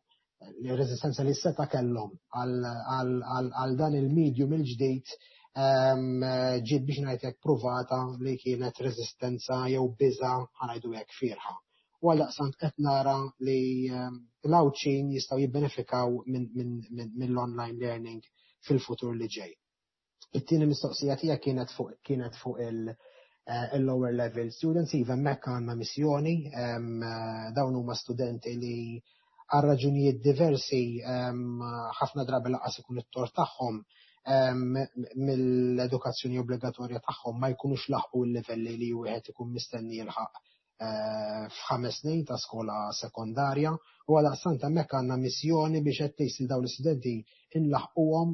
r-reżistenza li seta' kellhom għal dan il-medium il-ġdid ġiet biex ngħid hekk pruvata li kienet reżistenza jew biża' ħa ngħidu hekk fierħa. U għaldaqstant qed nara li l-Għawdxin jistgħu jibbenefikaw mill-online learning fil-futur li ġej. It-tieni mistoqsija tiegħek kienet fuq il-lower level students, iva hemmhekk għandna missjoni, dawn huma studenti li għal raġunijiet diversi ħafna drabi lanqas ikun it-tort tagħhom mill-edukazzjoni obbligatorja tagħhom ma jkunux laħqu l-livelli li wieħed ikun mistenni jilħaq f'5 snin ta' skola sekondarja u għaldaqstant hemmhekk għandna missjoni biex qed tgħid dawn l-istudenti inlaħquhom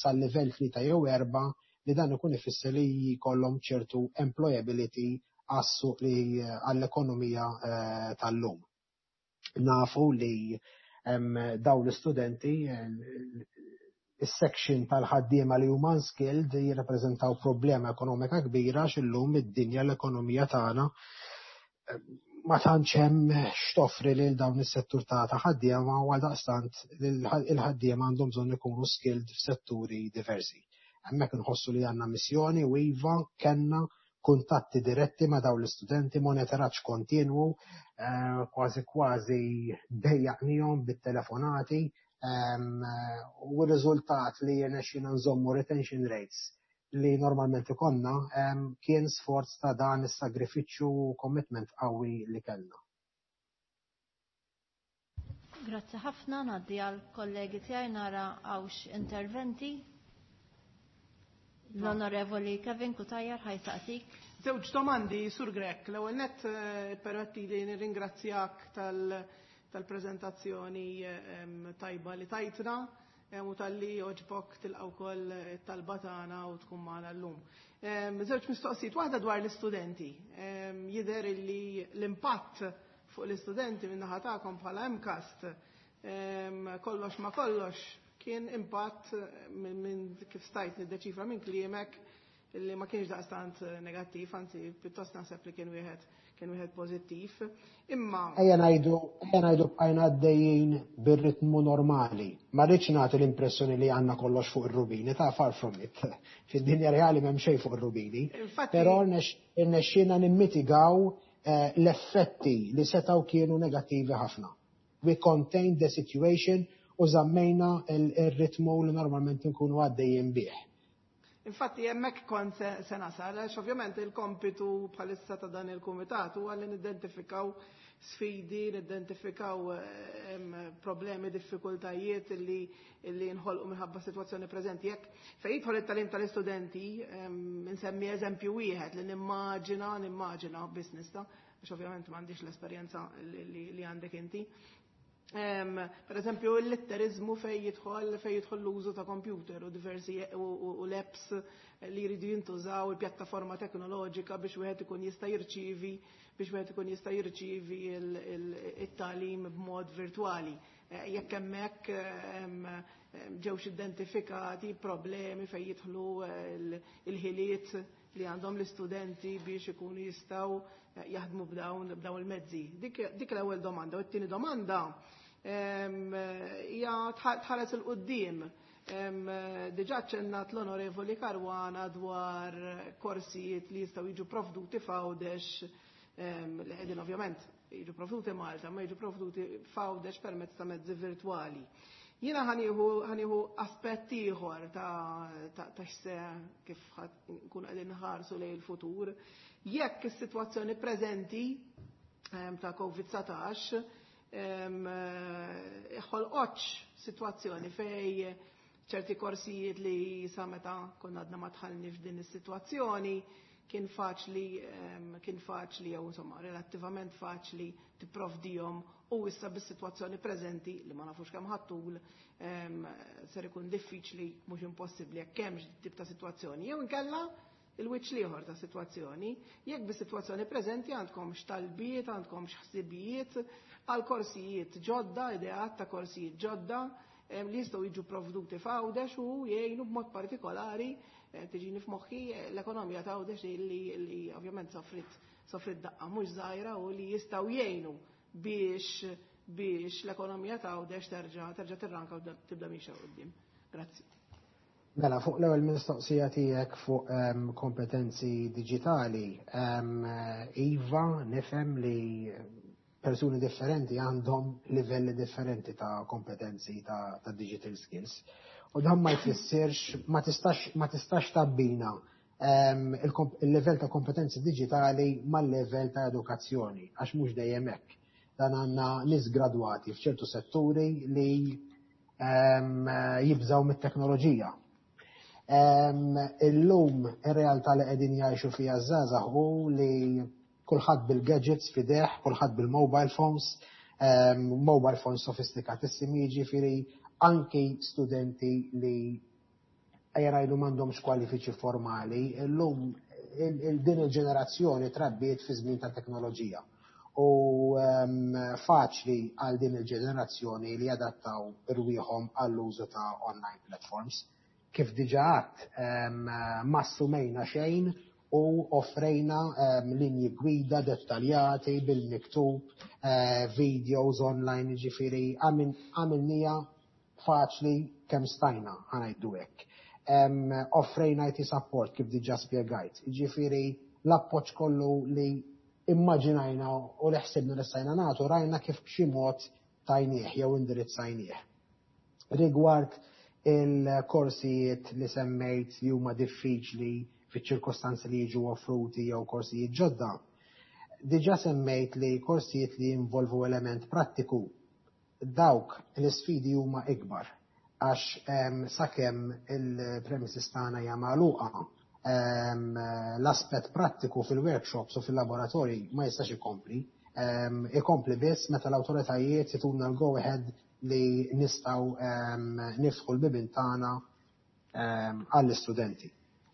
sal-livell 3 jew 4 li dan ikun ifisser li jkollhom ċertu employability għas-suq li għall-ekonomija tal-lum. Nafu li dawn l-istudenti is-section tal-ħaddiema li huma unskilled jirrappreżentaw problema ekonomika kbira x'illum id-dinja l-ekonomija tagħna ma tantx hemm x'toffri lil dawn is-settur ta' ħaddiema u għaldaqstant il-ħaddiema għandhom bżonn ikunu skilled f'setturi diversi. Hemmhekk inħossu li għandna missjoni u iva kellna Kuntatti diretti ma' dawn l-istudenti, monitoraġġ kontinwu, kważi kważi dejjaqnihom bit-telefonati, u r-riżultat li jirnexxina nżommu retention rates li normalment ikollna kien sforz ta' dan is-sagrifiċċju u commitment qawwi li kellna. Grazzi ħafna, ngħaddi għal kollegi tiegħi nara hawnx interventi. L-Onorevoli Kevin Cutajar ħa jsaqsik. Żewġ domandi, Sur Grech. L-ewwel nett, permetti li nirringrazzjak tal-preżentazzjoni tajba li tajtna u talli għoġbok tilqa' wkoll it-talba tagħna u tkun magħna llum. Żewġ mistoqsijiet, waħda dwar l-istudenti. Jidher li l-impatt fuq l-istudenti min-naħa tagħkom bħala MCAST, kollox ma kollox, kien impatt, minn kif stajt niddeċifra minn kliemek, li ma kienx daqstant negattiv, anzi pjuttost naħseb li kien wieħed pożittiv. Imma Ejja ngħidu bqajna għaddejjin bir-ritmu normali. Ma rridx nagħti l-impressjoni li għandna kollox fuq ir-rubini, ta' far from it. Fid-dinja reali m'hemm xejn fuq ir-rubini. Però irnexxielna nimmitigaw l-effetti li setgħu kienu negattivi ħafna. We contained the situation u żammejna il-ritmu li normalment nkunu għaddejjin bih. Infatti hemmhekk kont se nasal, għax ovvjament il-kompitu bħalissa ta' dan il-kumitat huwa li nidentifikaw sfidi, nidentifikaw problemi, diffikultajiet li nħolqu minħabba situazzjoni preżenti. Jekk fejn jidħol it-tagħlim tal-istudenti, nsemmi eżempju wieħed li nimmaġina business ta', għax ovvjament m'għandix l-esperjenza li għandek inti. Per eżempju, l-litterizmu fej jidħol l-użu ta' computer u diversi u l-apps li jridu jintużaw, il-pjattaforma teknoloġika biex wieħed ikun jista' jirċivi it-tagħlim b'mod virtwali. Jekk hemmhekk ġewx identifikati problemi fejn jidħlu il-ħiliet li għandhom l-istudenti biex ikunu jistgħu jaħdmu b'dawn il-mezzi. Dik l-ewwel domanda. U t-tieni domanda hija tħares 'il quddiem. Diġà ċennat l-Onorevoli Caruana dwar korsijiet li jistgħu jiġu provduti f'Għawdex, li qegħdin ovvjament jiġu provduti Malta, ma jiġu provduti f'Għawdex permezz ta' mezzi virtwali. Jiena ħa nieħu aspett ieħor ta' x'se kif nkun qegħdin nħarsu lejn il-futur. Jekk is-sitwazzjoni preżenti ta' COVID-19 ħolqotx sitwazzjoni fej ċerti korsijiet li sa meta konna għadna ma dħalni f'din is-sitwazzjoni kien faċli jew insomma relattivament faċli tipprovdihom u issa bis-sitwazzjoni preżenti li ma nafux kemm ħa ttul ser ikun diffiċli, mhux impossibbli, jekk hemmx tip ta' sitwazzjoni. Jew inkella il-wiċċ l-ieħor ta' sitwazzjoni, jekk bis-sitwazzjoni preżenti għandkom x'talbiet, għandkom x'ħsibijiet għal korsijiet ġodda, ideat ta' korsijiet ġodda li jistgħu jiġu provduti f'Għawdex u jgħinu b'mod partikolari, tiġini f'moħħi l-ekonomija ta' Għawdex li ovvjament sofrit daqqa mhux żgħira u li jistgħu jgħinu biex l-ekonomija ta' Għawdex terġa' tirranka u tibda miexja quddiem. Grazzi. Mela, fuq l-ewwel mistoqsija tiegħek fuq kompetenzi diġitali, iva, nifhem li persuni differenti għandhom livelli differenti ta' kompetenzi ta' digital skills. U dan ma jfissirx, ma tistax tabbina il-level ta' kompetenzi digitali mal-level ta' edukazzjoni, għax mhux dejjem hekk. Dan għandna nies gradwati f'ċertu setturi li jibżaw mit-teknoloġija. Illum ir-realtà li qegħdin jgħixu fiha żgħażagħ hu li kulħadd bil-gadgets f'idejh, kulħadd bil-mobile phones, mobile phones sofistikatissimi, jiġifieri anki studenti li ejja ngħidu m'għandhomx kwalifiċi formali, illum din il-ġenerazzjoni trabbiet fi żmien ta' teknoloġija. U faċli għal din il-ġenerazzjoni li jadattaw irwieħhom għall-użu ta' online platforms. Kif diġà għedt, ma assumejna xejn u offrejna linji gwida dettaljati bil-miktub, videos online, ġifieri għamilnieha faċli kemm stajna, ħa ngħidu hekk. Offrejna IT support kif diġà spjegajt. Ġifieri L-appoġġ kollu li immaġinajna u li ħsibna li stajna nagħtu rajna kif b'xi mod tajnieh jew indirizzajnieh. Rigward il-korsijiet li semmejt li huma diffiċli fiċ-ċirkostanzi li jiġu offruti jew korsijiet ġodda, diġà semmejt li korsijiet li jinvolvu element prattiku, dawk l-isfidi huma ikbar għax sakemm il-premises tagħna hija magħluqa, l-aspett prattiku fil-workshops u fil-laboratorji ma jistax ikompli. Ikompli biss meta l-awtoritajiet jtuna l-go ahead li nistgħu niftħu l-bibien tagħna għall-istudenti.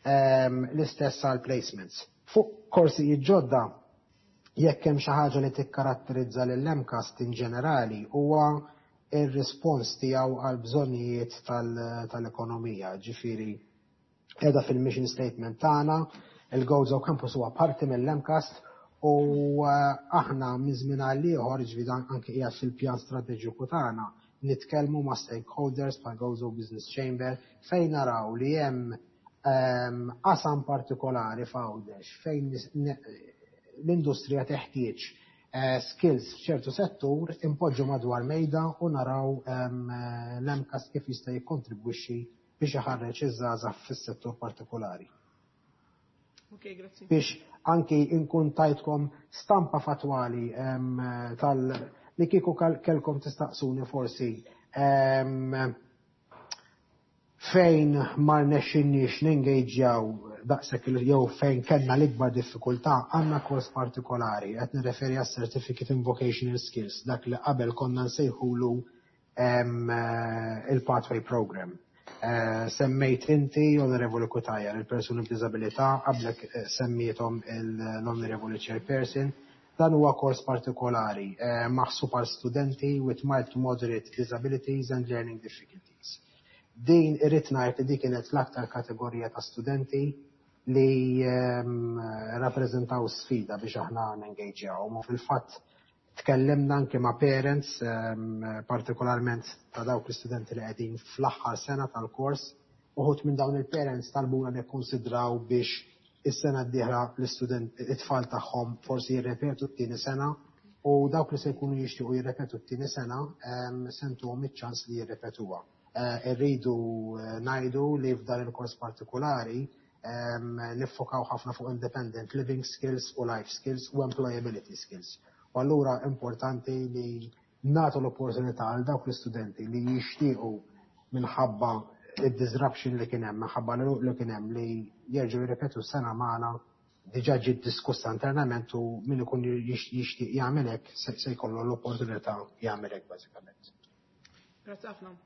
L-istess għal placements. Fuq korsijiet ġodda, jekk hemm xi ħaġa li tikkaratterizza lill-MCAST in ġenerali huwa ir-rispons tiegħu għal bżonnijiet tal-ekonomija. Ġifieri qiegħda fil-mission statement tagħna, il-Gozo Campus huwa parti mill-MCAST u aħna minn żmien għal ieħor, ġifieri anke qiegħed fil-pjan strateġiku tagħna, nitkellmu ma' stakeholders bħal Gozo Business Chamber fejn naraw li hemm qasam partikolari f'Għawdex fejn l-industrija teħtieġ skills f'ċertu settur, impoġġu madwar mejda u naraw l-MCAST kif jista' jikkontribwixxi biex iħarreġ iż-żgħażagħ fis-settur partikolari. Ok, grazzi. Biex anki inkun tajtkom stampa fatwali tal li kieku kelkom tistaqsuni forsi fejn ma rnexxinniex nengagġjaw daqshekk jew fejn kellna l-ikbar diffikultà, għandna kors partikolari, qed nirreferi għas Certificate in Vocational Skills, dak li qabel konna nsejħulu il-Pathway Program. Semmejt inti, Onorevoli Cutajar, il-persuni b'diżabilità, qablek semmiethom l-Onorevoli Chairperson. Dan huwa kors partikolari maħsub għal studenti with mild to moderate disabilities and learning difficulties. Din irrid ngħid li dik kienet l-aktar kategorija ta' studenti li rappreżentaw sfida biex aħna nengaġjaw. U fil-fatt tkellimna anke ma' parents, partikolarment ta' dawk l-istudenti li qegħdin fl-aħħar sena tal-kors. Uħud minn dawn il-parents talbuna nikkonsidraw biex is-sena d-dieħla l-istudent it-tfal tagħhom forsi jirrepetu t-tieni sena, u dawk li se jkunu jixtiequ jirrepetu t-tieni sena se ntuhom iċ-ċans li jirrepetuha. Irridu ngħidu li f'dan il-kors partikolari niffokaw ħafna fuq independent living skills u life skills u employability skills. U allura importanti li nagħtu l-opportunità għal dawk l-istudenti li jixtiequ, minħabba id-disruption li kien hemm, minħabba li kien hemm, li jerġgħu jirrepetu sena magħna. Diġà ġiet diskussa internament u min ikun jixtieq jagħmel hekk se jkollu l-opportunità jagħmel hekk bażikament. Grazzi ħafna.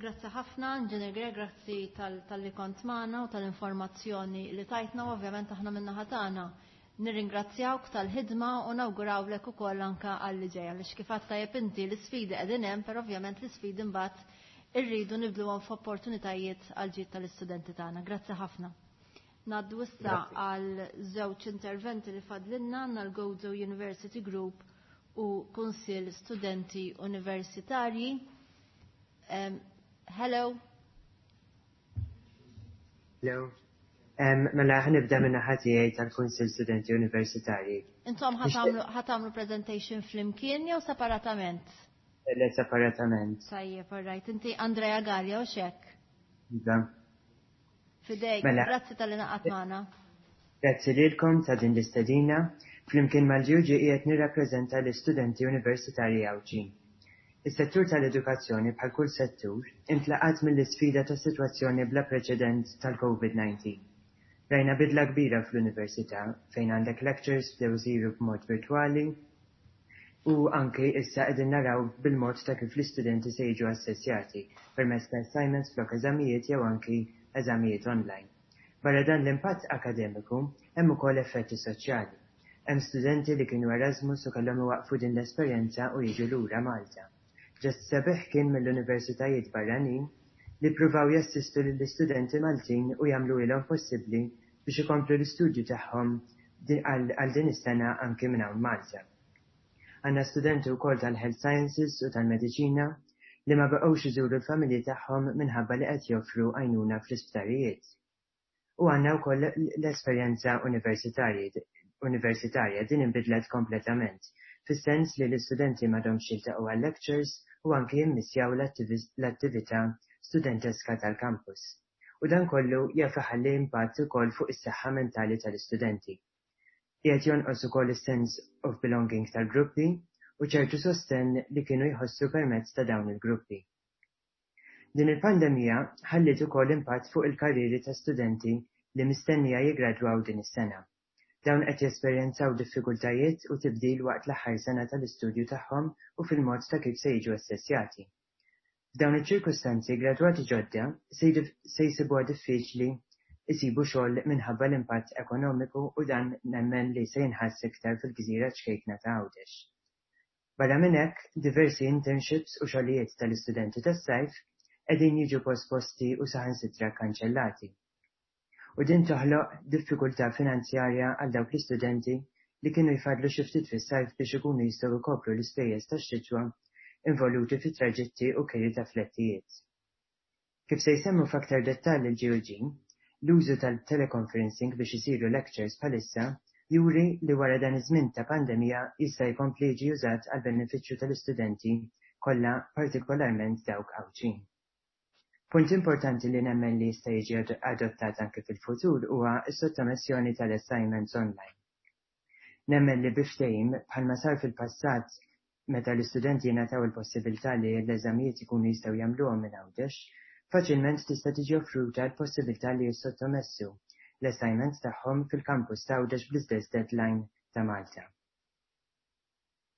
Grazzi ħafna, Engineer Grech, grazzi tal-li kont magħna u tal-informazzjoni li tajtna, u ovvjament aħna min-naħa tagħna nirringrazzjawk tal-ħidma u nawgurawlek ukoll anka għal li ġej, għaliex kif għedt tajjeb inti, l-isfidi qegħdin hemm, però ovvjament l-isfidi mbagħad irridu nibdluhom f'opportunitajiet għal ġid tal-istudenti tagħna. Grazzi ħafna. Ngħaddu issa għal żewġ interventi li fadlinna, għandna l-Gozo University Group u Kunsill Studenti Universitarji. Hello. Hello. Mela ħa nibda minn naħa tiegħi tal-Kunsill Studenti Universitarji. Intom ħa tagħmlu presentation flimkien jew separatament? Le, separatament. Tajjeb, all right. Inti Andrea Gallia u xek? Iva. Fidejk, Mela. Grazzi talli ngħaqadt magħna. Grazzi lilkom ta' din l-istedina. Flimkien mal-GUG qiegħed nirrappreżenta l-istudenti universitarji Għawdxin. Is-settur tal-edukazzjoni, bħal kull settur, intlaqat mill-isfida ta' sitwazzjoni bla preċedent tal-COVID-19. Rajna bidla kbira fl-università fejn għandek lectures bdew isiru b'mod virtwali u anke issa qegħdin naraw bil-mod ta' kif l-istudenti se jiġu assessjati permezz ta' assignments flok eżamijiet jew anki eżamijiet online. Barra dan l-impatt akademiku, hemm ukoll effetti soċjali. Hemm studenti li kienu Erasmus u kellhom iwaqfu din l-esperjenza u jiġu lura Malta. Ġest sabiħ kien mill-universitajiet barranin li pruvaw jassistu lill-istudenti Maltin u jagħmlu ilhom possibbli biex ikomplu l-istudju tagħhom għal din is-sena anki minn hawn Malta. Għandna studenti wkoll tal-Health Sciences u tal-Mediċina li ma baqgħux iżuru l-familji tagħhom minħabba li qed joffru għajnuna fl-isptarijiet. U għandna wkoll l-esperjenza universitarja din inbidlet kompletament, fis-sens li l-istudenti m'għadhomx jiltaqgħu għal lectures u anki jimmissjaw l-attività studenteska tal-campus. U dan kollu jaf iħalli impatt ukoll fuq is-saħħa mentali tal-istudenti. Qiegħed jonqos ukoll is-sense of belonging tal-gruppi u ċertu sostenn li kienu jħossu permezz ta' dawn il-gruppi. Din il-pandemija ħalliet ukoll impatt fuq il-karrieri ta' studenti li mistennija jiggradwaw din is-sena. Dawn qed jesperjenzaw diffikultajiet u tibdil waqt l-aħħar sena tal-istudju tagħhom u fil-mod ta' kif se jiġu assessjati. F'dawn iċ-ċirkustanzi gradwati ġodda se jsibuha diffiċli jsibu xogħol minħabba l-impatt ekonomiku u dan nemmen li se jinħass iktar fil-gżira ċkejkna ta' Għawdex. Barra minn hekk, diversi internships u xogħlijiet tal-istudenti tas-sajf qegħdin jiġu posposti u saħansitra kkanċellati. U din toħloq diffikultà finanzjarja għal dawk l-istudenti li kienu jfaddlu xi ftit fis-sajf biex ikunu jistgħu jkopru l-ispejjeż tax-xitwa involuti fi traġitti u kiri ta' flettijiet. Kif se jsemmu f'aktar dettall il-GUG, l-użu tal-teleconferencing biex isiru lectures bħalissa juri li wara dan iż-żmien ta' pandemija jista' jkompli jiġi użat għall-benefiċċju tal-istudenti kollha partikolarment dawk Għawdxin. Punt importanti li nemmen li jista' jiġi adottat anke fil-futur huwa s-sottomissjoni tal-assignments online. Nemmen li bi ftehim bħalma sar fil-passat meta l-istudenti jingħataw il-possibilità li l-eżamijiet ikunu jistgħu jagħmluhom minn Għawdex, faċilment tista' tiġi offruta l-possibilità li jissottomessu l-assignments tagħhom fil-campus ta' Għawdex bl-istess deadline ta' Malta.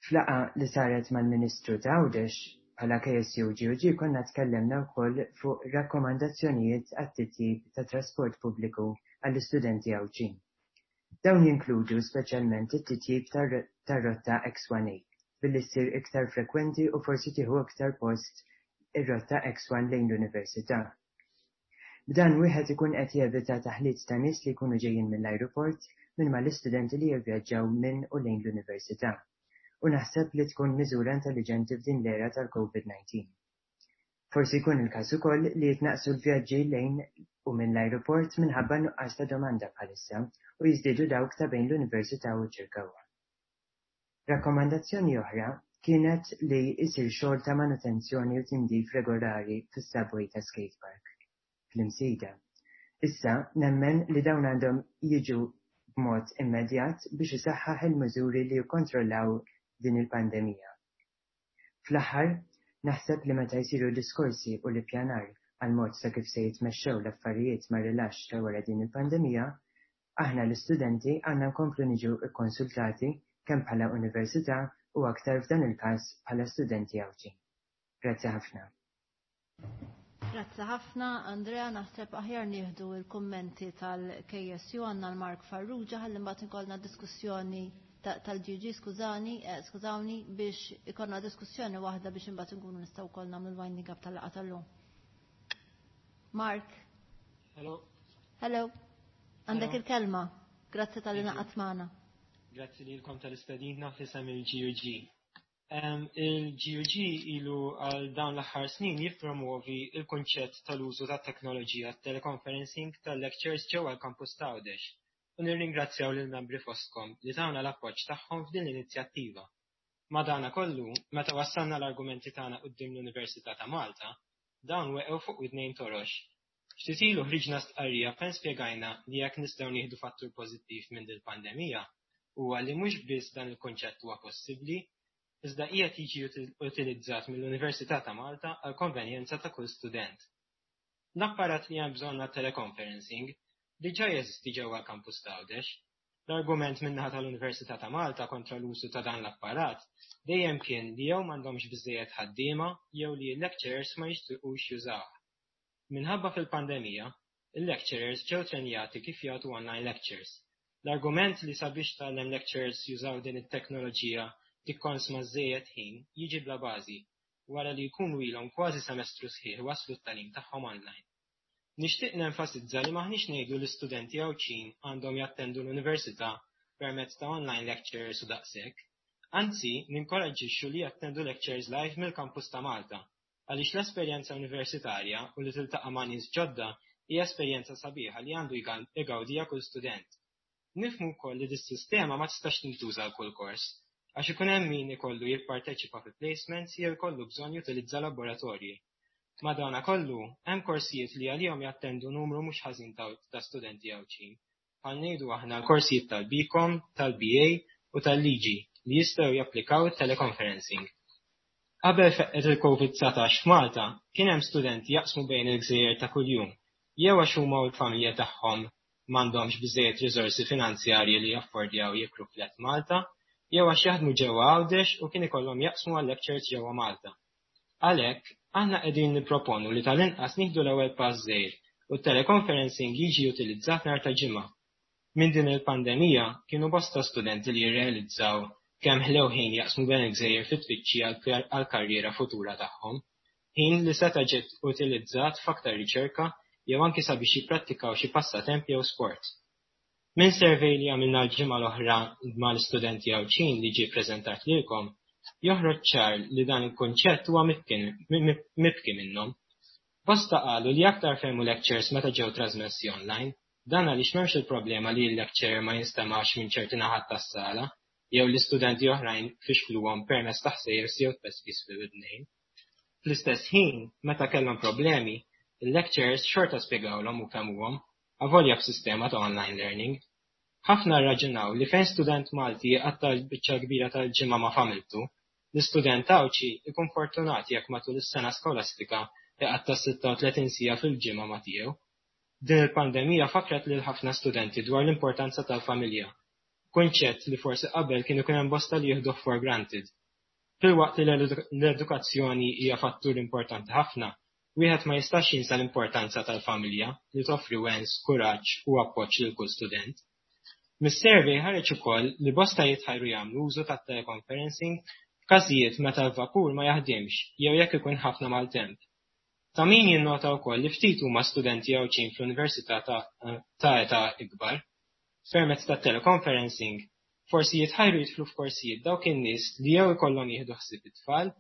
F'laqgħa li saret mal-Ministru ta' Għawdex bħala KSU GUG konna tkellimna wkoll fuq rakkomandazzjonijiet għat-titjib ta' trasport pubbliku għall-istudenti Għawdxin. Dawn jinkludu speċjalment it-titjib tar-rotta X1A billi ssir iktar frekwenti u forsi tieħu iktar post ir-rotta X1 lejn l-università. B'dan wieħed ikun qed jevita taħlit ta' nies li jkunu ġejjin mill-ajruport minn mal-istudenti li jivvjaġġaw minn u lejn l-università. U naħseb li tkun miżura intelliġenti f'din l-era tal-COVID-19. Forsi jkun il-każ ukoll li jitnaqsu l-vjaġġi lejn u minn l-ajruport minħabba nuqqas ta' domanda bħalissa u jiżdiedu dawk ta' bejn l-università u ċ-Ċirkewwa. Rakkomandazzjoni oħra kienet li jsir xogħol ta' manutenzjoni u tindif regolari fis-subway ta' skate park fl-Imsida. Issa nemmen li dawn għandhom jiġu b'mod immedjat biex isaħħaħ il-miżuri li jikkontrollaw din il-pandemija. Fl-aħħar, naħseb li meta jsiru diskorsi u l-ippjanar għal mod ta' kif se jitmexxew l-affarijiet mar-rilaxx ta' wara din il-pandemija, aħna l-istudenti għandna nkomplu niġu kkonsultati kemm bħala università u aktar f'dan il-każ bħala studenti Għawdxin. Grazzi ħafna. Grazzi ħafna, Andrea, naħseb aħjar nieħdu il-kummenti tal-KSU għandna l-Mark Farrugia ħalli mbagħad ikollna diskussjoni tal-GG, skużani, skużawni biex ikollna diskussjoni waħda biex imbagħad inkunu nistgħu wkoll nagħmlu l-winding up tal-laqgħa tal-lum. Mark. Hello. Hello. Għandek il-kelma. Grazzi talli ngħaqadt magħna. Grazzi lilkom tal-istedina f'isem il-GUG. Il-GUG ilu għal dawn l-aħħar snin jippromovi il-kunċett tal-użu ta' teknoloġija teleconferencing tal-lectures ġewwa l-campus ta' Għawdex u nirringrazzjaw lil membri fostkom li tawna l-appoġġ tagħhom f'din l-inizjattiva. Madana kollu, meta wassalna l-argumenti tagħna quddiem l-Università ta' Malta, dawn weqgħu fuq widnejn torox. Ftit ilu ħriġna stqarrija fejn spjegajna li jekk nistgħu nieħdu fattur pożittiv minn dil-pandemija huwa li mhux biss dan il-kunċett huwa possibbli, iżda qiegħed jiġi utilizzat mill-Università ta' Malta għal konvenjenza ta' kull student. L-apparat li hemm bżonn għat-teleconferencing diġà jeżisti ġewwa l-kampus ta' Għawdex. L-argument min-naħa tal-Università ta' Malta kontra l-użu ta' dan l-apparat dejjem kien li jew m'għandhomx biżejjed ħaddiema jew li l-lecturers ma jixtiequx jużawh. Minħabba fil-pandemija, il-lecturers ġew trenjati kif jagħtu online lectures. L-argument li sabiex tgħallem lecturers jużaw din it-teknoloġija tikkonsma żejjed ħin jiġi bla bażi wara li jkunu ilhom kważi semestru sħiħ waslu t-tagħlim tagħhom online. Nixtieq nenfasizza li maħniex ngħidu l-istudenti Għawdxin għandhom jattendu l-università permezz ta' online lectures u daqshekk. Anzi, ninkoraġġixxu li jattendu lectures live mill-campus ta' Malta għaliex l-esperjenza universitarja u li tiltaqa' ma' nies ġodda Hija esperjenza sabiħa li għandu jgawdiha kull student. Nifhmu wkoll li dis-sistema ma tistax tintuża għal kull kors, għax ikun hemm min ikollu jipparteċipa fi placements jew ikollu bżonn jutilizza laboratorji. Madanakollu, hemm korsijiet li għalihom jattendu numru mhux ħażin ta' studenti Għawdxin, bħal ngħidu aħna l-korsijiet tal-BCom, tal-BA u tal-Liġi li jistgħu japplikaw it-teleconferencing. Qabel feqqet il-Covid 19 f'Malta, kien hemm studenti jaqsmu bejn il-gżejjer ta' kuljum, jew għax huma u l-familja tagħhom m'għandhomx biżżejjed riżorsi finanzjarji li jaffordjaw jikru flat Malta, jew għax jaħdmu ġewwa Għawdex u kien ikollhom jaqsmu għal-lectures ġewwa Malta. Għalhekk, aħna qegħdin nipproponu li tal-inqas nieħdu l-ewwel pass żgħir u t-teleconferencing jiġi utilizzat nhar ta' Ġimgħa. Minn din il-pandemija kienu bosta studenti li jirrealizzaw kemm ħlew ħin jaqsmu bejn il-gżejjer fit-tfittxija għall-karriera futura tagħhom, ħin li seta' ġie utilizzat f'aktar riċerka jew anki sabiex jipprattikaw xi passatemp jew sport. Minn survey li għamilna l-ġimgħa l-oħra mal-istudenti Għawdxin li ġie ppreżentat lilkom, joħroġ ċar li dan il-kunċett huwa mibki minnhom. Bosta qalu li aktar fehmu lectures meta ġew trażmessi online, dan għaliex m'hemmx il-problema li l-lecturer ma jinstemax minn ċerti naħat tas-sala jew li studenti oħrajn fixkluhom permezz ta' ħsejjes jew tpespis fil-widnejn. Fl-istess ħin, meta kellhom problemi, il-lecturers xorta spjegawlhom u fehmuhom, avolja b'sistema ta' online learning. Ħafna rraġunaw li fejn student Malti jqatta' l-biċċa l-kbira tal-ġimgħa ma' familtu, l-istudent Għawdxi jkun fortunat jekk matul is-sena skolastika jqatta' 36 siegħa fil-ġimgħa ma' tiegħu. Din il-pandemija fakkret lil ħafna studenti dwar l-importanza tal-familja, kunċett li forsi qabel kien ikun hemm bosta li jieħduh for granted. Filwaqt li l-edukazzjoni hija fattur importanti ħafna, wieħed ma jistax jinsa l-importanza tal-familja li toffri wens, kuraġġ u appoġġ lil kull student. Mis-survey ħareġ ukoll li bosta jitħajru jagħmlu użu tat-teleconferencing f'każijiet meta l-vapur ma jaħdimx jew jekk ikun ħafna maltemp. Ta' min jinnota wkoll li ftit huma studenti Għawdxin fl-università ta' età ikbar. Permezz tat-teleconferencing, forsi jitħajru jidħlu f'korsijiet dawk in-nies li jew ikollhom jieħdu ħsieb it-tfal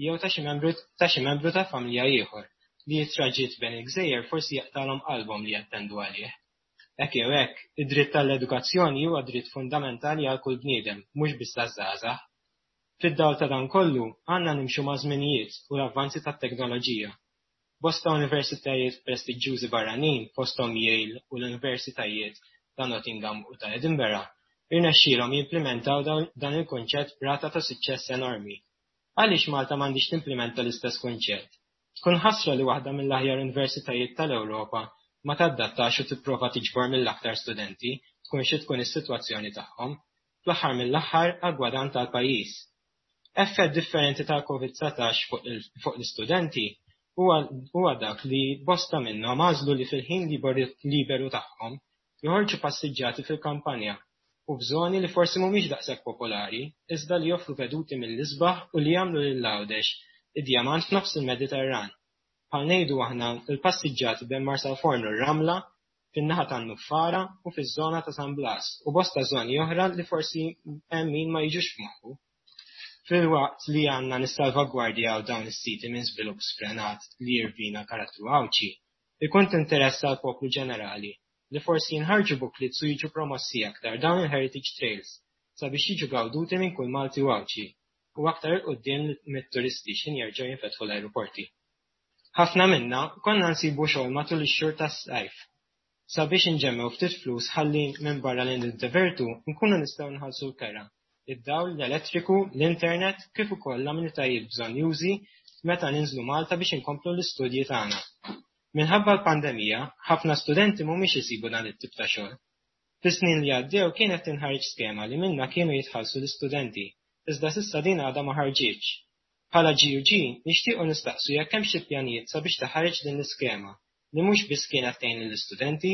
jew ta' xi membru ta' xi membru tal-familja ieħor li t-traġitt bejn il-gżejjer forsi jaqtgħalhom qalbhom li jattendu għalih. Hekk jew hekk, id-dritt għall-edukazzjoni huwa dritt fundamentali għal kull bniedem, mhux biss għaż-żgħażagħ. Fid-dawl ta' dan kollu, għandna nimxu maż-żminijiet u l-avvanzi tat-teknoloġija. Bosta universitajiet prestiġġjużi barranin, fosthom Yale u l-Universitajiet ta' Nottingham u ta' Edinburgh, irnexxielhom jimplimentaw dan il-kunċett b'rata ta' suċċess enormi. Għaliex Malta m'għandhiex timplimenta l-istess kunċett? Tkun ħasra li waħda mill-aħjar universitajiet tal-Ewropa ma tadattax u tipprova tiġbor mill-aktar studenti, tkun xi tkun is-sitwazzjoni tagħhom, fl-aħħar mill-aħħar għall-gwadann tal-pajjiż. Effett differenti tal-Covid 19 fuq l-istudenti huwa dak li bosta minnhom għażlu li fil-ħin liberu tagħhom joħorġu passiġġati fil-kampanja u f'żoni li forsi mhumiex daqshekk popolari iżda li joffru veduti mill-isbaħ u li jagħmlu lil Għawdex id-djamant f'nofs il-Mediterran. Bħal ngħidu aħna l-passiġġati bejn Marsalforn u r-Ramla, fin-naħa tan-Nuffara u fiż-żona ta' San Blas u bosta żoni oħra li forsi hemm min ma jiġux f'moħħu. Filwaqt li għandna nissalvagwardjaw dawn is-siti minn żvilupp sfrenat li jirvina l-karattru Għawdxi, ikun t'interess għall-poplu ġenerali li forsi jinħarġu booklets u jiġu promossi aktar dawn il-heritage trails sabiex jiġu gawduti minn kull Malti u Għawdxi u aktar 'il quddiem mit-turisti x'ħin jerġgħu jinfetħu l-ajruporti. Ħafna minna konna nsibu xogħol matul ix-xhur tas-sajf sabiex inġemmgħu ftit flus ħalli minbarra li niddevertu nkunu nistgħu nħallsu l-kera, id-dawl, l-elettriku, l-internet kif ukoll l-amenitajiet bżonnjużi meta ninżlu Malta biex inkomplu l-istudji tagħna. Minħabba l-pandemija, ħafna studenti mhumiex isibu dan it-tip ta' xogħol. Fis-snin li għaddew kienet tinħareġ skema li minnha kienu jitħallsu l-istudenti, iżda s'issa din għadha ma ħarġitx. Bħala GUG nixtiequ nistaqsu jekk hemmx xi pjanijiet sabiex taħareġ din l-iskema li mhux biss kienet tgħin lill-istudenti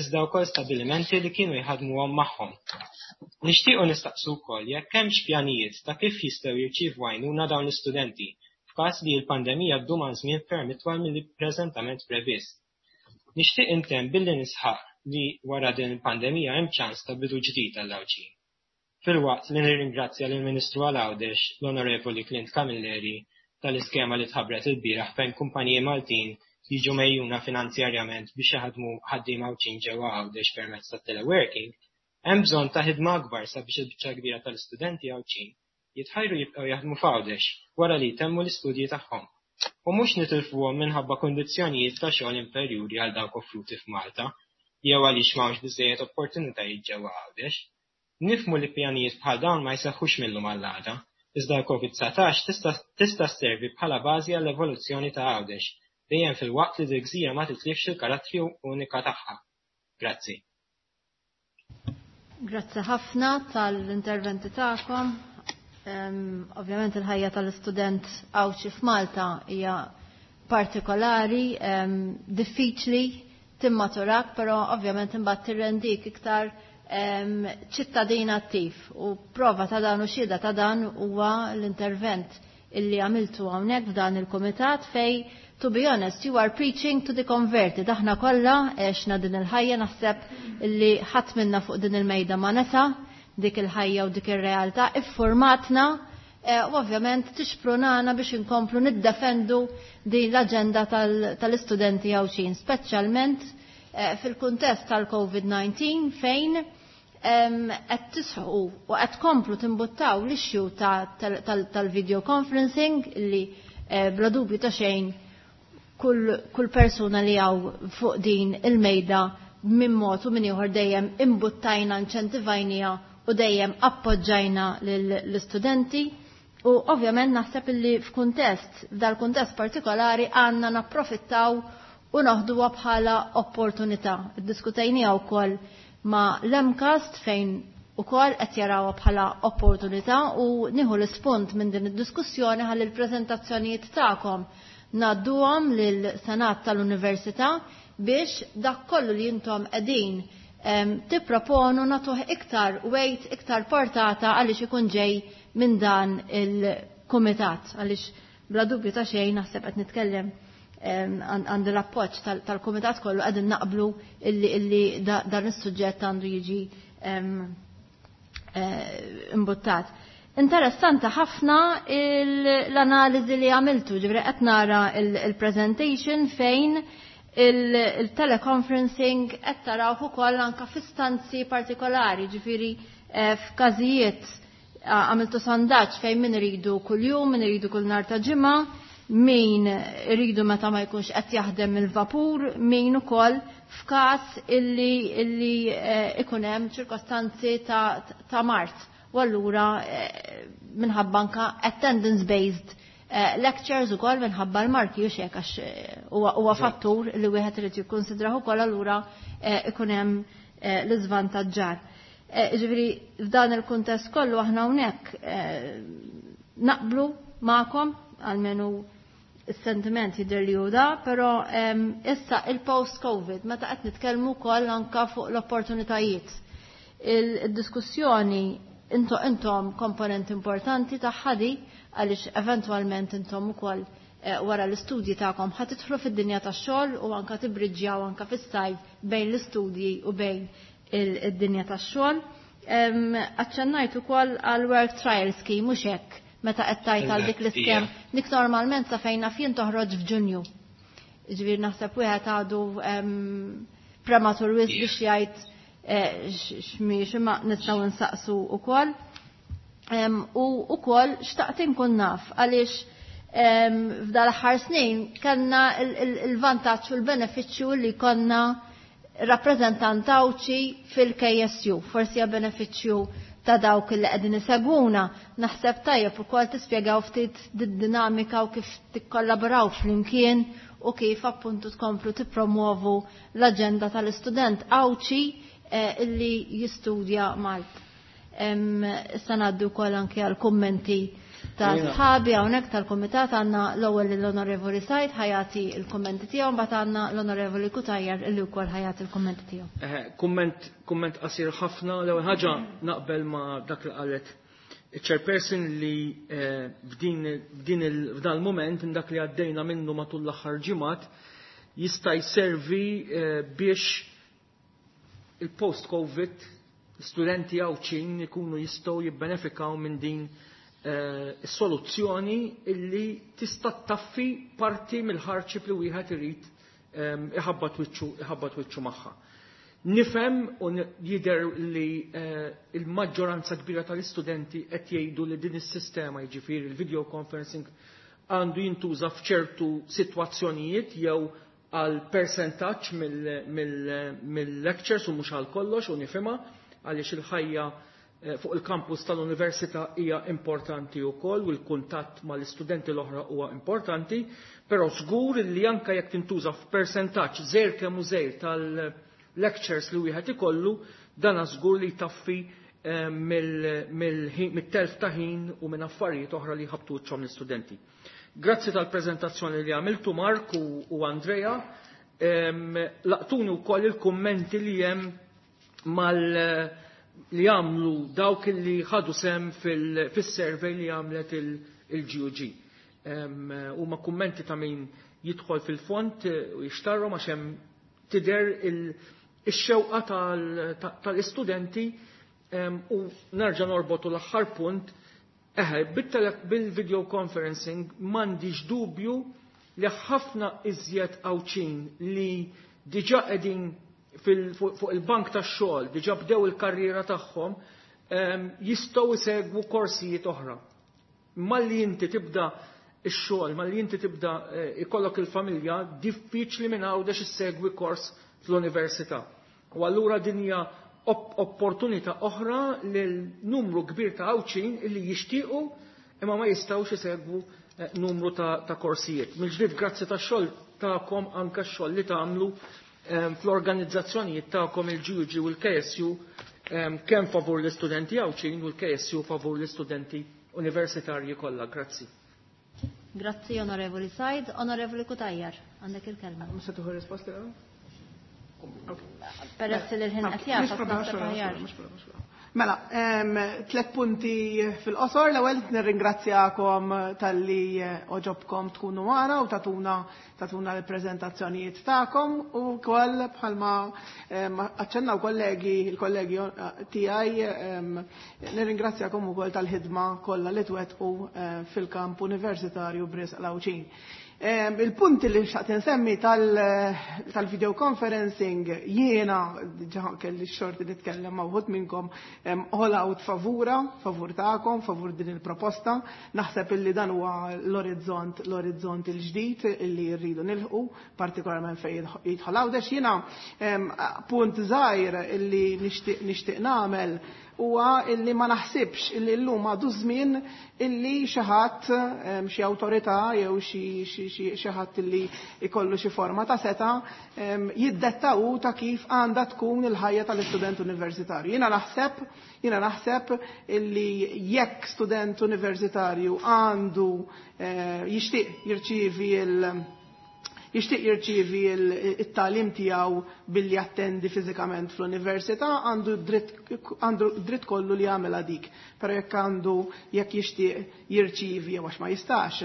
iżda wkoll stabilimenti li kienu jħaddmuhom magħhom. Nixtiequ nistaqsu wkoll jekk hemmx pjanijiet ta' kif jistgħu jirċievu għajnuna dawn l-istudenti f'każ li l-pandemija ddum għal żmien ferm itwal milli preżentament previst. Nixtieq intemm billi nisħaq li wara din il-pandemija hemm ċans ta' bidu ġdid għall-Għawdxin. Filwaqt li nirringrazzja lill-Ministru għal Għawdex, l-Onorevoli Clint Camilleri, tal-iskema li tħabbret ilbieraħ fejn kumpaniji Maltin jiġu megħjuna finanzjarjament biex jaħdmu ħaddiema Għawdxin ġewwa Għawdex permezz tat-teleworking, hemm bżonn ta' ħidma akbar sabiex il-biċċa l-kbira tal-istudenti Għawdxin jitħajru jibqgħu jaħdmu f'Għawdex wara li jtemmu l-istudji tagħhom u mhux nitilfuhom minħabba kundizzjonijiet ta' xogħol inferjuri għal dawk offruti f'Malta jew għaliex m'hawnx biżżejjed opportunitajiet ġewwa Għawdex. Nifhmu li pjanijiet bħal dawn ma jseħħux mil-lum għall-għada, iżda l-Covid 19 tista' tista' sservi bħala bażi għall-evoluzzjoni ta' Għawdex, dejjem filwaqt li dil-gżira ma titlifx il-karattri unika tagħha. Grazzi. Grazzi ħafna tal-interventi tagħkom. Ovvjament il-ħajja tal-istudent Għawdxi f'Malta hija partikolari, diffiċli, timmaturak, però ovvjament imbagħad tirrendik iktar ċittadin attiv u prova ta' dan u xhieda ta' dan huwa l-intervent illi għamiltu hawnhekk f'dan il-kumitat fej to be honest, you are preaching to the converted. Aħna kollha għexna din il-ħajja naħseb illi ħadd minna fuq din il-mejda ma nesa dik il-ħajja u dik ir-realtà iffurmatna u ovvjament tixprunana biex inkomplu niddefendu din l-aġenda tal-istudenti Għawdxin, speċjalment fil-kuntest tal-COVID-19 fejn qed tisħu u qed tkomplu timbuttaw l-issue tal-video conferencing li bla dubju ta' xejn kull persuna li hawn fuq din il-mejda minn mod u minn ieħor dejjem imbuttajna, inċentivajnija u dejjem appoġġajna l-istudenti. U ovvjament naħseb illi f'kuntest, f'dal-kuntest partikolari għandna napprofittaw u noħduha bħala opportunità. Iddiskutejniha wkoll ma' l-MCAST fejn ukoll qed jarawha bħala opportunità u nieħu l-ispunt minn din id-diskussjoni ħalli l-preżentazzjonijiet tagħkom ngħadduhom lil-Senat tal-Università biex dak kollu li intom qegħdin tipproponu nagħtuh iktar weight, iktar portata għaliex ikun ġej minn dan il-kumitat għaliex bla dubju ta' xejn naħseb qed nitkellem għand l-appoġġ tal-kumitat kollu qegħdin naqblu illi dan is-suġġett għandu jiġi imbuttat. Interessanti ħafna l-analiżi li għamiltu, ġifieri qed nara il-presentation fejn il-teleconferencing qed tarawh ukoll anke f'istanzi partikolari, ġifieri f'każijiet għamiltu sondaġġ fejn min iridu kuljum, min iridu kull nhar ta' ġimgħa, min iridu meta ma jkunx qed jaħdem il-vapur, min ukoll f'każ illi ikun hemm ċirkostanzi ta' mard. U allura minħabba anka attendance based lectures ukoll minħabba l-marki u xek għax huwa fattur li wieħed irid jikkonsidrah ukoll allura ikun hemm l-iżvantaġġar. Ġifieri f'dan il-kuntest kollu aħna hawnhekk naqblu magħkom għalmenu is-sentiment jidher li hu da, però issa il-post-Covid meta qed nitkellmu wkoll anka fuq l-opportunitajiet. Il-diskussjoni intom komponent importanti tagħha di għaliex eventwalment intom ukoll wara l-istudji tagħkom ħa tidħlu fid-dinja tax-xogħol u anka tibriġġjaw anka fis-sajf bejn l-istudji u bejn id-dinja tax-xogħol. Aċċennajt ukoll għal work trial scheme mhux hekk meta qed tajt għal dik l-iskem dik normalment sa fejn naf jien toħroġ f'Ġunju. Ġifieri naħseb wieħed għadu prematur wisq biex jgħid x'mhix imma nistgħu nsaqsu wkoll. U wkoll xtaqt inkun naf għaliex f'dal-aħħar snin kellna il-vantaġġ u l-benefiċċju li konna rappreżentant Għawdxi fil-KSU. Forsi hija benefiċċju ta' dawk li qegħdin isegwuna. Naħseb tajjeb ukoll tispjegaw ftit d-dinamika u kif tikkollaboraw flimkien u kif appuntu tkomplu tippromuovu l-aġenda tal-istudent Għawdxi illi jistudja Malta. Issa ngħaddi wkoll anke għal kummenti ta' sħabi hawnhekk tal-kumitat għandna l-ewwel l-Onorevoli Said ħa jagħti l-kummenti tiegħu mbagħad għandna l-Onorevoli Cutajar illi wkoll ħa jagħti l-kummenti tiegħu. Kumment kumment qasir ħafna. L-ewwel ħaġa naqbel ma' dak li qalet il-chairperson li f'din f'dan il-moment dak li għaddejna minnu matul l-aħħar ġimgħat jista' jservi biex il-post-Covid studenti Għawdxin ikunu jistgħu jibbenefikaw minn din is-soluzzjoni illi tista' taffi parti mill-hardship li wieħed irid. iħabbat wiċċu magħha. Nifhem u jidher li il-maġġoranza kbira tal-istudenti qed jgħidu li din is-sistema, jiġifieri il-video conferencing, għandu jintuża f'ċertu sitwazzjonijiet jew għal percentaġġ mill-lectures u mhux għal kollox, u nifhimha għaliex il-ħajja fuq il-kampus tal-università hija importanti wkoll u l-kuntatt mal-istudenti l-oħra huwa importanti, però żgur li anke jekk tintuża f'persentaġġ żgħir kemm hu żgħir tal-lectures li wieħed ikollu, dan żgur li jtaffi mit-telf ta' ħin u minn affarijiet oħra li jħabtu wiċċhom l-istudenti. Grazzi tal-preżentazzjoni li għamiltu Mark u Andrea. Laqtuni wkoll il-kummenti li hemm mal li għamlu dawk li ħadu sem fil-survey li għamlet il-GUG. Huma kummenti ta' min jidħol fil-font u jixtarru għax hemm tidher ix-xewqa tal-istudenti. U nerġa' norbotu l-aħħar punt. Bil-video conferencing m'għandix dubju li ħafna iżjed Għawdxin li diġà qegħdin fuq il-bank tax-xogħol, diġà bdew il-karriera tagħhom, jistgħu jsegwu korsijiet oħra. Malli inti tibda x-xogħol, malli inti tibda ikollok il-familja, diffiċli minn Għawdex issegwi kors fl-università. U allura din hija opportunità oħra lil numru kbir ta' Għawdxin illi jixtiequ imma ma jistgħux isegwu numru ta' korsijiet. Mill-ġdid grazzi tax-xogħol tagħkom, anke x-xogħol li tagħmlu fl-organizzazzjonijiet tagħkom il-GUG u l-KSU, kemm favur l-istudenti Għawdxin u l-KSU favur l-istudenti universitarji kollha. Grazzi. Grazzi, Onorevoli Said. Onorevoli Cutajar, għandek il-kelma. Mhux se tieħu risposti l-ewwel? Peress li l-ħin qed jagħfas, naħseb aħjar. Mela, 3 punti fil-qosor. L-ewwel nirringrazzjakom talli oġobkom tkunu magħna u tatuna l-preżentazzjonijiet tagħkom, u wkoll bħalma aċċennaw il-kollegi tiegħi, nirringrazzjakom ukoll tal-ħidma kollha li twettqu fil-kamp universitarju b'risq l-Għawdxin. Il-punti li xtaqt insemmi tal-video conferencing, jiena diġà kelli x-xorti nitkellem ma' wħud minnkom, all out favur tagħkom, favur din il-proposta. Naħseb illi dan huwa l-orizzont il-ġdid illi rridu nilħqu, partikolarment fejn jidħol Għawdex. Jiena punt żgħir illi nixtieq nagħmel huwa illi ma naħsibx illi llum għadu żmien illi xi ħadd, xi awtorità jew xi ħadd illi jkollu xi forma ta' seta, jiddettaw ta' kif għandha tkun il-ħajja tal-istudent universitarju. Jiena naħseb illi jekk student universitarju għandu jixtieq jirċievi il- jixtieq jirċievi it-tagħlim tiegħu billi jattendi fiżikament fl-università, għandu dritt kollu li jagħmel dik. Però jekk jixtieq jirċievi jew għax ma jistax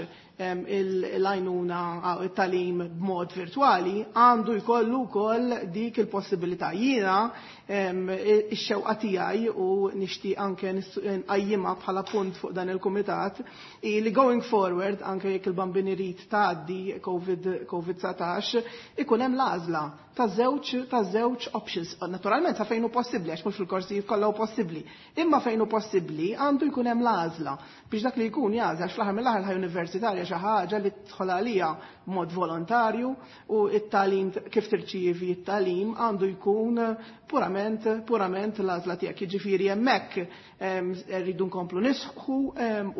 l-għajnuna it-tagħlim b'mod virtwali, għandu jkollu wkoll dik il-possibilità. Jiena ix-xewqa tiegħi u nixtieq anke nqajjimha bħala punt fuq dan il-kumitat hi li going forward, anke jekk il-bambin irid tgħaddi COVID-19, ikun hemm l-għażla ta' żewġ options. Naturalment sa fejn hu possibbli, għax mhux fil-korsijiet kollha hu possibbli. Imma fejn hu possibbli għandu jkun hemm l-għażla biex dak li jkun jagħżel, għax fl-aħħar mill-aħħar ħaj universitarja xi ħaġa li tidħol għalija b'mod volontarju, u t-tagħlim kif tirċievi t-tagħlim għandu jkun purament l-għażla tiegħek. Jiġifieri hemmhekk rridu nkomplu nisħu,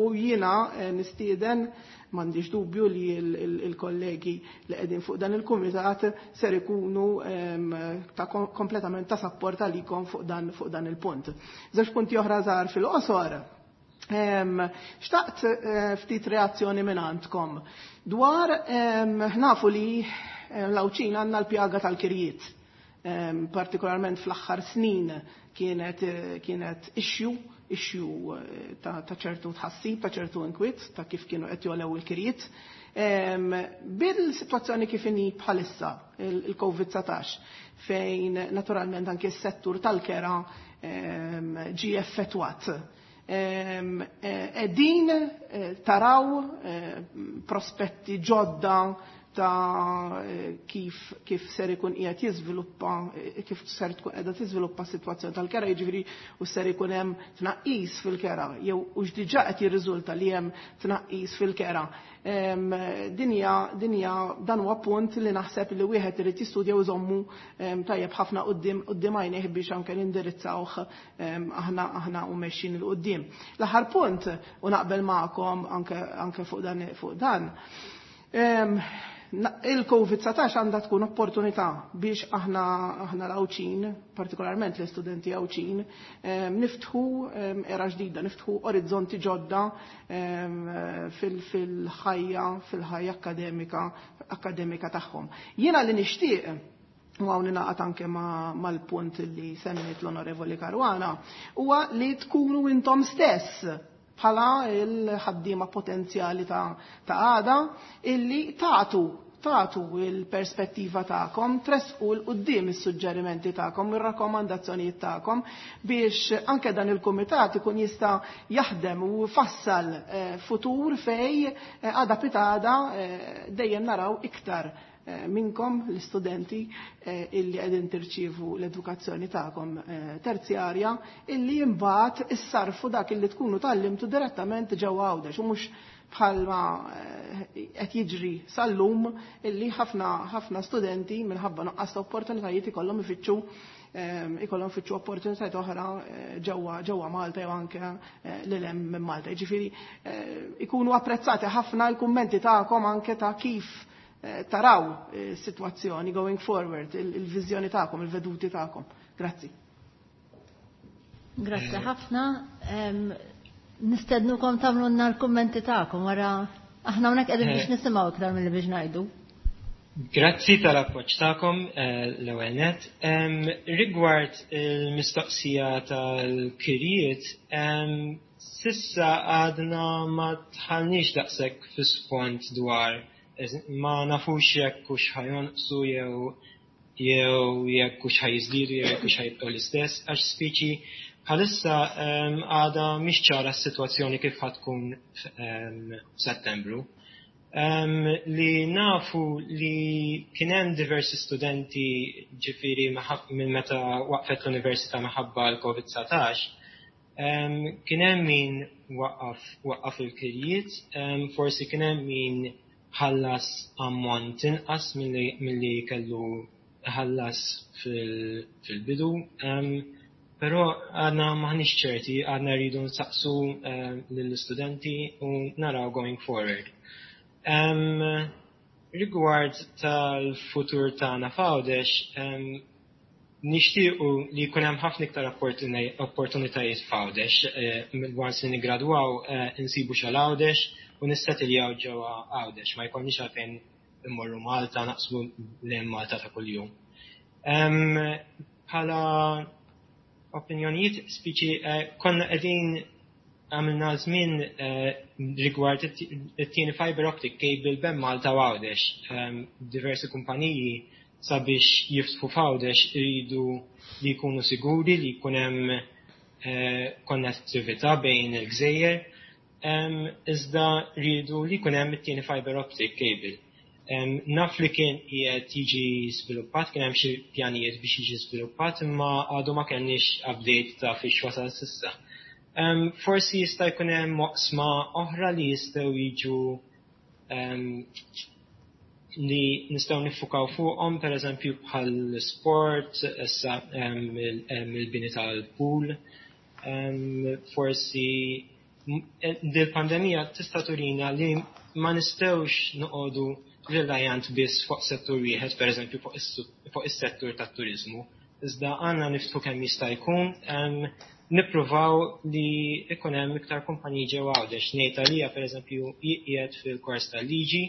u jiena nistieden, m'għandix dubju li il-kollegi li qegħdin fuq dan il-kumitat ser ikunu ta' kompletament ta' sapport għalikom fuq dan il-punt. Żewġ punti oħra żgħar fil-qosor. Xtaqt ftit reazzjoni minn għandkom dwar nafu li l-Għawdxin għandna l-pjaga tal-kirjiet. Partikolarment fl-aħħar snin kienet issue ta' ċertu tħassib, ta' ċertu inkwiet, ta' kif kienu qed jolew il-kirjiet. Bil-sitwazzjoni kif inhi bħalissa il-COVID-19, fejn naturalment anke s-settur tal-kera ġie effettwat. Qegħdin taraw prospetti ġodda ta' kif kif ser ikun qiegħed jiżviluppa, kif ser tkun qiegħda tiżviluppa s-sitwazzjoni tal-kera, jiġifieri u ser ikun hemm tnaqqis fil-kera jew hux diġà qed jirriżulta li hemm tnaqqis fil-kera. Dinja dinja dan huwa punt li naħseb li wieħed irid jistudja u jżommu tajjeb ħafna quddiem quddiem għajnejh biex anke nindirizzawh aħna aħna u mexjin 'il quddiem. L-aħħar punt, u naqbel magħkom anke anke fuq dan fuq dan. Il-Covid-19 għandha tkun opportunità biex aħna aħna l-Għawdxin, partikolarment l-istudenti Għawdxin, niftħu era ġdida, niftħu orizzonti ġodda fil-ħajja fil-ħajja akkademika akkademika tagħhom. Jiena li nixtieq, u hawn ningħaqad anke mal-punt li semmiet l-Onorevoli Caruana, huwa li tkunu intom stess bħala il-ħaddiema potenzjali ta' għada illi tagħtu tagħtu il-perspettiva tagħkom, tressqu 'l quddiem is-suġġerimenti tagħkom, ir-rakkomandazzjonijiet tagħkom biex anke dan il-kumitat ikun jista' jaħdem u jfassal futur fej għada pitgħada dejjem naraw iktar minnkom l-istudenti illi qegħdin tirċievu l-edukazzjoni tagħkom terzjarja illi imbagħad issarfu dak illi tkunu tgħallimtu direttament ġewwa Għawdex u mhux bħalma qed jiġri sal-lum illi ħafna ħafna studenti minħabba nuqqas ta' opportunitajiet ikollhom ifittxu ikollhom ifittxu opportunitajiet oħra ġewwa ġewwa Malta jew anke lil hemm minn Malta. Jiġifieri ikunu apprezzati ħafna l-kummenti tagħkom anke ta' kif taraw is-sitwazzjoni going forward, il-viżjoni tagħkom, il-veduti tagħkom. Grazzi. Grazzi ħafna. Nistednukom tagħmlulna l-kummenti tagħkom wara, aħna hawnhekk qegħdin biex nisimgħu iktar milli biex ngħidu. Grazzi tal-appoġġ tagħkom l-ewwel net. Rigward il-mistoqsija tal-kirjiet, s'issa għadna ma dħalniex daqshekk fi sfond dwar, ma nafux jekk hux ħa jonqsu jew jekk hux ħa jiżdiedu jew jekk hux ħa jibqgħu l-istess, għax speċi bħalissa għadha mhix ċara s-sitwazzjoni kif ħa tkun f'Settembru. Li nafu li kien hemm diversi studenti, ġifieri minn meta waqfet l-università minħabba l-Covid-19, kien hemm min waqqaf il-kirjiet, forsi kien hemm min ħallas ammont inqas milli kellu ħallas fil-bidu, però għadna maħniex ċerti, għadna rridu nsaqsu lill-istudenti u naraw going forward. Rigward tal-futur tagħna f'Għawdex, nixtiequ li jkun hemm ħafna iktar opportunitajiet f'Għawdex. Once li niggradwaw insibu xogħol Għawdex u nissetiljaw ġewwa Għawdex, ma jkollniex għalfejn immorru Malta, naqsmu lejn Malta ta' kuljum. Bħala opinjonijiet speċi konna qegħdin għamilna żmien rigward it-tieni fiber optic cable bejn Malta u Għawdex. Diversi kumpaniji sabiex jiftħu f'Għawdex iridu li jkunu siguri li jkun hemm konnettività bejn il-gżejjer, iżda rridu li jkun hemm it-tieni fiber optic cable. Naf li kien qiegħed jiġi żviluppat, kien hemm xi pjanijiet biex jiġi żviluppat, imma għadu ma kellniex update ta' fiex wasal s'issa. Forsi jista' jkun hemm oqsma oħra li jistgħu jiġu li nistgħu niffukaw fuqhom, pereżempju bħal sport, issa il-bini tal-pool. Forsi dil-pandemija tista' turina li ma nistgħux noqogħdu reliant biss fuq settur wieħed, pereżempju fuq is-settur tat-turiżmu. Iżda għandna niftħu kemm jista' jkun, nippruvaw li ikun hemm iktar kumpaniji ġewwa Għawdex. Ngħid għalija, pereżempju, qiegħed fil-kors tal-liġi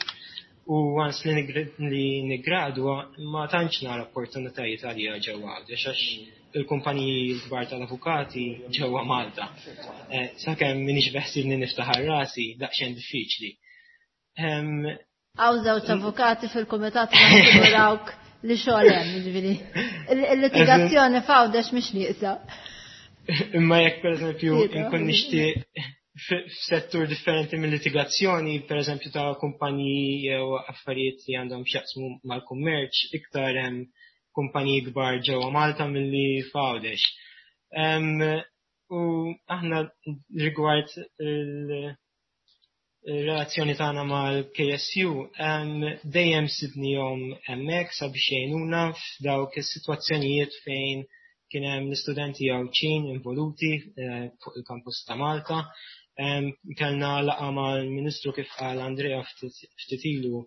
u once li niggradwa ma tantx nara opportunitajiet għalija ġewwa Għawdex għax il-kumpaniji l-kbar tal-avukati ġewwa Malta. Sakemm m'iniex beħsibni niftaħar rasi, daqsxejn diffiċli. Hawn żewġ avukati fil-kumitat, nassigurawk li xogħol hemm, jiġifieri. Il-litigazzjoni f'Għawdex mhix nieqsa. Imma jekk pereżempju nkun nixtieq F'settur differenti mill-litigazzjoni, per eżempju ta' kumpaniji jew affarijiet li għandhom x'jaqsmu mal-kummerċ, iktar hemm kumpaniji kbar ġewwa Malta milli f'Għawdex. U aħna rigward il-relazzjoni tagħna mal-KSU dejjem sibnihom hemmhekk sabiex jgħinuna f'dawk is-sitwazzjonijiet fejn kien hemm l-istudenti Għawdxin involuti fuq il-kampus ta' Malta. Kellna laqgħa mal-Ministru kif qal Andrea ftit ilu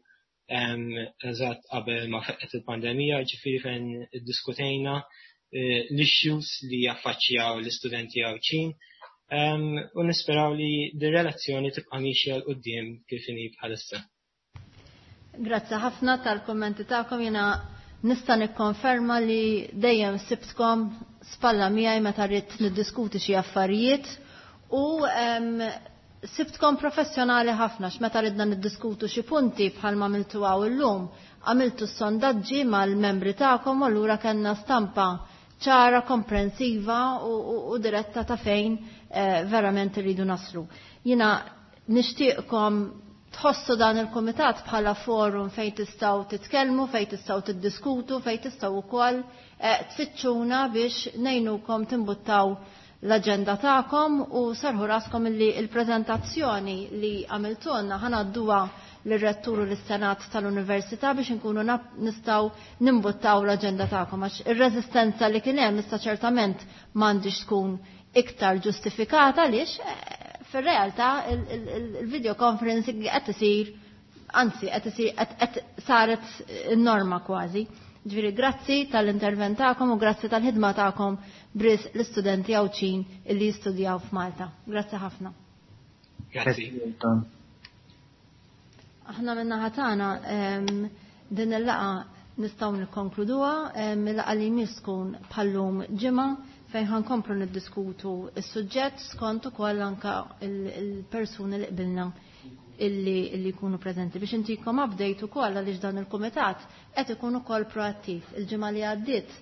eżatt qabel ma feqqet il-pandemija, ġifieri fejn iddiskutejna l-issues li jaffaċċjaw l-istudenti Għawdxin. U nisperaw li dir-relazzjoni tibqa' miexja 'l quddiem kif inhi bħalissa. Grazzi ħafna tal-kummenti tagħkom. Jiena nista' nikkonferma li dejjem sibtkom spalla miegħi meta rrid niddiskuti xi affarijiet u sibtkom professjonali ħafna x'meta ridna niddiskutu xi punti bħalma għamiltu hawn illum, għamiltu s-sondaġġi mal-membri tagħkom u allura kellna stampa ċara, komprensiva u diretta ta' fejn verament irridu naslu. Jiena nixtieqkom tħossu dan il-komitat bħala forum fejn tistgħu titkellmu, fejn tistgħu tiddiskutu, fejn tistgħu wkoll tfittxuna biex ngħinukom timbuttaw l-aġenda tagħkom u serħu raskom illi il-preżentazzjoni li għamiltulna ħanadduha lir-rettur u lis-Senat tal-Università biex inkunu nistgħu nimbuttaw l-aġenda tagħkom għax ir-reżistenza li kien hemm issa ċertament m'għandix tkun iktar ġustifikata għaliex fir-realtà il-video conferencing qed isir, anzi qed isir qed saret n-norma kważi. Ġifieri grazzi tal-intervent tagħkom u grazzi tal-ħidma tagħkom bris l-istudenti Għawdxin illi jistudjaw f'Malta. Grazzi ħafna. Grazzi. Aħna min-naħa tagħna din il-laqgħa nistgħu nikkonkluduha, il-laqgħa li jmiss tkun bħallum ġimgħa fejn ħankomplu niddiskutu s-suġġett skont ukoll anka il-persuni li qbilna illi jkunu preżenti biex intikom update ukoll għaliex dan il-kumitat qed ikun ukoll proattiv. Il-ġimgħa li għaddiet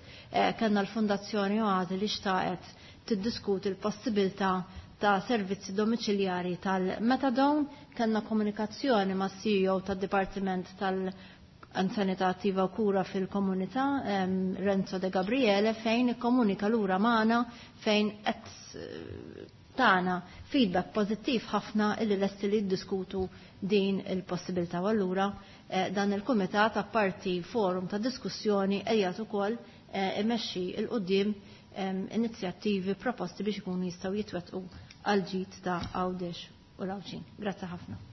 kellna l-Fundazzjoni Oasi li xtaqet tiddiskuti l-possibilità ta' servizzi domiċiljari tal-Metadone, kellna komunikazzjoni ma' CEO tad-Dipartiment tal-Anzjanità Attiva u Kura fil-Komunità, Renzo De Gabriele, fejn ikkomunika lura magħna fejn qed tana feedback pożittiv ħafna illi lesti li jiddiskutu din il-possibilità. U allura dan il-kumitat apparti forum ta' diskussjoni qiegħed ukoll imexxi il quddiem inizjattivi proposti biex ikunu jistgħu jitwettqu għal ġid ta' Għawdex u l-Għawdxin. Grazzi ħafna.